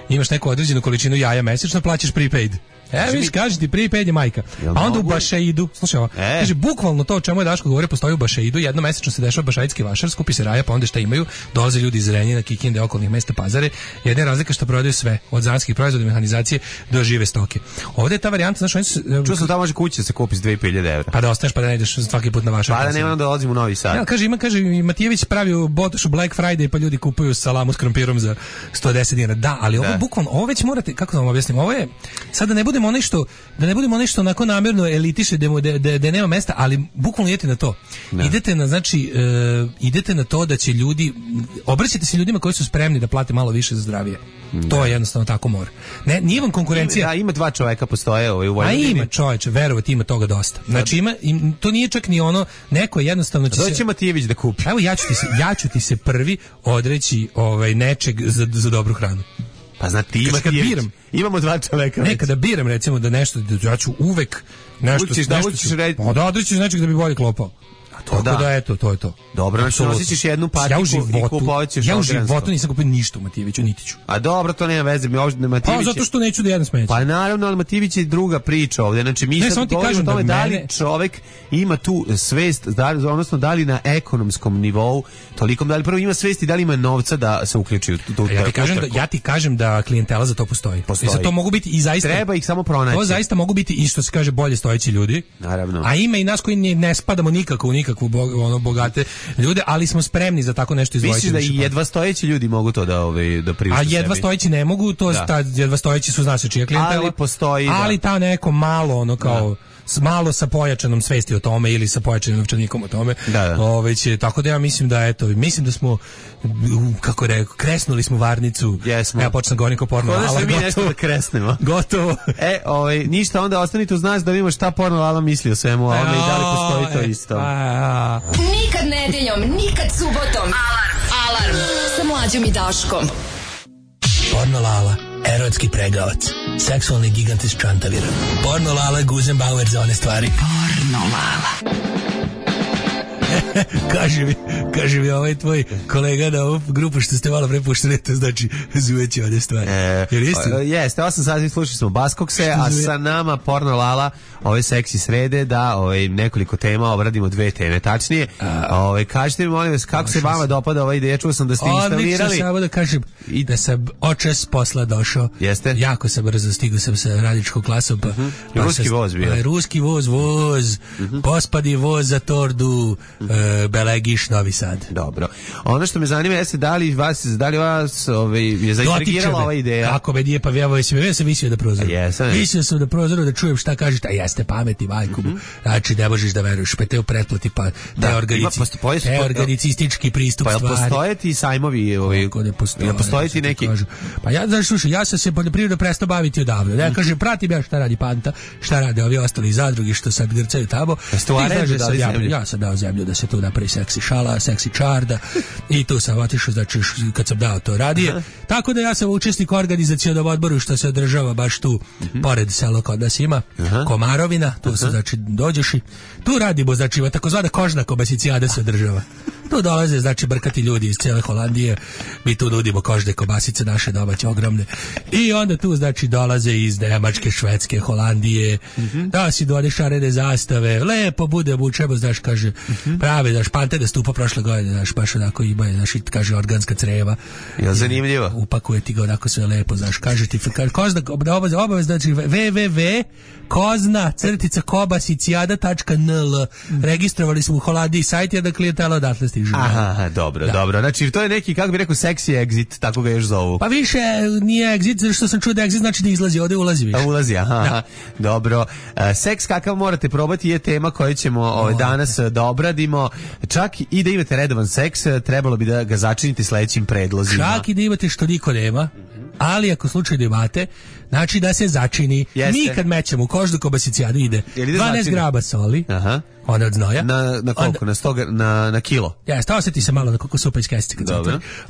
imaš neku određenu količinu jaja mesečno, plaćaš prepaid. E, viš, kaži ti, prepaid je majka. A onda u Bašeidu, slušaj ovo, e. kaže, bukvalno to o čemu je Daško govorio, postoji u Bašeidu, jedno mesečno se dešava bašaitski vašar, skupi se raja, pa onda šta imaju, dolaze ljudi iz Renjina, Kikinde, okolnih mesta, Pazare, jedna je razlika što prodaju sve, od zanskih proizvoda, mehanizacije do žive stoke. Ovdje je ta varijanta, znaš, oni su... Čuo sam da može kući da se kupi s dve hiljade evra. Pa da ostaneš, pa da ne ideš svaki put na vašar. Pa da nema da dolazim u Novi Sad. Ja, kaže, ima, kaže, Matijević pravi u Botošu Black Friday, pa ljudi kupuju salamu s krompirom za sto deset dinara. Da, ali ovo bukvalno, ovo već morate, kako da vam objasnim, ovo je, sad da ne budemo onaj što da ne budemo nešto onako namjerno elitiše da da da nema mesta, ali bukvalno idete na to. Ne. Idete na znači uh, idete na to da će ljudi obraćate se ljudima koji su spremni da plate malo više za zdravije. Ne. To je jednostavno tako mora. Ne, nije vam konkurencija. Da, ima dva čoveka postoje ovaj u Vojvodini. A ima čoveče, verovati ima toga dosta. Znači ima im, to nije čak ni ono, neko jednostavno će doći se Matijević da kupi. Evo ja ću ti se ja ću ti se prvi odreći ovaj nečeg za za dobru hranu. Pa znate, ti ima biram. Imamo dva čoveka. Nekada biram recimo da nešto, da ja ću uvek nešto, učiš, nešto da učiš reći. Pa da odrećiš nečeg da bi bolje klopao. Tako da. da, eto, to je to. Dobro, znači nosiš jednu patiku ja u životu, i kupovat ćeš ja u životu nisam kupio ništa u Matijeviću, niti ću. A dobro, to nema veze, mi ovdje Matijević... Pa zato što neću da jedem smeće. Pa naravno, ali Matijević je druga priča ovdje, znači mi ne, sad govorimo o tome da, da li mene... čovek ima tu svest, da li, odnosno da li na ekonomskom nivou, tolikom, da li prvo ima svest i da li ima novca da se uključi u tu... Ja ti kažem da, ja ti kažem da klijentela za to postoji. postoji. I za to mogu biti i zaista... Treba ih samo pronaći. To zaista mogu biti i što se kaže bolje stojeći ljudi. Naravno. A ima i nas koji ne, ne spadamo nikako u nikakvu ono, bogate ljude, ali smo spremni za tako nešto izdvojiti. Misliš da i jedva stojeći ljudi mogu to da ovaj da priušte sebi? A jedva stojeći ne mogu, to da. Ta jedva stojeći su zna se čija klijentela. Ali postoji, ali da. ta neko malo ono kao da. S malo sa pojačanom svesti o tome ili sa pojačanim novčanikom o tome. Da, da. Ove će, tako da ja mislim da eto, mislim da smo kako rekao, kresnuli smo varnicu. Jesmo. Ja počnem govorim kao porno Lala. Mi nešto da kresnemo. Gotovo. E, ovaj ništa, onda ostanite uz nas da vidimo šta porno Lala misli o svemu ovome i da li postoji to isto. A, nikad nedeljom, nikad subotom. Alarm. Alarm sa Mlađom i Daškom. Porno Lala, erotski pregavac, seksualni gigant iz Čantavira. Porno Lala, Guzenbauer za one stvari. Porno Lala. kaže mi, kaže mi ovaj tvoj kolega na ovu grupu što ste malo prepuštali, to znači zujeći one stvari. E, Jer jeste? Jeste, osam sati slušali smo Baskokse, a sa nama Porno Lala ove seksi srede da ove, nekoliko tema obradimo, dve teme tačnije. Ove, kažite mi molim vas kako se vama dopada ova ideja, čuo sam da ste instalirali. Odlično, samo da kažem i da sam očas posla došao. Jeste? Jako sam brzo stigao sam sa radničkom klasom. Pa, uh-huh. pa ruski voz bio. Pa, ruski voz, voz, uh-huh. pospadi voz za tordu, uh-huh. uh, Belegiš, Novi Sad. Dobro. Ono što me zanima jeste da li vas, da li vas ove, je zaintrigirala ova ideja? Kako me nije, pa ja sam, ja sam visio da prozoru. Jesam. Visio sam da prozoru da čujem šta kažete, a jeste pameti, majku. Uh-huh. Znači, ne možeš da veruješ, pa te u pretplati, pa da, te, organici, postoji, te organicistički pristup pa, stvari. Pa postoje ti sajmovi? Ovi, ne postoje, ne postoji ti neki? Kažu. Pa ja, znači, slušaj, ja sam se poljoprivredno prestao baviti odavno. Ja kažem, pratim ja šta radi Panta, šta rade ovi ostali zadrugi što sad grcaju tamo. Stvarno, da ja, ja sam dao zemlju da se tu napravi seksi šala, seksi čarda i tu sam otišao, znači, kad sam dao to radije. Aha. Tako da ja sam učesnik u organizacionom odboru što se održava baš tu, uh-huh. pored sela kod nas ima, Aha. Komarovina, tu uh-huh. se, znači, dođeš i tu radimo, znači, takozvana kožna kobasicijada se održava. Tu dolaze, znači, brkati ljudi iz cijele Holandije, mi tu nudimo kožne kobasice naše domaće, ogromne. I onda tu, znači, dolaze iz Nemačke, Švedske, Holandije, mm-hmm. da si dole šarene zastave, lepo bude, bučemo, znaš, kaže, mm-hmm. prave, znaš, Pante da stupa prošle godine, znaš, baš onako ima, znaš, kaže, organska creva. Je li zanimljivo? Upakuje ti ga onako sve lepo, znaš, kaže ti, kaže, kozna, obavez, obavez, znači, www kozna crtica kobasicijada tačka n l. Registrovali smo u Holandiji sajt, jer da klijentela odatle stiže. Aha, dobro, da. dobro. Znači, to je neki, kako bi rekao, seksi exit, tako ga još zovu. Pa više nije exit, zato što sam čuo da exit znači da izlazi, ovdje ulazi više. A ulazi, aha, da. Dobro. Uh, seks kakav morate probati je tema koju ćemo ovaj, danas da obradimo. Čak i da imate redovan seks, trebalo bi da ga začinite sledećim predlozima. Čak i da imate što niko nema, ali ako slučajno imate, znači da se začini. Jeste. Mi kad mećemo u kožnu kobasicijadu ide dvanaest graba soli, aha. Ona od znoja. Na, na koliko? Onda, na, sto, na, na kilo? Ja, stao se ti se malo na koliko supa iz kesice kad se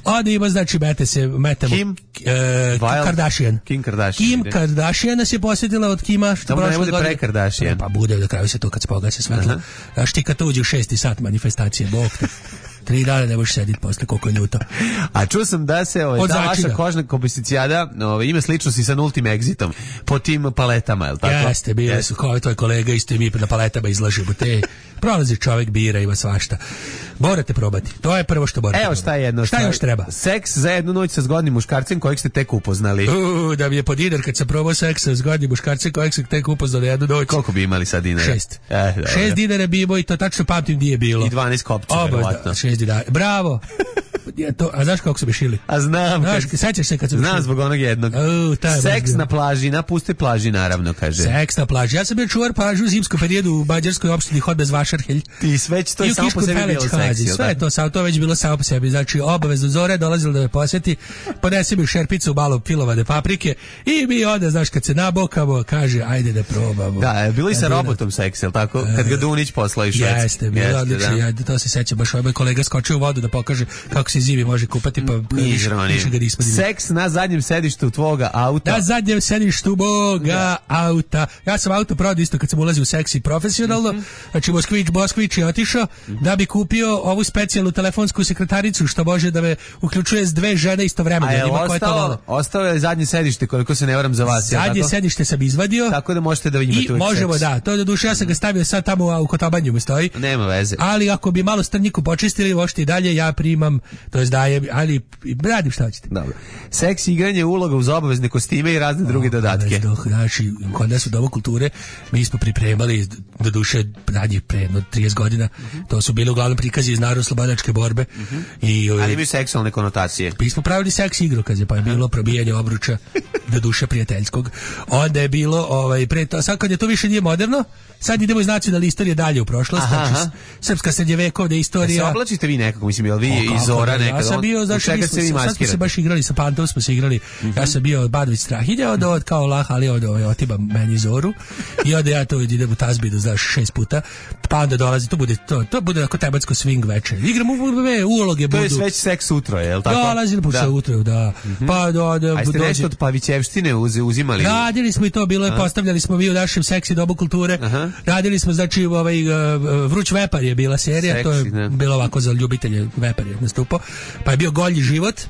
onda ima, znači, mete se, metemo Kim? E, Kardashian. Kim Kardashian. Kim Kardashian nas je posjetila od Kima. Što da ne bude pre Kardashian. Pa bude, da kraju se to kad se pogase svetlo. Znaš ti kad to uđe u šesti sat manifestacije, bog te. Tri dana ne možeš sediti posle koliko je ljuto. A čuo sam da se ovaj, ta vaša kožna kobasicijada ovaj, ima sličnosti sa nultim egzitom po tim paletama, je li tako? Jeste, bile su kao tvoj kolega, isto i mi na paletama izlažemo te. Prolazi čovjek, bira, ima svašta. Morate probati. To je prvo što morate. Evo šta je jedno. Šta, šta još treba? Seks za jednu noć sa zgodnim muškarcem kojeg ste tek upoznali. Uh, da mi je po dinar kad sam probao seks sa zgodnim muškarcem kojeg sam tek upoznali jednu noć. Koliko bi imali sad dinara? Šest. Eh, Šest dinara bi imao i to tačno pamtim di je bilo. I dvanaest kopca, verovatno. Šest dinara. Bravo. Ja to, a znaš kako su me šili? A znam. Znaš, kad, sećaš se kad su me znam zbog onog jednog. Uh, Seks na plaži, na pustoj plaži, naravno, kaže. Seks na plaži. Ja sam bio čuvar plažu u zimskom periodu u mađarskoj opštini Hod bez Vašarhelj. I sve to je samo po sebi bilo seksi. Sve je to, samo to već bilo samo po sebi. Znači, obavezno Zore dolazilo da me posjeti, ponese mi u šerpicu malo pilovane paprike i mi onda, znaš, kad se nabokamo, kaže, ajde da probamo. Da, bilo i sa robotom seks, je li tako? Kad ga Dunić poslao iz Švedske. Jeste, bilo odlično. Ja, to se sećam, baš ovaj kolega skočio u vodu da pokaže kako se zimi može kupati, pa više ga nismo. Seks na zadnjem sedištu tvoga auta. Na zadnjem sedištu moga auta. Ja sam auto prodao isto kad sam ulazio u seksi profesionalno. Mm-hmm. Znači, Moskvić, Moskvić je otišao mm-hmm. da bi kupio ovu specijalnu telefonsku sekretaricu što može da me uključuje s dve žene istovremeno. A je ostao, ostao je zadnje sedište, koliko se ne varam za vas. Zadnje tako? Sedište sam izvadio. Tako da možete da imate i možemo, seks. Da. To do duše, ja sam ga stavio sad tamo u Kotobanju mu stoji. Nema veze. Ali ako bi malo strnjiku počistili, možete i dalje, ja primam, to jest dajem, ali radim šta hoćete. Dobro. Seks, igranje uloga uz obavezne kostime i razne o, druge dodatke. Znači, kod nas u Domu kulture mi smo pripremali, do duše, radnjih pre jedno trideset godina, uh-huh. to su bili uglavnom prikazi iz narodno-slobodačke borbe. Uh-huh. I, ali imaju seksualne konotacije. Mi smo pravili seks igrokaze, pa je bilo probijanje obruča do duše prijateljskog. Onda je bilo, ovaj, pre to, sad kad je to više nije moderno, sad idemo iz nacionalne istorije dalje u prošlost, aha, znači srpska srednjevekovna istorija. A se oblačite vi nekako, mislim, jel vi o, iz Zora nekada? Ja sam bio, znači, mi smo, sad smo se baš igrali sa Pantom, smo se igrali, mm-hmm. ja sam bio Badović Strahinja, od od kao lah, ali od ove otiba meni Zoru, i onda ja to idem u tazbinu znaš, šest puta, pa onda dolazi, to bude, to, to bude ako tebatsko swing veče. Igramo uloge budu. To je već seks utro, je li tako? Dolazi po da. Utro, da. Mm-hmm. Pa do, do, a jeste dođe... nešto od Pavićevštine uz, uzimali? Radili smo i to, bilo je, aha, postavljali smo mi u našem seksi dobu kulture. Aha. Radili smo, znači, ovaj, uh, Vruć vepar je bila serija, seksi, to je ne. Bilo ovako za ljubitelje, vepar je nastupao. Pa je bio Golji život.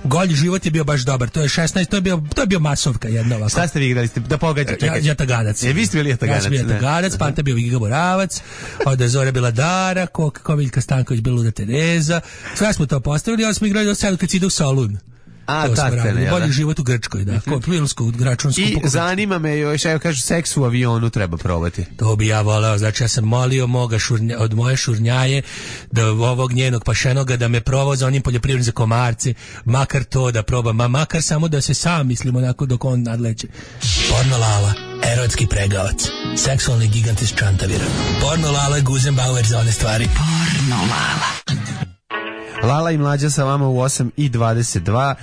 Golji život je bio baš dobar. To je šesnaest, to je bio to je bio masovka jedna ovako. Šta ste vi igrali? Ste da pogađate? Ja, Jataganac. Je vi ste bili Jataganac? Ja sam bio Jataganac, Panta bio Giga Moravac, onda je Zora bila Dara, Komiljka Stanković bila Luda Tereza. Sve smo to postavili, onda smo igrali do sada kad se ide u Solun. A, ta scena, bolji da? Život u Grčkoj, da. Mm-hmm. Filmsku, gračunsku. I zanima me još, evo kažu, seks u avionu treba probati. To bi ja voleo, znači ja sam molio moga šurnja, od moje šurnjaje, da ovog njenog pašenoga, da me provoza onim poljoprivrednim za komarce, makar to da probam, ma makar samo da se sam mislimo onako dok on nadleće. Porno Lala, erotski pregavac, seksualni gigant iz Čantavira. Porno Lala, Guzenbauer za one stvari. Porno Lala. Lala i Mlađa sa vama u osam i dvadeset dva,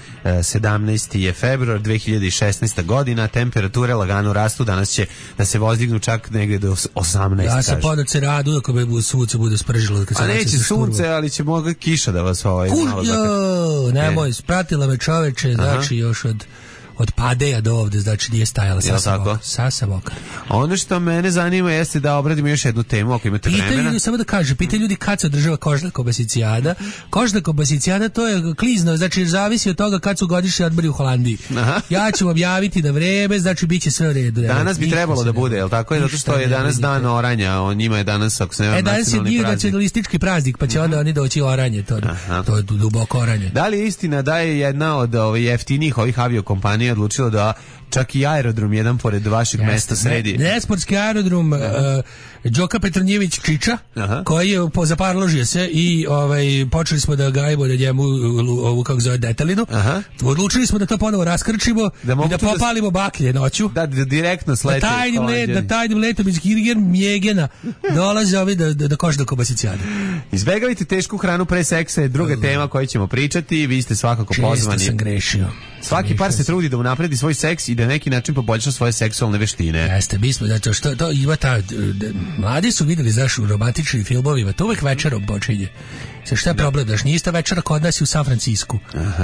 sedamnaesti je februar dve hiljade šesnaesta godina, temperature lagano rastu, danas će da se vozdignu čak negde do osamnaest. Ja sam podat se radu, ako bi sunce bude spržilo. A neće sunce, ali će moga kiša da vas ovaj... Kurjo, nemoj, spratila me čoveče, znači još od... od Padeja do ovde, znači nije stajala sasa boka. Sasa boka. Ono što mene zanima jeste da obradimo još jednu temu, ako imate pita vremena. Ljudi, samo da kaže, pita ljudi kad se održava kožna kobasicijada. Kožna kobasicijada to je klizno, znači zavisi od toga kad su godišnji odmori u Holandiji. Aha. Ja ću objaviti da vreme, znači bit će sve u redu. Danas bi trebalo da bude, jel tako? Zato što je danas dan oranja, on njima je danas, ako se nema, e, danas je dio nacionalistički praznik, pa će onda oni doći oranje, to, to je duboko oranje. Da li je istina da je jedna od ovih jeftinih ovih aviokompanija odlučila da čak i aerodrom jedan pored vašeg Jeste, mesta sredi? Nesportski aerodrom uh, Đoka Petronjević Čiča, aha, koji je zaparložio se i ovaj, počeli smo da gajimo da njemu ovu kako zove detalinu. Aha. Odlučili smo da to ponovo raskrčimo da i da popalimo baklje noću. Da, da direktno slete. Da tajnim, let, da tajnim letom iz Kirgen Mjegena dolaze ovi da, da, da koš do kobasicijade. Izbegavajte tešku hranu pre seksa je druga uh, tema koju ćemo pričati. Vi ste svakako često pozvani. Često sam grešio. Svaki par se trudi da unapredi svoj seks i da na neki način poboljša svoje seksualne veštine. Jeste, mi smo, znači, što to ima ta... Mladi su videli, znaš, u romantičnim filmovima, to uvek večerom počinje. Sve šta je da. Problem, znaš, nije ista večera kod nas i u San Francisku.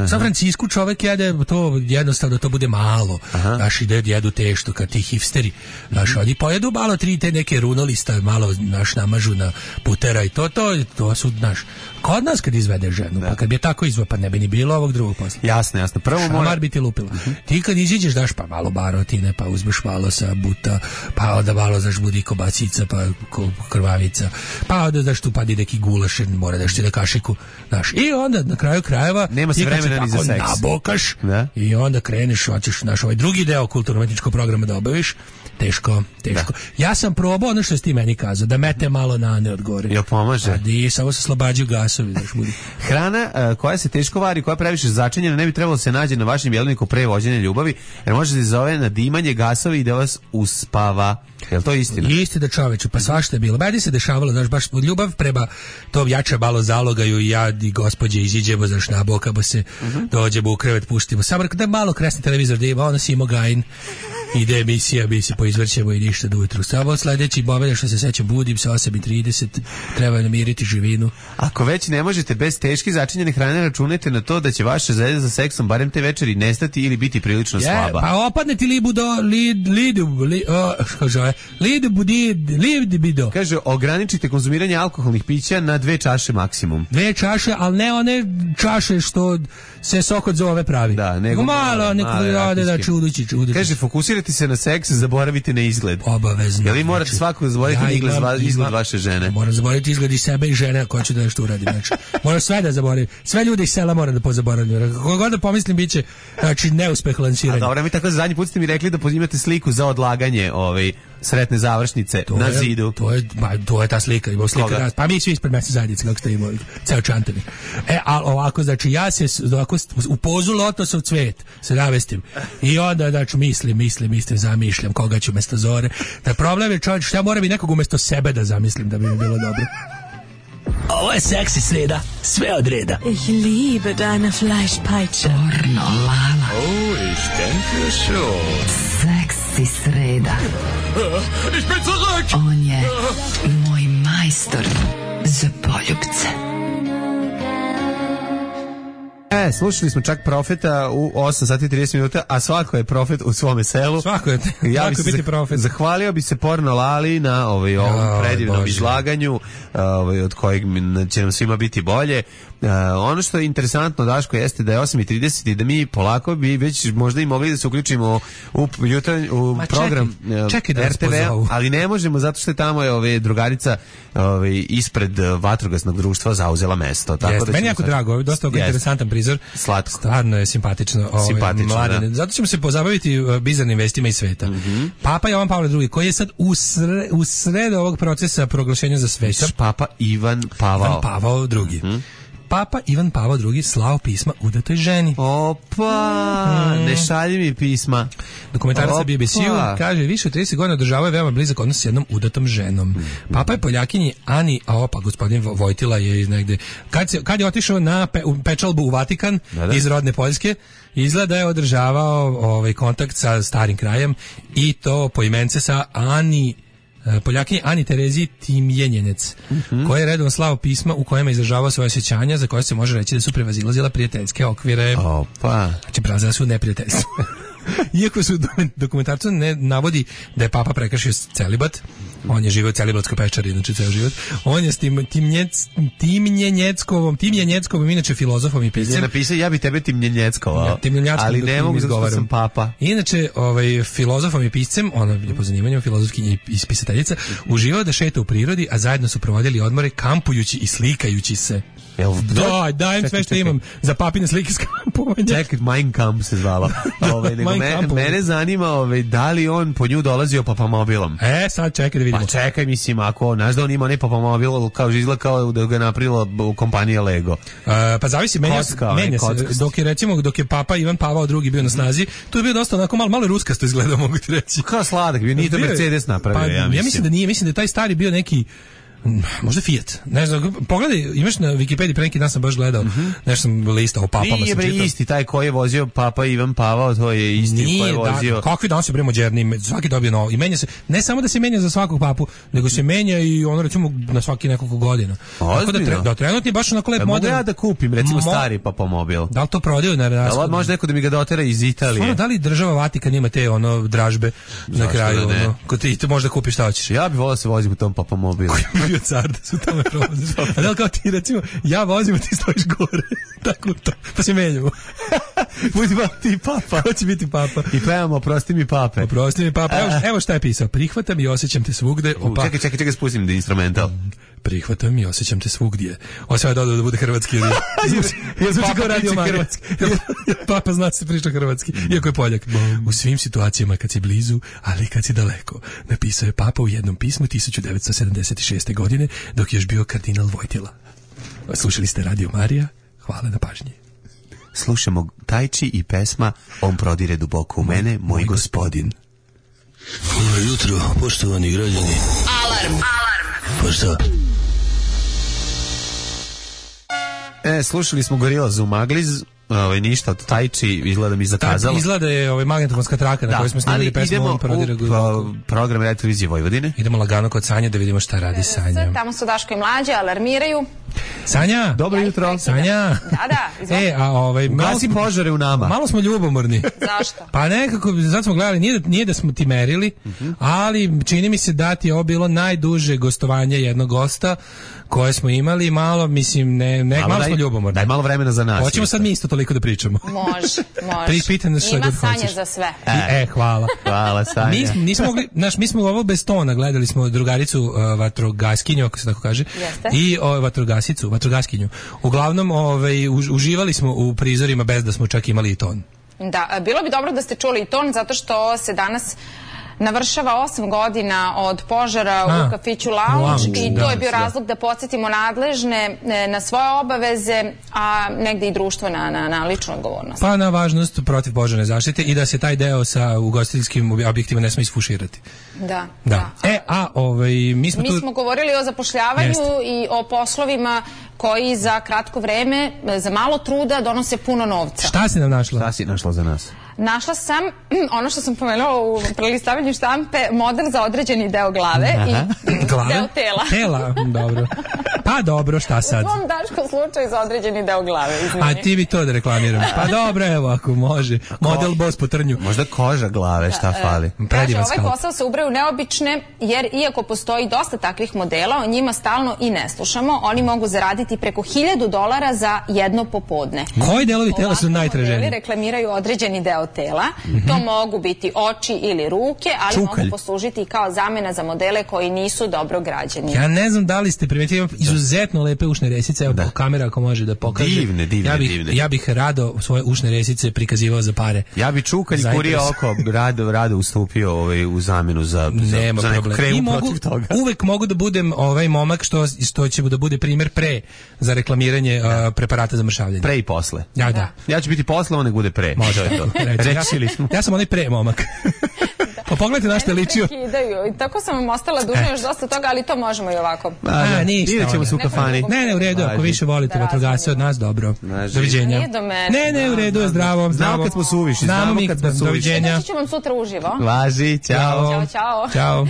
U San Francisku čovek jede, to jednostavno to bude malo. Aha. Znaš, ide jedu tešto kad ti hipsteri. Znaš, mm-hmm. oni pojedu malo tri te neke runolista, malo, znaš, namažu na putera i to, to, to su, znaš, kod nas kad izvede ženu, da. Pa kad bi je tako izveo, pa ne bi ni bilo ovog drugog posla. Jasno, jasno. Prvo Šamar mora... bi ti lupila. Mm-hmm. Ti kad iziđeš, daš pa malo barotine, pa uzmeš malo sa buta, pa onda malo, znaš, budi kobacica, pa krvavica, pa onda, znaš, tu padi neki gulaš, mora daš ti da kašiku, znaš, i onda na kraju krajeva nema se vremena ni za seks. Nabokaš, da? I onda kreneš, hoćeš naš ovaj drugi deo kulturno-umetničkog programa da obaviš. Teško, teško. Da. Ja sam probao ono što je s ti meni kazao, da mete malo na ne odgore. Jel pomaže? A di, samo se slobađaju gasovi, znaš, budi. Hrana uh, koja se teško vari, koja previše začinjena, ne bi trebalo se nađe na vašem jeleniku pre vođenja ljubavi, jer može se zove nadimanje gasovi i da vas uspava. Jel to istina? Istina, čoveče, pa svašta je bilo. Meni se dešavalo, znaš, baš ljubav prema to jače malo zalogaju i ja i gospođe iziđemo, znaš, nabokamo se, uh-huh. dođemo u krevet, puštimo. Samo da malo kresni televizor da ima, ono Simo Gajin, ide emisija, mi se poizvrćemo i ništa do ujutru. Samo sledeći moment što se sećam, budim se osam i trideset, treba namiriti živinu. Ako već ne možete bez teške začinjene hrane, računajte na to da će vaša želja za seksom barem te večeri nestati ili biti prilično je, slaba. Pa opadne ti libudo, lid, lidu, li, o, kaže, lidu budi, lidu bido. Kaže, ograničite konzumiranje alkoholnih pića na dve čaše maksimum. Dve čaše, ali ne one čaše što se sok od zove pravi. Da, nego malo, neko rade da čudući, čudući. Kaže, fokusirajte se na seks, zaboravite na izgled. Obavezno. Jel vi morate znači, svako zaboraviti ja izgled, imam, izgled vaše žene? Moram zaboraviti izgled i sebe i žene ako hoću da nešto uradim. Znači, moram sve da zaboravim. Sve ljude iz sela moram da pozaboravim. Kako god da pomislim, bit će znači, neuspeh lansiranja. A dobro, mi tako zadnji put ste mi rekli da imate sliku za odlaganje ovaj, sretne završnice to na je, zidu. To je, ba, to je ta slika. Ima slika raz, pa mi svi ispred mesne zajednice, kako ste imali, ceo Čantani. E, ali ovako, znači, ja se ovako, u pozu lotosov cvet se navestim. I onda, znači, mislim, mislim, mislim, zamišljam koga ću umesto Zore. Da problem je čovječ, što ja moram i nekog umesto sebe da zamislim da bi mi bilo dobro. Ovo je seksi sreda, sve od reda. Ich liebe deine Fleischpeitsche. Porno Lala. Oh, ich denke schon. Seksi sreda. Ich bin zurück! On je moj majstor za poljupce. E, slušali smo čak Profeta u osam sati i trideset minuta, a svako je profet u svome selu. Svako je, ja svako je biti profet. Zahvalio bi se Porno Lali na ovaj, ovom predivnom Bože. izlaganju, ovaj, od kojeg će nam svima biti bolje. Uh, ono što je interesantno, Daško, jeste da je osam i trideset i da mi polako bi već možda i mogli da se uključimo u, jutranj, u Ma program čekaj, čekaj da R T V, ali ne možemo zato što je tamo je ove, drugarica ove, ispred vatrogasnog društva zauzela mesto. Tako Jeste, da meni jako sad... drago, dosta yes. interesantan prizor. Slatko. Stvarno je simpatično. Ove, simpatično, mladine. da. Zato ćemo se pozabaviti uh, bizarnim vestima iz sveta. Mm-hmm. Papa Jovan Pavle drugi, koji je sad u, sre, u sred ovog procesa proglašenja za sveta. Papa Ivan Pavao. Ivan Pavao drugi. Mm-hmm. Papa Ivan Pavao drugi slao pisma udatoj ženi. Opa, mm. ne šalji mi pisma. Dokumentarac sa B B C-u kaže, više od trideset godina održavao je veoma blizak odnos s jednom udatom ženom. Mm. Papa je Poljakinji Ani, a opa, gospodin Vojtila je negde, kad, se, kad je otišao na pe, u pečalbu u Vatikan da, da. iz rodne Poljske, izgleda je održavao ovaj, kontakt sa starim krajem i to po imence sa Ani Poljakinji Ani Terezi Timjenjenec, mm-hmm. koja je redovno slao pisma u kojima izražavao svoje osjećanja za koje se može reći da su prevazilazila prijateljske okvire. Opa. Znači prevazila su neprijateljstvo. Iako su dokumentarcu ne navodi da je Papa prekršio celibat, on je živio u celibatskoj pečari, znači ceo život. On je s tim Timnjec, Timnjenjeckovom, Timnjenjeckovom, inače filozofom i piscem. Je napisao, ja bi tebe Timnjenjeckovao, ja, ali ne mogu zato što sam Papa. Inače, ovaj, filozofom i piscem, ona je po zanimanju filozofkinja i pisateljica, uživao da šeta u prirodi, a zajedno su provodili odmore kampujući i slikajući se. Jel, da, dajem sve što imam za papine slike s kampovanja. Čekaj, Mein Kampf se zvala. Ove, nego me, mene zanima ove, da li on po nju dolazio papamobilom. E, sad čekaj da vidimo. Pa čekaj, mislim, ako, znaš da on ima ne papamobil, kao izgleda kao da ga je napravila kompanija Lego. Uh, pa zavisi, menja, Kocka, menja se. Dok je, recimo, dok je Papa Ivan Pavao drugi bio na snazi, tu je bio dosta onako malo, malo ruskasto izgledao, mogu ti reći. Kao sladak, bio, nije to Mercedes napravio, pa, ja mislim. Ja mislim da nije, mislim da taj stari bio neki možda Fiat. Ne znam, pogledaj, imaš na Wikipediji, pre neki dan sam baš gledao, mm-hmm. nešto sam listao o papama. Nije bre isti, taj koji je vozio Papa Ivan Pavao, to je isti Nije, koji je vozio. Da, kakvi danas je bre moderni, svaki dobije novo. I menja se, ne samo da se menja za svakog papu, nego se menja i ono recimo na svaki nekoliko godina. Tako da, tre, da trenutni baš onako lep model. Mogu ja da kupim, recimo Mo... stari papamobil. Da li to prodaju na rashodu? Da, može neko da mi ga dotera iz Italije. Stvarno, da li država Vatikan ima te ono dražbe na kraju, da ono, ko ti to možda kupiš šta hoćeš? Ja bih voleo da se vozim u tom papamobilu. Koji je bio car da su tamo provoziš. A da li kao ti recimo, ja vozim, a ti stojiš gore. Tako to. Pa se menjamo. Budi pa ti papa. Ko će biti papa? I pevamo Oprosti mi pape. Oprosti mi pape. Evo, evo šta je pisao. Prihvatam i osjećam te svugde. Opa. Čekaj, čekaj, čekaj, spustim da instrumental. Prihvatam i osjećam te svugdje. Osjećam je dodao da bude hrvatski. Jer zvuči kao radio hrvatski. Papa zna se priča hrvatski, iako je Poljak. U svim situacijama kad si blizu, ali kad si daleko. Napisao je Papa u jednom pismu tisuću devetsto sedamdeset šeste. godine, dok je još bio kardinal Vojtila. Slušali ste Radio Marija. Hvala na pažnji. Slušamo Tajči i pesma On prodire duboko u mene, moj, moj gospodin. Dobro jutro, poštovani građani. Alarm! Alarm! Pa šta? E, slušali smo Gorillaz u Magliz, ovaj ništa od Tajči, izgleda mi zakazalo. Da, izgleda je ovaj magnetofonska traka na da, kojoj smo snimili pesmu On prodire duboko. Program Radio Televizije Vojvodine. Idemo lagano kod Sanje da vidimo šta radi Sanja. Tamo su Daško i Mlađe, alarmiraju. Sanja, dobro jutro. Sanja. Da, da, izvolite. E, a ovaj gasi požare u nama. Malo smo ljubomorni. Zašto? Pa nekako, zato smo gledali, nije da, nije da smo ti merili, uh-huh. ali čini mi se da ti je ovo bilo najduže gostovanje jednog gosta koje smo imali, malo, mislim, ne, ne malo, malo daj, smo ljubomorni. Daj malo vremena za nas. Hoćemo sad mi isto toliko da pričamo. Može, može. Pripitaj nas šta god hoćeš. Ima Sanje za sve. E, e hvala. Hvala, Sanja. Mi, nismo mogli, naš, mi smo ovo bez tona, gledali smo drugaricu uh, vatrogaskinju, ako se tako kaže, Jeste. i uh, vatrogasicu, vatrogaskinju. Uglavnom, ovaj, uživali smo u prizorima bez da smo čak imali i ton. Da, bilo bi dobro da ste čuli i ton, zato što se danas navršava osam godina od požara A, u kafiću Lounge i to je bio razlog da podsjetimo nadležne na svoje obaveze, a negde i društvo na, na, na ličnu odgovornost. Pa na važnost protiv požarne zaštite i da se taj deo sa ugostiteljskim objektima ne sme isfuširati. Da, da. da. E, a ovaj, mi smo mi tu... smo govorili o zapošljavanju Jeste. i o poslovima koji za kratko vreme, za malo truda donose puno novca. Šta si nam našla? Šta si našla za nas? Našla sam ono što sam pomenula u prelistavanju štampe, model za određeni deo glave i glave? deo tela. Tela, dobro. Pa dobro, šta sad? U svom Daškom slučaju za određeni deo glave, izmeni. A ti bi to da reklamiram. Pa dobro, evo, ako može. Model Boss po trnju. Možda koža glave, šta da, fali? Kaže, ovaj posao se ubraju neobične, jer iako postoji dosta takvih modela, o njima stalno i ne slušamo. Oni mogu zaraditi preko hiljadu dolara za jedno popodne. Koji delovi tela su najtraženiji? Reklamiraju određeni deo tela. Mm-hmm. To mogu biti oči ili ruke, ali Čukalj. mogu poslužiti i kao zamena za modele koji nisu dobro građeni. Ja ne znam da li ste primetili, izuzetno lepe ušne resice, evo kamera ako može da pokaže. Divne, divne, ja bih, divne. Ja bih rado svoje ušne resice prikazivao za pare. Ja bih čukalj kurio oko, rado, rado ustupio ovaj, u zamenu za, za, Nema za neku kremu mogu, protiv toga. Uvek mogu da budem ovaj momak što, što će da bude primjer pre za reklamiranje uh, preparata za mršavljenje. Pre i posle. Ja, da. Ja ću biti posle, on nek bude pre. Može to. Rečili smo. Ja sam onaj pre momak. Pa pogledajte na što je ličio. I tako sam vam ostala dužna još dosta toga, ali to možemo i ovako. A, ništa. Idemo se u kafani. Ne, ne, u redu, ako više volite vatrogasce od nas, dobro. Doviđenja. Nije do mene. Ne, ne, u redu, je zdravo. Znamo kad smo suviši, znamo kad smo suviši. Doviđenja. Doći ću vam sutra uživo. Važi, ćao. Ćao, čao. Ćao.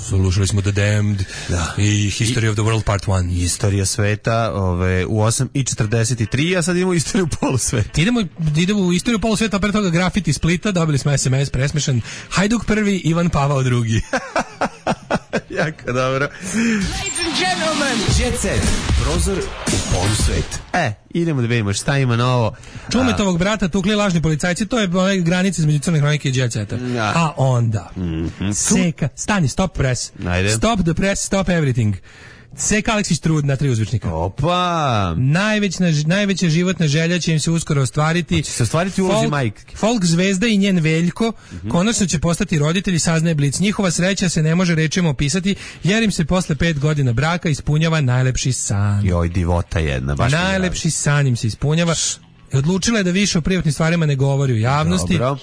Slušali smo The Damned da. I History I, of the World Part one. Istorija sveta ove, u osam i četrdeset tri, a sad idemo u istoriju polusveta. Idemo, idemo u istoriju polusveta, a pre toga grafiti Splita, dobili smo es em es presmešan. Hajduk prvi, Ivan Pavao drugi. Jako dobro. Ladies and gentlemen, Jet Set, prozor u polusvet. E, idemo da vidimo šta ima novo. Čumetovog brata tukli lažni policajci, to je onaj granice između Crne Hronike i Jet Seta. Ja. A onda, mm-hmm. Seka, stani, stop press. Ajde. Stop the press, stop everything. Seka Aleksić Trud na tri uzvičnika. Opa! Najveća, najveća životna želja će im se uskoro ostvariti. Će se ostvariti u ulozi majke. Folk zvezda i njen Veljko mm-hmm. konačno će postati roditelji, saznaje Blic. Njihova sreća se ne može rečima opisati, jer im se posle pet godina braka ispunjava najlepši san. Joj, divota jedna. Baš najlepši san im se ispunjava. I odlučila je da više o privatnim stvarima ne govori u javnosti. Dobro.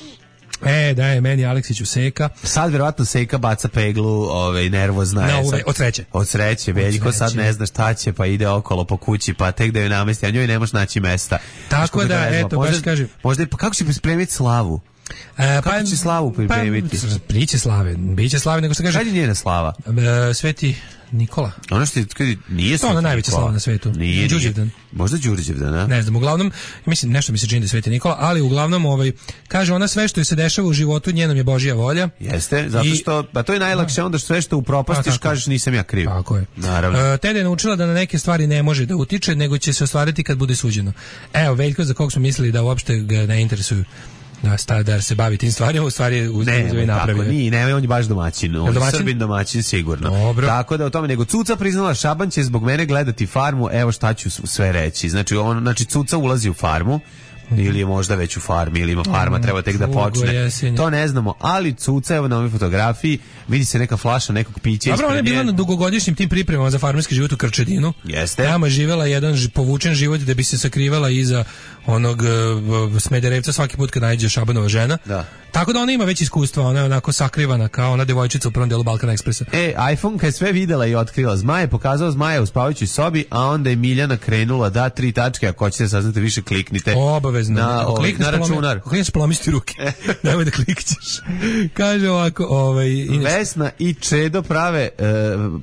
E, da je meni Aleksiću Seka. Sad verovatno Seka baca peglu, ovaj, nervozna je. No, od sreće. Od sreće, Veljko sad ne zna šta će, pa ide okolo po kući, pa tek da joj namesti, a njoj ne može naći mesta. Tako da, da eto, možda, baš kažem. Možda, pa kako će spremiti slavu? E, kako pa, će slavu pripremiti? Pa, priće slave, biće slave, nego što kaže. Kad je njena slava? E, Sveti Nikola. Ono što je, nije to je ona najveća slava na svetu. Nije, Đurđevdan. Možda Đurđevdan, a? Ne znam, uglavnom, mislim, nešto mi se čini da je Sveti Nikola, ali uglavnom, ovaj, kaže ona sve što je se dešava u životu, njenom je Božja volja. Jeste, zato što, pa to je najlakše, onda sve što upropastiš, kažeš nisam ja kriv. Tako je. Naravno. E, Tada je naučila da na neke stvari ne može da utiče, nego će se ostvariti kad bude suđeno. Evo, Veljko, za kog smo mislili da uopšte ga ne interesuju da sta da se bavi tim stvarima, u stvari u ne, napravio. Tako, nije, ne, on je baš domaćin, on je Srbin domaćin sigurno. Dobro. Tako da o tome, nego Cuca priznala, Šaban će zbog mene gledati Farmu, evo šta ću sve reći. Znači, on, znači Cuca ulazi u Farmu, ili je možda već u farmi, ili ima farma, treba tek da počne. Jesenje. To ne znamo, ali Cuca, evo na ovoj fotografiji, vidi se neka flaša nekog pića. Dobro, ona je bila na dugogodišnjim tim pripremama za farmerski život u Krčedinu. Jeste. Tamo je živjela jedan povučen život da bi se sakrivala iza onog uh, Smederevca svaki put kad nađe Šabanova žena. Da. Tako da ona ima već iskustva, ona je onako sakrivana kao ona devojčica u prvom delu Balkan Ekspresa. E, iPhone kad je sve videla i otkrila zmaje, je pokazao zmaja u spavajućoj sobi, a onda je Miljana krenula da tri tačke, ako hoćete saznati više, kliknite. Obavezno. Na, ovaj, na računar. Ako klikneš, polomiš ruke. Nemoj da klikćeš. Kaže ovako, ovaj... Inače... Vesna i Čedo prave e,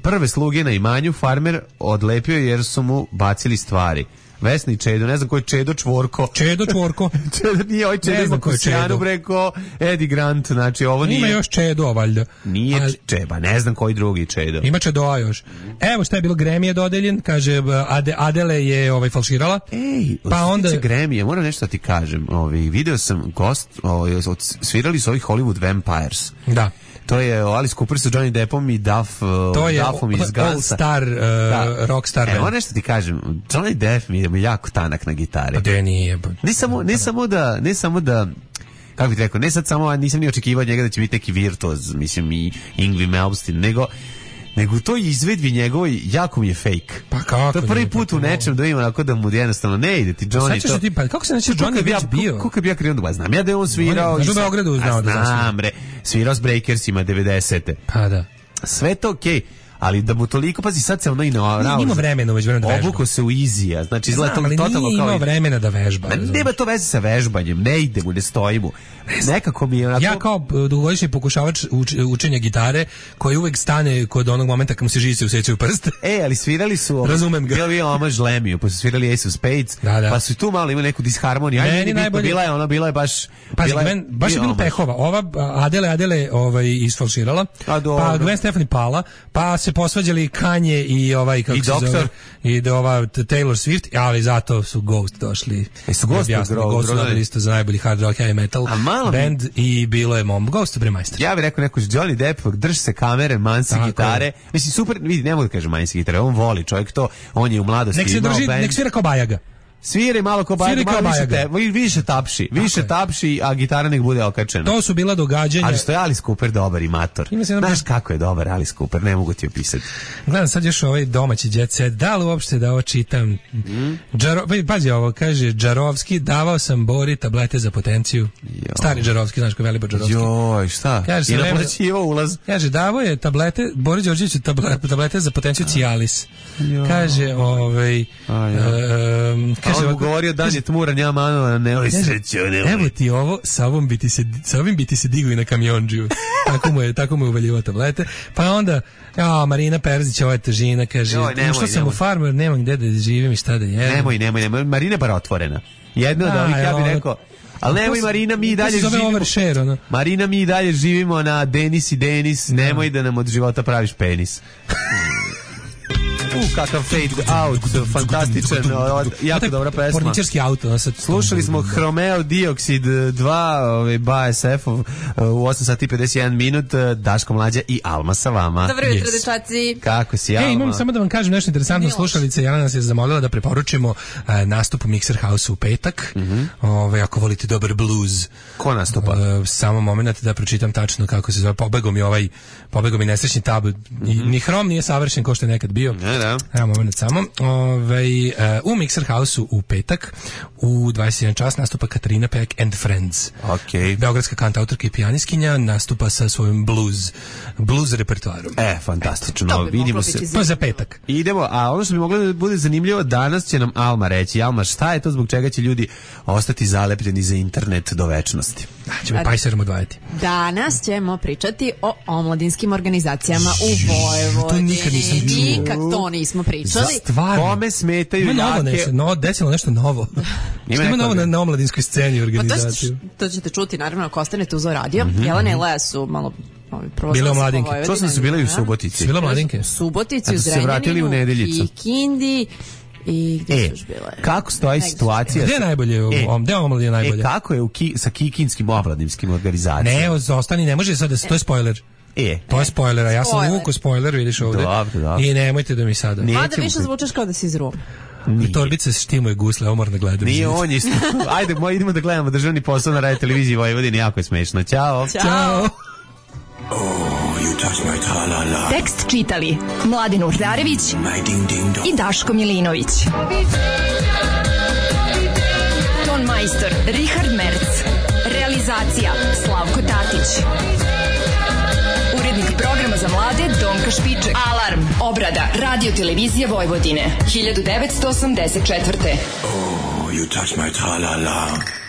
prve sluge na imanju, farmer odlepio jer su mu bacili stvari. Vesna i Čedo, ne znam ko je Čedo Čvorko. Čedo Čvorko. Čedo nije ovaj Čedo, ima Kusijanu breko, Eddie Grant, znači ovo nije... Ima još Čedo, valjda. Nije ali... Čeba, ne znam koji drugi Čedo. Ima Čedoa još. Evo šta je bilo, Grammy je dodeljen, kaže Ade, Adele je ovaj falširala. Ej, pa onda Grammy, moram nešto da ti kažem. Ovaj video sam gost, ovaj svirali su ovi Hollywood Vampires. Da. To je Alice Cooper sa Johnny Deppom i Duff, to je Duffom iz Gunsa. All Star, uh, da. Rockstar. Evo nešto ti kažem, Johnny Depp mi je jako tanak na gitari. A de nije. Ne samo, ne samo da, ne samo da, kako bih rekao, ne sad samo, nisam ni očekivao od njega da će biti neki virtuoz, mislim i Yngwie Malmsteen, nego nego to izvedbi njegovoj jako mi je fake. Pa kako? To je prvi put u nečem da ima onako da mu jednostavno ne ide ti Johnny. To... Ti, pa kako se neće Johnny već bio? Kako bi ja krenuo da znam ja da je on svirao i u Beogradu znao da znam bre, svirao s Breakersima devedesete. Pa da. Sve to okej. Okay. ali da mu toliko, pazi, sad se ono i na ima vremena već vremena da vežba. Obuko se u Izija, znači izgleda to totalno kao... Ima vremena da vežba. Ma, nema to veze sa vežbanjem, ne ide mu, ne stoji mu. Nekako mi je onako... Ja kao dugogodišnji pokušavač uč, učenja gitare, koji uvek stane kod onog momenta kad mu se žice usećaju prste. E, ali svirali su... Razumem ga. Bilo je omaž Lemiju, pa su svirali Ace of Spades, da, da. pa su tu malo imali neku disharmoniju. Ajde, meni najbolje... Bila je ona, bila je baš... Pazi, bila je, Gwen, baš je bilo pehova. Ova Adele, Adele ovaj, isfalširala, pa Gwen Stefani pala, pa se posvađali Kanye i ovaj, kako I se doktor. zove, i do ova Taylor Swift, ali zato su Ghost došli. E, su Ghost jasno, Ghost su dobili isto za najbolji hard rock, heavy metal band bi... i bilo je mom Ghost bre majstor. Ja bih rekao neko Johnny Depp, drži se kamere, mansi gitare. Mislim super, vidi, ne mogu da kažem mansi gitare, on voli čovjek to, on je u mladosti nek se imao drži, band. nek svira kao Bajaga. Svira malo kao Bajaga, malo više, te, više tapši, više je. tapši, a gitara nek bude okačena. To su bila događanja. Ali što je Alice Cooper dobar i mator. Znaš kako je dobar Alice Cooper, ne mogu ti opisati. Gledam sad još ovaj domaći jet set, da li uopšte da ovo čitam? Mm. Džaro, pazi ovo, kaže Džarovski, davao sam Bori tablete za potenciju. Jo. Stari Džarovski, znaš ko je Velibor Džarovski. Joj, šta? Kaže, I naplaćivao ulaz. Kaže, davao je tablete, Bori Đorđević tablete, tablete za potenciju Cialis. Jo. Kaže, ovaj... Um, kaže, on mu govorio dan je tmuran, ja manova, ne voli sreću, ne voli. Evo ti ovo, sa ovom bi ti se, sa ovim bi ti se digli na kamionđiju. tako mu je, tako mu je uvaljivao tablete. Pa onda, ja, Marina Perzić, ova je težina, kaže, što sam u farmer, nemam gde da živim i šta da jedem. Nemoj, nemoj, nemoj, Marina je bar otvorena. Jedna od ovih, ja bih rekao, ali nemoj Marina, mi i dalje živimo. Share, ono. Marina, mi i dalje živimo na Denis i Denis, nemoj da nam od života praviš penis. U, kakav fade out, fantastičan, jako dobra pesma. Porničarski auto. Slušali smo Hromeo Dioksid dva, ovaj, B A S F-ov u osam sati i pedeset jedan minut, Daško Mlađa i Alma sa vama. Dobro jutro, dečaci. Kako si, Alma? E, imam samo da vam kažem nešto interesantno. Slušalica Jana nas je zamolila da preporučimo uh, nastup u Mixer House u petak. Mm -hmm. Ove, ako volite dobar blues. Ko nastupa? Uh, samo moment da pročitam tačno kako se zove. Pobegao mi ovaj, pobegao mi nesrećni tab. Mm -hmm. Ni Hrom nije savršen kao što je nekad bio. Ne, da. Evo moment samo. Ove, uh, u Mixer House-u u petak u dvadeset jedan čas nastupa Katarina Peck and Friends. Okay. Beogradska kantautorka i pijaniskinja nastupa sa svojim blues blues repertoarom. E, fantastično. Vidimo se. Pa za petak. Idemo, a ono što bi moglo da bude zanimljivo, danas će nam Alma reći. Alma, šta je to zbog čega će ljudi ostati zalepljeni za internet do večnosti? Da, ćemo pajserom odvajati. Danas ćemo pričati o omladinskim organizacijama u Vojvodini. To nikad nisam čuo. Nikad to nismo pričali. Stvarno. Kome smetaju ima novo jake... nešto, no, desilo nešto novo. Ima, ima novo na, na omladinskoj sceni organizaciju. Pa to, to ćete čuti, naravno, ako ostanete uz radio. Mm -hmm. Jelena i Lea su malo... Bile omladinke. To su bile u Subotici. Bile omladinke. U Subotici, u Zrenjaninu, i Kindi. I gdje e, su još bile? Kako stoji situacija? Gdje je najbolje? E, gdje je omladina najbolje? E, kako je u ki, sa kikinskim omladinskim organizacijama? Ne, ostani, ne može sad da se, to je spoiler. E. To je spoiler, a ja sam uvuko spoiler, vidiš ovdje. Dobro, dobro. I nemojte da mi sada. Mada više zvučeš kao da si iz Ruma. Torbice štimuje gusle, ovo moram da gledam. Nije on isto. Ajde, moj, idemo da gledamo državni posao na radio televiziji Vojvodine, jako je smešno. Ćao. Ćao. Oh, you touch my tra-la-la. Tekst čitali Mladin Urdarević i Daško Milinović. Ton majstor Richard Merc. Realizacija Slavko Tatić. Urednik programa za mlade Donka Špiček. Alarm. Obrada Radio Televizije Vojvodine. hiljadu devetsto osamdeset četvrte. Oh, you touch my tra-la-la.